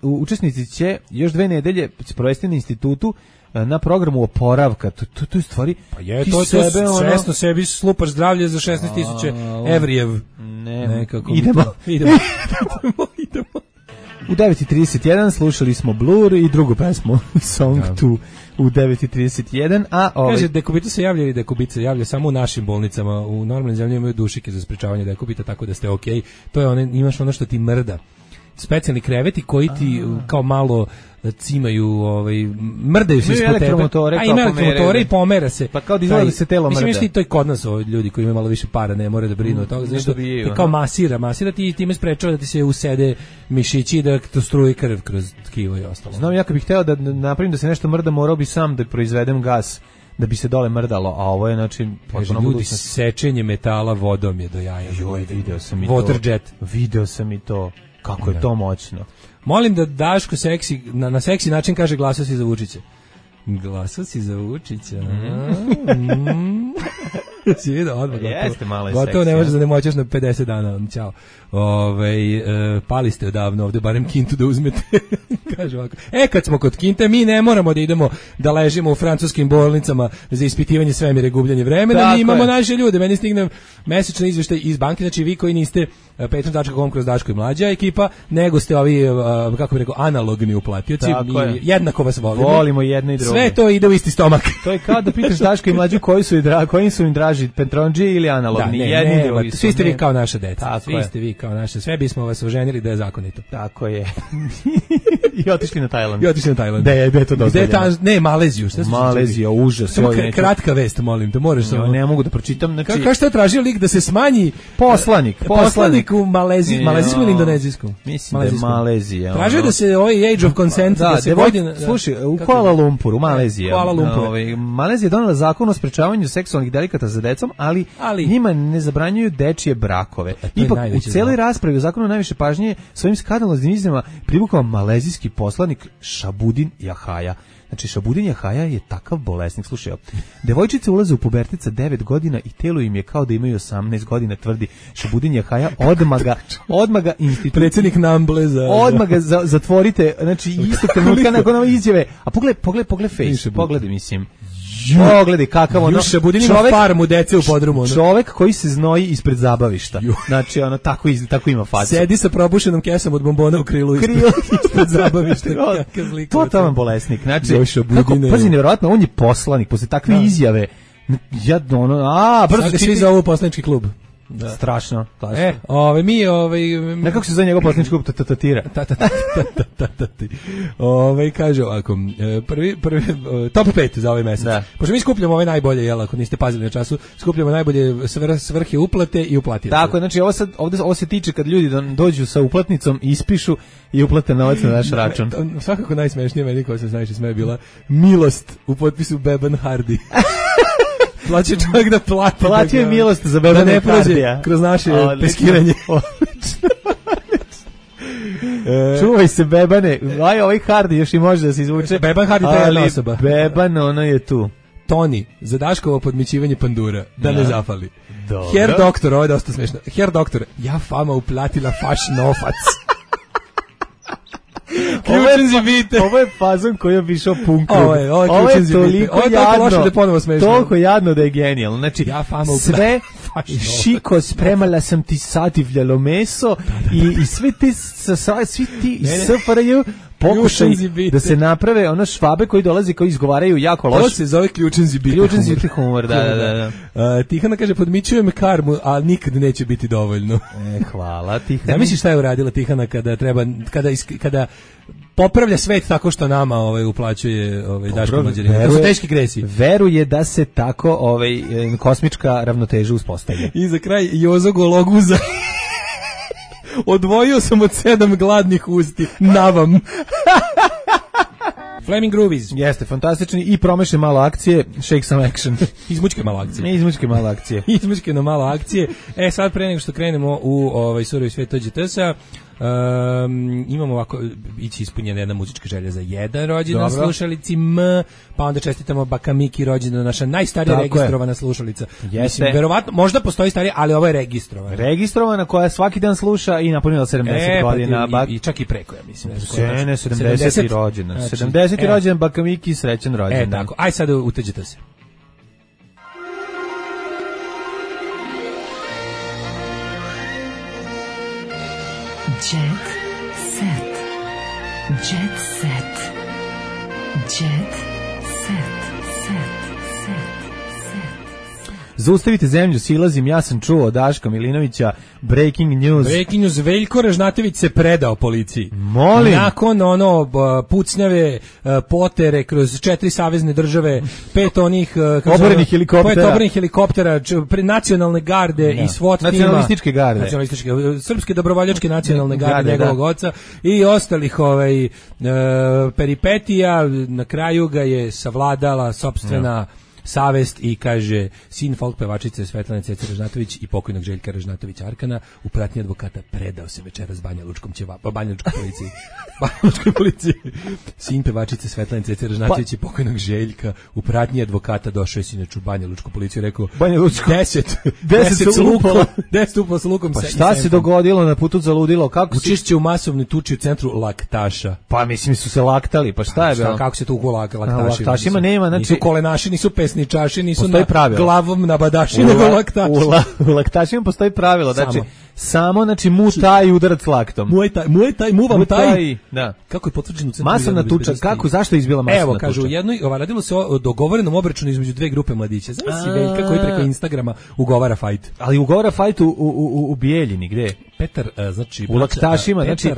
Učesnici će još 2 nedelje provesti na institutu na programu oporavka. To je stvari... Pa je, to svesno sebi slupaš zdravlje za 16.000 evrijev. Nekako. Idemo. U 9.31 slušali smo Blur i drugu pesmu, Song 2 u 9.31, a kaže, dekubitus se javlja ili dekubitus se javlja samo u našim bolnicama, u normalnim zemljama imaju dušike za sprečavanje dekubita, tako da ste okej. To je imaš ono što ti mrda. Specijalni kreveti koji ti kao malo cimaju, mrdaju se ispod tebe. Ima elektromotore i pomera se. Pa kao da izgleda da se telo mrda. Mislim, to je kod nas ljudi koji imaju malo više para, ne moraju da brinu od toga. Znači, ti kao masira ti time sprečava da ti se usede mišići i da to struji krv kroz tkivo i ostalo. Znam, ja kad bih hteo da napravim da se nešto mrda, morao bi sam da proizvedem gas da bi se dole mrdalo, a ovo je, znači... Ljudi, sečenje metala vodom je do jaja. Video sam i to. Waterjet. Video sam i to. Kako je to moćno. Molim da Daško seksi, na seksi način kaže glasao si za Vučića. Glasao si za Vučića. Si vidio odmah. Jeste malo je gotovo ne možeš da ne moćeš na 50 dana. Ćao. Pali ste odavno ovde, barem kintu da uzmete. Kaže ovako. Kad smo kod kinte, mi ne moramo da idemo da ležimo u francuskim bolnicama za ispitivanje svemira i gubljenje vremena. Mi imamo naše ljude. Meni stigne mesečni izveštaj iz banke, znači vi koji niste patreon.com kroz Daško i Mlađa ekipa, nego ste ovi, kako bih rekao, analogni uplatioci. Jednako vas volimo. Volimo jedno i drugo. Sve to ide u isti stomak. To je kao da pitaš Daško i Mlađu koji su im draži, Petronđi ili analogni. Svi ste vi kao naša deca. Svi ste vi kao naše. Sve bismo vas oženili da je zakonito. Tako je. I otišli na Tajland. Da je to dozvoljeno. Ne, Maleziju. Malezija, užas. Samo kratka vest, molim te, moraš samo. Ne mogu da pročitam. Kako što je tražio lik da se smanji poslanik u malezijsku ili indonezijsku? Mislim da je Malezija. Traže da se ovaj age of consent da se godina. Slušaj, u Kuala Lumpuru, Malezija. Malezija je donela zakon o sprečavanju seksualnih delikata za decom, ali njima ne zabranjuju dečije brakove. Ipak u celoj raspravi o zakonu najviše pažnje svojim skandaloznim izjavama privukao malezijski poslanik Šabudin Jahaja. Znači, Šabudin Jahaja je takav bolesnik. Slušaj, devojčice ulaze u pubertet sa 9 godina i telo im je kao da imaju 18 godina, tvrdi Šabudin Jahaja. Odmah ga predsjednik Nambleza. Odmah ga zatvorite, znači isto trenutka nakon ove izjave. A pogledaj face, pogledaj, mislim. Pogledaj kakav ono Šabudin ima farmu dece u podrumu. Čovek koji se znoji ispred zabavišta. Znači, ono, tako ima facu. Sedi sa probušenom kesom od bombona u krilu ispred zabavišta. Totalan bolesnik. Znači, pazi, nevjerojatno, on je poslanik, posle takve izjave. Brzo svi za ovu poslanički klub. Da. Strašno. Ne kako se zove njegov poslanički klub? Tatatira. Kaže ovako, prvi top 5 za ovaj mesec. Pošto mi skupljamo ove najbolje, jel, ako niste pazili na času, skupljamo najbolje svrhe uplate i uplatioce. Tako, znači ovo se tiče kad ljudi dođu sa uplatnicom, ispišu i uplate novac na naš račun. Svakako najsmešnije meni koja se najviše smeje bila milost u potpisu Beban Hardy. Plaće čovjek da plati. Platio je milost za Bebana da ne prođe kroz naše peskiranje. Čuvaj se, Bebane. Ovaj Hardy još i može da se izvuče. Beban Hardy je jedna osoba. Beban, ono je tu. Toni, za Daškovo podmićivanje pandura. Da ne zafali. Dobro. Herr doktor, ovo je dosta smešno. Herr doktor, ja fama uplatila faš novac. Ovo je fazon koji je išao punkom. Ovo je toliko jadno. Toliko jadno da je genijalno. Znači, sve šiko, spremala sam ti sativljalo meso i svi ti SFRJ pokušaj da se naprave ono švabe koji dolazi, koji izgovaraju jako loše. To se zove ključan zibiti humor. Da. Tihana kaže, podmićujem karmu, a nikad neće biti dovoljno. Hvala, Tihana. Ne misliš šta je uradila Tihana kada popravlja svet tako što nama uplaćuje Daško Mlađanina? To su teški gresi. Veruje da se tako kosmička ravnoteža uspostavlja. I za kraj Jozo Gologuza. Odvojio sam od 7 gladnih usti. Navam. Flaming Groovies. Jeste, fantastični i promaše malo akcije, shake some action. Izmučke malo akcije. Izmučke malo akcije. Sad pre nego što krenemo u surovi svet OđTS-a, imamo ovako, ići ispunjena jedna muzička želja za jedan rođendan slušalici pa onda čestitamo Baka Miki rođendan, naša najstarija registrovana slušalica. Mislim, verovatno, možda postoji starija, ali ovo je registrovana. Registrovana koja svaki dan sluša i napunila 70 godina. I čak i preko, ja mislim. 70. rođendan. 70. rođendan Baka Miki, srećan rođendan. Tako, aj sad uteđite se. Jet set. Jet set. Jet set. Zaustavite zemlju, silazim, ja sam čuo od Daška Milinovića, breaking news. Veljko Ražnatović se predao policiji. Molim. Nakon pucnjave, potere kroz 4 savezne države, 5 onih oborenih helikoptera, nacionalne garde i SWAT tima. Nacionalističke garde. Srpske dobrovoljačke nacionalne garde njegovog oca i ostalih peripetija. Na kraju ga je savladala sopstvena savest i kaže, sin folk pevačice Svetlane Cece Ražnatović i pokojnog Željka Ražnatovića Arkana u pratnji advokata predao se večeras Banjalučkoj policiji. Sin pevačice Svetlane Cece Ražnatović i pokojnog Željka u pratnji advokata došao je sinoć u Banjalučku policiju, rekao 10 sa lukom. Pa šta se dogodilo na putu za ludilo? Učešće u masovnoj tuči u centru Laktaša. Pa mislim su se laktali, pa šta je bilo? Kako se tu laktašima nema, znači nisu kolenaši, nisu pesničaši, nisu glavom nabadaši, nego laktaši. U laktašima postoji pravilo, znači samo znači mutaj udarac laktom. Muvam taj. Da. Kako je potvrđeno u centru? Masovna tuča, zašto je izbila masovna tuča? Evo, kažu, radilo se o dogovorenom obračunu između dve grupe mladića. Znači Veljka koji preko Instagrama ugovara fajt. Ali ugovara fajt u Bijeljini, gde? Petar, znači u laktašima, znači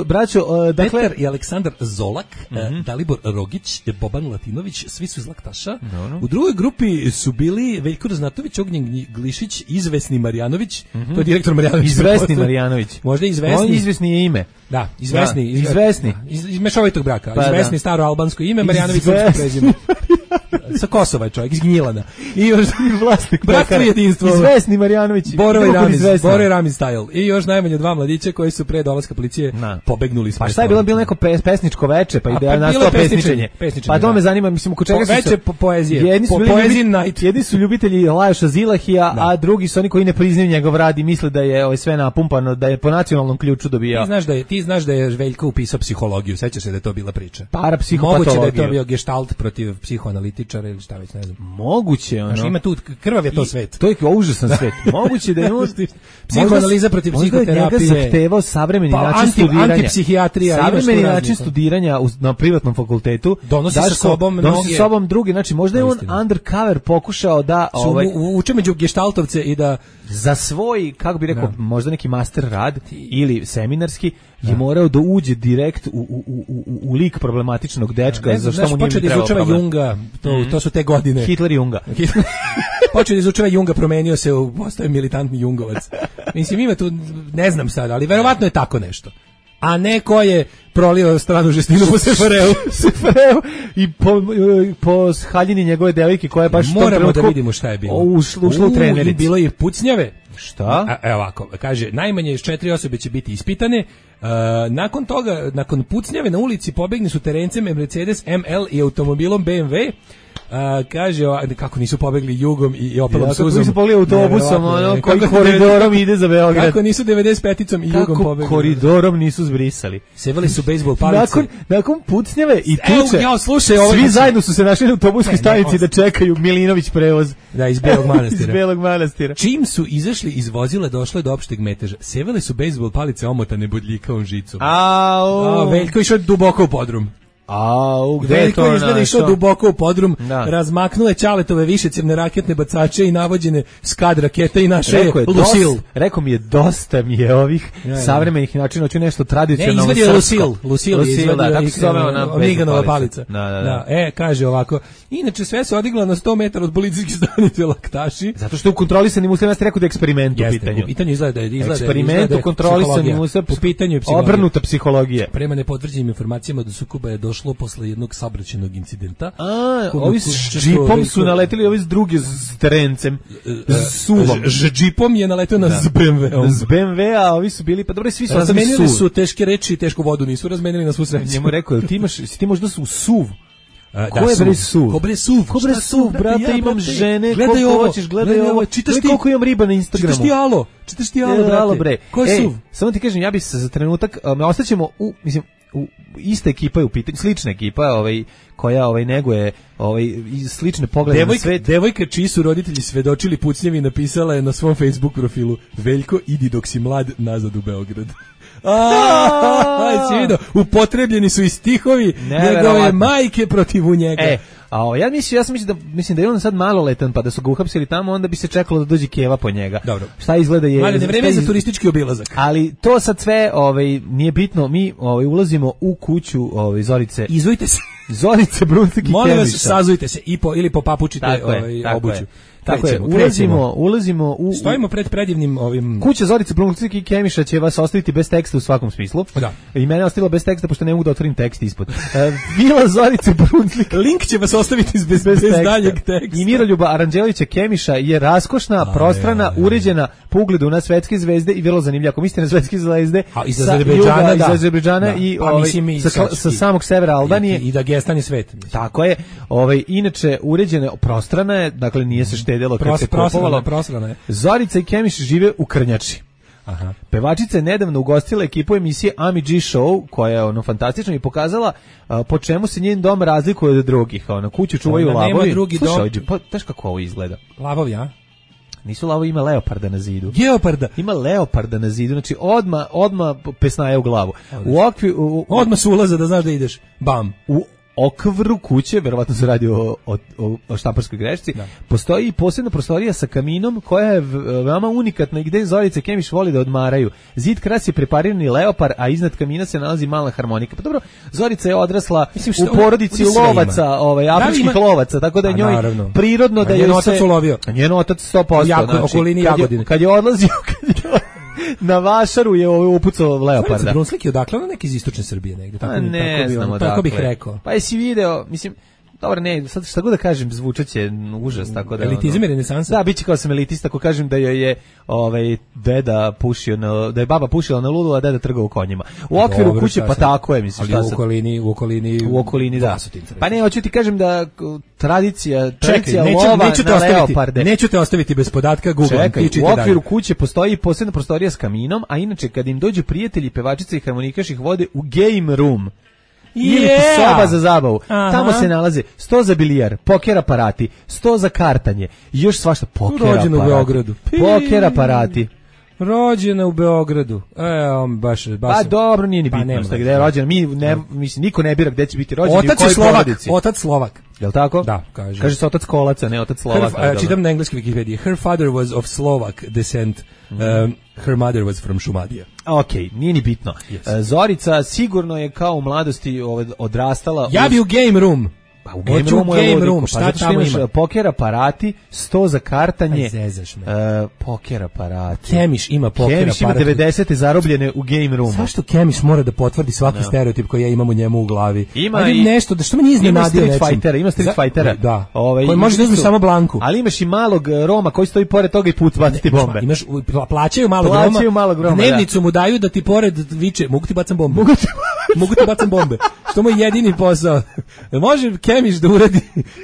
braćo, dakle Petar i Aleksandar Zolak, Dalibor Rogić, Boban Latinović, svi su iz laktaša. U drugoj grupi su bili Veljko Ražnatović, Ognjen Glišić, izvesni Marjanović, to je direktor Nestor Marjanović. Izvesni Marjanović. Možda izvesni. On izvesni je ime. Da, izvesni. Izvesni. Iz mešovitog braka. Izvesni staro albansko ime, Marjanović srpsko prezime. Sa Kosova je čovjek, iz Gnjilana. I još vlasnik bratstvo jedinstvo. Izvesni Marjanović. Boro i Ramiz style. I još najmanje 2 mladića koji su pre dolaska policije pobegnuli s mesta. Pa šta je bilo neko pesničko veče, pa ide nastao pesničenje. Pa to me zanima, mislim, oko čega su veče poezije. Jedni su ljubitelji Lajoša Zilahija, a drugi su oni koji ne priznaju njegov rad i misle da je sve napumpano, da je po nacionalnom ključu dobijao. Ti znaš da je Veljko upisao psihologiju, sećaš se da je to bila priča. Parapsihopatologiju. Moguće da je to bio gestalt protiv psihoanalitičara ili šta već, ne znam. Moguće, ono. Znači ima tu krvav je to svet. To je užasan svet. Moguće da je psihoanaliza protiv psihoterapije. Možda je njega zahtevao savremeni način studiranja. Antipsihijatrija. Savremeni način studiranja na privatnom fakultetu. Donosi sa sobom drugi. Znači možda je on undercover pokušao da uče među geštaltovce i da za svoj, kako bi rekao, možda neki master rad ili seminarski je morao da uđe direkt u lik problematičnog dečka, za što mu nije trebao izučava Junga, to su te godine. Hitler Junga. Počeo da izučava Junga, promenio se, postao je militantni Jungovac. Mislim, ima tu, ne znam sad, ali verovatno je tako nešto. A neko je prolio stranu žestinu po Sefareu i po haljini njegove devojke koja je baš u tom trenutku... Moramo da vidimo šta je bilo. Ušla u trenericu. Bilo je pucnjave. Šta? Evo ovako, kaže, najmanje 4 osobe će biti ispitane. Nakon toga, nakon pucnjave na ulici pobegli su terencem Mercedes ML i automobilom BMW. Kaže, kako nisu pobegli Jugom i Opelom Suzom. Kako nisu pobegli autobusom, koji koridorom ide za Beograd. Kako nisu 95-icom i Jugom pobegli. Kako koridorom nisu zbrisali. Sevali su bejsbol palice. Nakon pucnjave i tuče, slušaj, svi zajedno su se našli na autobuskoj stanici da čekaju Milinović prevoz. Da, iz Belog Manastira. Iz Belog Manastira. Čim su izašli iz vozila, došlo je do opšteg meteža. Sevali su bejsbol palice omotane bodljikavom žicom. Veljko išao duboko u podrum. Gde je to izgleda išao duboko u podrum, razmaknule Ćaletove višecjevne raketne bacače i navođene skad rakete i naše Lucil. Rekao mi je, dosta mi je ovih savremenih načina, hoću nešto tradicionalno srpsko. Ne, izvadio Lucil je izvadio Miganova palica. Kaže ovako, inače sve se odigla na 100 metara od policijske stanice Laktaši. Zato što u kontrolisanim uslovima ste rekao da je eksperiment u pitanju. U pitanju izgleda eksperiment u kontrolisanim uslovima, u pitanju je obrnuta psihologija. Prema nepotvrđenim informacijama do sukoba je došlo posle jednog saobraćajnog incidenta. Ovi s džipom su naleteli, ovi s drugi s terencem, s suvom. Džipom je naletio na BMW-om. S BMW-a, ovi su bili, pa dobro, svi su razmenili su teške reči i tešku vodu, nisu razmenili na svu sreću. Njemu rekao, ti možda su suv. Ko je bre suv? Ko bre suv, brate, imam žene, koliko hoćeš, gledaj ovo, koliko imam riba na Instagramu. Čitaš ti alo, brate. Ko je suv? Samo ti kažem, ja bi se za trenutak, ostaćemo ista ekipa je u pitanju, slična ekipa, koja neguje slične poglede na svet. Devojka čiji su roditelji svedočili pucnjevi napisala je na svom Facebook profilu: Veljko, idi dok si mlad nazad u Beograd. Si vidio, upotrebljeni su i stihovi njegove majke protiv njega. Ja mislim da je on sad maloletan, pa da su ga uhapsili tamo, onda bi se čekalo da dođe keva po njega. Dobro. Šta izgleda je... Mladen, vreme je za turistički obilazak. Ali to sad sve nije bitno, mi ulazimo u kuću Zorice. Izvojite se. Zorice Brunslik i Kemiša. Molim vas, sazujte se ili popapučite obuću. Tako je, ulazimo u... Stojimo pred predivnim ovim... Kuća Zorice Brunslik i Kemiša će vas ostaviti bez teksta u svakom smislu. Da. I mene ostavilo bez teksta, pošto ne mogu da otvorim tekst ispod. Vila Zorice Brunslik. Link će vas ostaviti bez daljeg teksta. I Miroljuba Aranđelovića Kemiša je raskošna, prostrana, uređena po ugledu na svetske zvezde i vrlo zanimljiva. Ako mislite na svetske zvezde iz Azerbejdžana i sa samog severa Albanije. I da gestani svet. Tako je. Inače, uređena, prostrana je, dakle nije se štedelo kad se kupovalo. Zorica i Kemiš žive u Krnjači. Aha. Pevačica je nedavno ugostila ekipu emisije Ami G Show, koja je fantastična i pokazala po čemu se njen dom razlikuje od drugih. Kuću čuvaju lavovi. Nema drugi dom. Znaš kako ovo izgleda? Lavovi, a? Nisu lavovi, ima leoparda na zidu. Geoparda. Ima leoparda na zidu, znači odma pesnaje u glavu. Odma su ulaza da znaš da ideš. Bam. U okvru kuće, verovatno se radi o štamparskoj grešci, postoji i posebna prostorija sa kaminom koja je veoma unikatna i gde Zorica Kemiš voli da odmaraju. Zid krasi preparirani leopar, a iznad kamina se nalazi mala harmonika. Pa dobro, Zorica je odrasla u porodici lovaca, afričkih lovaca, tako da je njoj prirodno da njen otac ulovio. Njen otac 100%. Okolini Jagodine. Kad je odlazio Na vašaru je upucao leoparda. Brunslik je odakle, ono neki iz istočne Srbije negde, tako bih rekao. Pa jesi video, mislim, dobro, ne, sad šta god da kažem, zvučaće užas, tako da... Elitizam je renesansa? Da, biće kao sam elitista, ako kažem da je deda pušio da je baba pušila na ludu, a deda trgao u konjima. U okviru kuće, pa tako je, mislim, šta sad... U okolini, da. Pa ne, hoću ti kažem da tradicija lova na leoparde. Neću te ostaviti bez podatka, Google. Čekaj, u okviru kuće postoji posebna prostorija s kaminom, a inače, kad im dođu prijatelji, pevačice i harmonikaš ih vode u game room. Ili soba za zabavu. Tamo se nalaze sto za bilijar, poker aparati, sto za kartanje i još svašta. Rođena u Beogradu. Poker aparati. Rođena u Beogradu. Baš. Pa dobro, nije ni bitno gde je rođena. Mislim, niko ne bira gde će biti rođen i u kojoj porodici. Otac Slovak. Jel tako? Da, kaže. Kaže se otac Kolaca, ne otac Slovaka. Čitam na engleskoj Wikipediji. Her father was of Slovak descent. Her mother was from Šumadija. Okej, nije ni bitno. Yes. Zorica sigurno je kao u mladosti odrastala... Ja bi u game room. Pa u game room, šta tamo ima? Poker aparati, sto za kartanje, poker aparati. Kemiš ima poker aparati. Kemiš ima 90. zarobljene u game roomu. Zašto Kemiš mora da potvrdi svaki stereotip koji ja imam u njemu u glavi? Ima i nešto, da što me nije iznenadio nečim. Ima Street Fightera. Da, koji može da uzme samo Blanku. Ali imaš i malog Roma koji stoji pored toga i put baciti bombe. Imaš, plaćaju malog Roma. Dnevnicu mu daju da ti pored viče, mogu ti bacam bombe. Mogu ti bacam bombe. Što mu je jedini posao. Može Kemiš da uradi.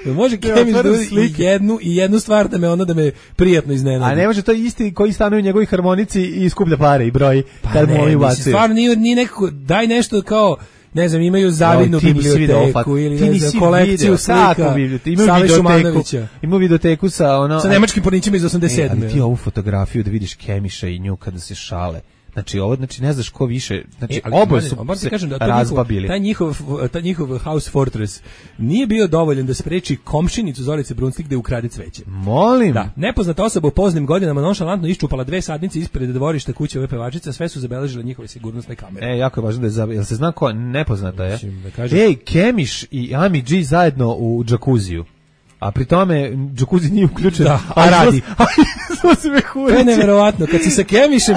Može Kemiš da uradi jednu stvar da me prijatno iznenadi. A ne može to isti koji stanuje u njegovoj harmonici i skuplja pare i broji. Pa ne, stvarno nije nekako, daj nešto kao, ne znam, imaju zavidnu biblioteku ili ne znam, kolekciju slika Save Šumanovića. Imaju videoteku sa nemačkim pornićima iz 87. Ali ti ovu fotografiju da vidiš Kemiša i nju kada se šale. Znači ne znaš ko više, znači oboje su se razbabili. Taj njihov house fortress nije bio dovoljan da spreči komšinicu Zorice Brunslik da ukrade cveće. Molim. Da, nepoznata osoba u poznim godinama nonšalantno iščupala 2 sadnice ispred dvorišta kuće ove pevačice, sve su zabeležile njihove sigurnosne kamere. Jako je važno da jel se zna ko nepoznata je? Ej, Kemiš i Ami G zajedno u džakuziju. A pri tome džakuzi nije uključen. Da, a radi. To je neverovatno, kad si sa Kemišem...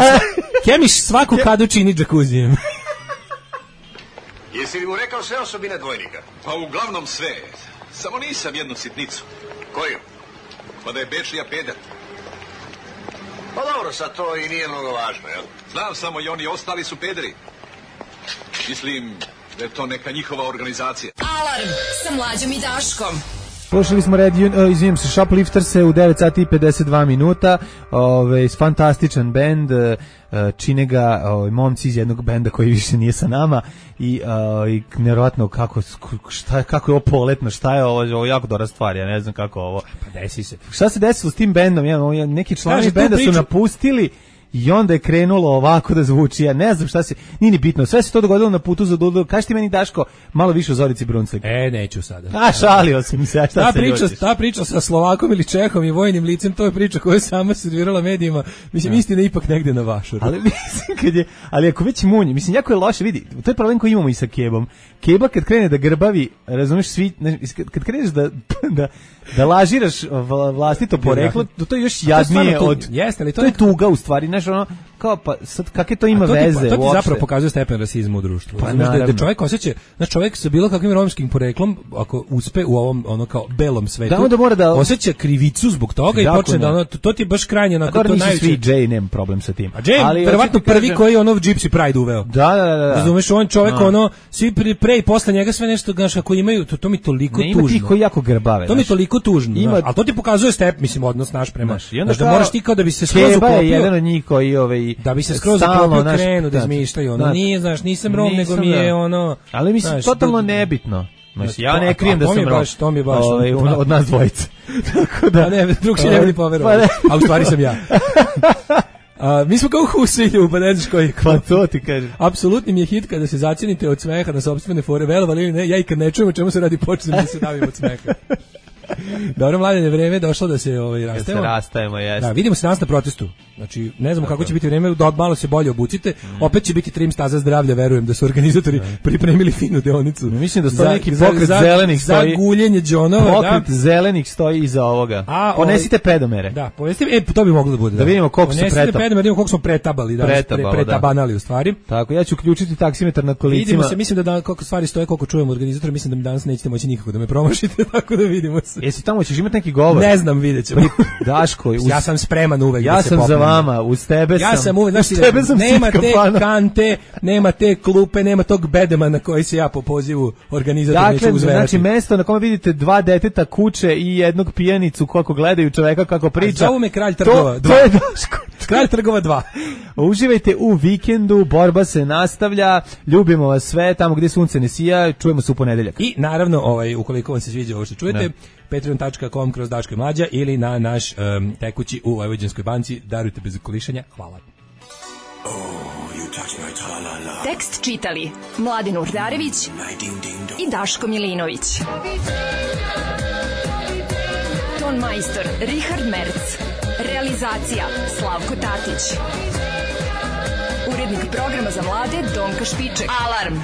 Kemiš svaku kadu čini džakuzijem. Jesi li mu rekao sve osobine dvojnika? Pa uglavnom sve. Samo nisam jednu sitnicu. Koju? Pa da je Bečija peder. Pa dobro, sad to i nije mnogo važno, jel? Znam samo i oni ostali su pederi. Mislim da je to neka njihova organizacija. Alarm sa Mlađom i Daškom. Slušali smo Shoplifterse u 9 sati i 52 minuta, fantastičan bend, čine ga momci iz jednog benda koji više nije sa nama i nevjerovatno kako je ovo poletno, šta je ovo jako dobra stvar, ja ne znam kako ovo. Pa desi se. Šta se desilo s tim bendom? Neki članovi benda su napustili i onda je krenulo ovako da zvuči, ja ne znam šta se, nije ni bitno, sve se to dogodilo na putu za Dudu. Kaži ti meni, Daško, malo više o Zorici Brunslik. Neću sada. Šalio sam se, šta se ljučiš? Ta priča sa Slovakom ili Čehom i vojnim licem, to je priča koju je sama servirala medijima, mislim, istina ipak negde na vašuru. Ali mislim, ali ako već munje, mislim, jako je loše, vidi, to je problem koji imamo i sa Kebom. Keba kad krene da grbavi, razumeš, kad kreneš da lažiraš vlastito poreklo, to je još jadnije od... To je tuga u stvari, znaš, kao pa sad kakve to ima veze uopšte? To ti zapravo pokazuje stepen rasizma u društvu. Pa da čovjek osjeća, znači čovjek sa bilo kakvim romskim poreklom, ako uspe u ovom kao belom svetu, osjeća krivicu zbog toga i počne da to ti je baš krajnje onako to najveće. Svi Jay nema problem sa tim. A Jay verovatno prvi koji Gypsy Pride uveo. Da. Razumeš, on čovjek svi pre i posle njega sve nešto gaš ako imaju, to mi toliko tužno. Ima ti koji jako grbave. To mi toliko tužno. Ali to ti pokazuje mislim odnos naš prema. Da moraš ti kao da bi se skroz uklopio. Keba je jedan od njih koji da bi se skroz uklopio krenu da izmišljaju. Nije, znaš, nisam Rom, nego mi je ali mislim, totalno nebitno. Ja ne krijem da sam Rom. To mi je baš od nas dvojice. Tako da. Ne, drug si ne bi poverovao. A u stvari sam ja. Mi smo kao Husilju, pa ne znaš koji. Pa to ti kažem. Apsolutni mi je hit kada se zacijenite od smeha na sopstvene fore, verovali ili ne, ja i kad ne čujem o čemu se radi počnem da se davim od smeha. Dobro, Mladene, vreme je došlo da se rastajemo. Da se rastajemo, jeste. Da, vidimo se danas na protestu. Znači, ne znamo kako će biti vreme, da malo se bolje obucite. Opet će biti trim staza zdravlja, verujem da su organizatori pripremili finu deonicu. Mislim da stoji neki pokret zelenih stoji. Za guljenje džonova, pokret zelenih stoji iza ovoga. Ponesite pedomere. Da, ponesite, to bi moglo da bude. Da vidimo koliko su pedomere, da vidimo koliko smo pretabali, pretabanali u stvari. Tako, ja ću uključiti taksimetar na kolicima. Vidimo se, mislim da koliko stvari stoje, koliko čujemo organizatora, mislim da mi danas nećete moći nikako da me promašite, tako da vidimo se. Jesi tamo, ćeš imati neki govor? Ne znam, videćemo. Daško, ja sam spreman uvek ja da se popnem. Ja sam za vama, uz tebe sam. Ja sam uvek, nema te kante, nema te klupe, nema tog bedema na koji se ja po pozivu organizatora neću uzverati. Znači mesto na kome vidite 2 deteta kuće i jednog pijanicu kako gledaju čoveka kako priča. Zovu me Kralj Trgova 2. To je Daško. Kralj Trgova 2. Uživajte u vikendu, borba se nastavlja, ljubimo vas sve, tamo gdje sunce ne sija, čujemo se u ponedeljak. I naravno, ukoliko vam se sviđa ovo što čujete, patreon.com/daško-mlađa ili na naš tekući u Vojvođanskoj banci, darujte bez kolišanja. Hvala. Tekst čitali Mladen Urdarević i Daško Milinović. Ton majstor Richard Merc. Realizacija Slavko Tatić. Urednik programa za mlade Donka Špiček. Alarm!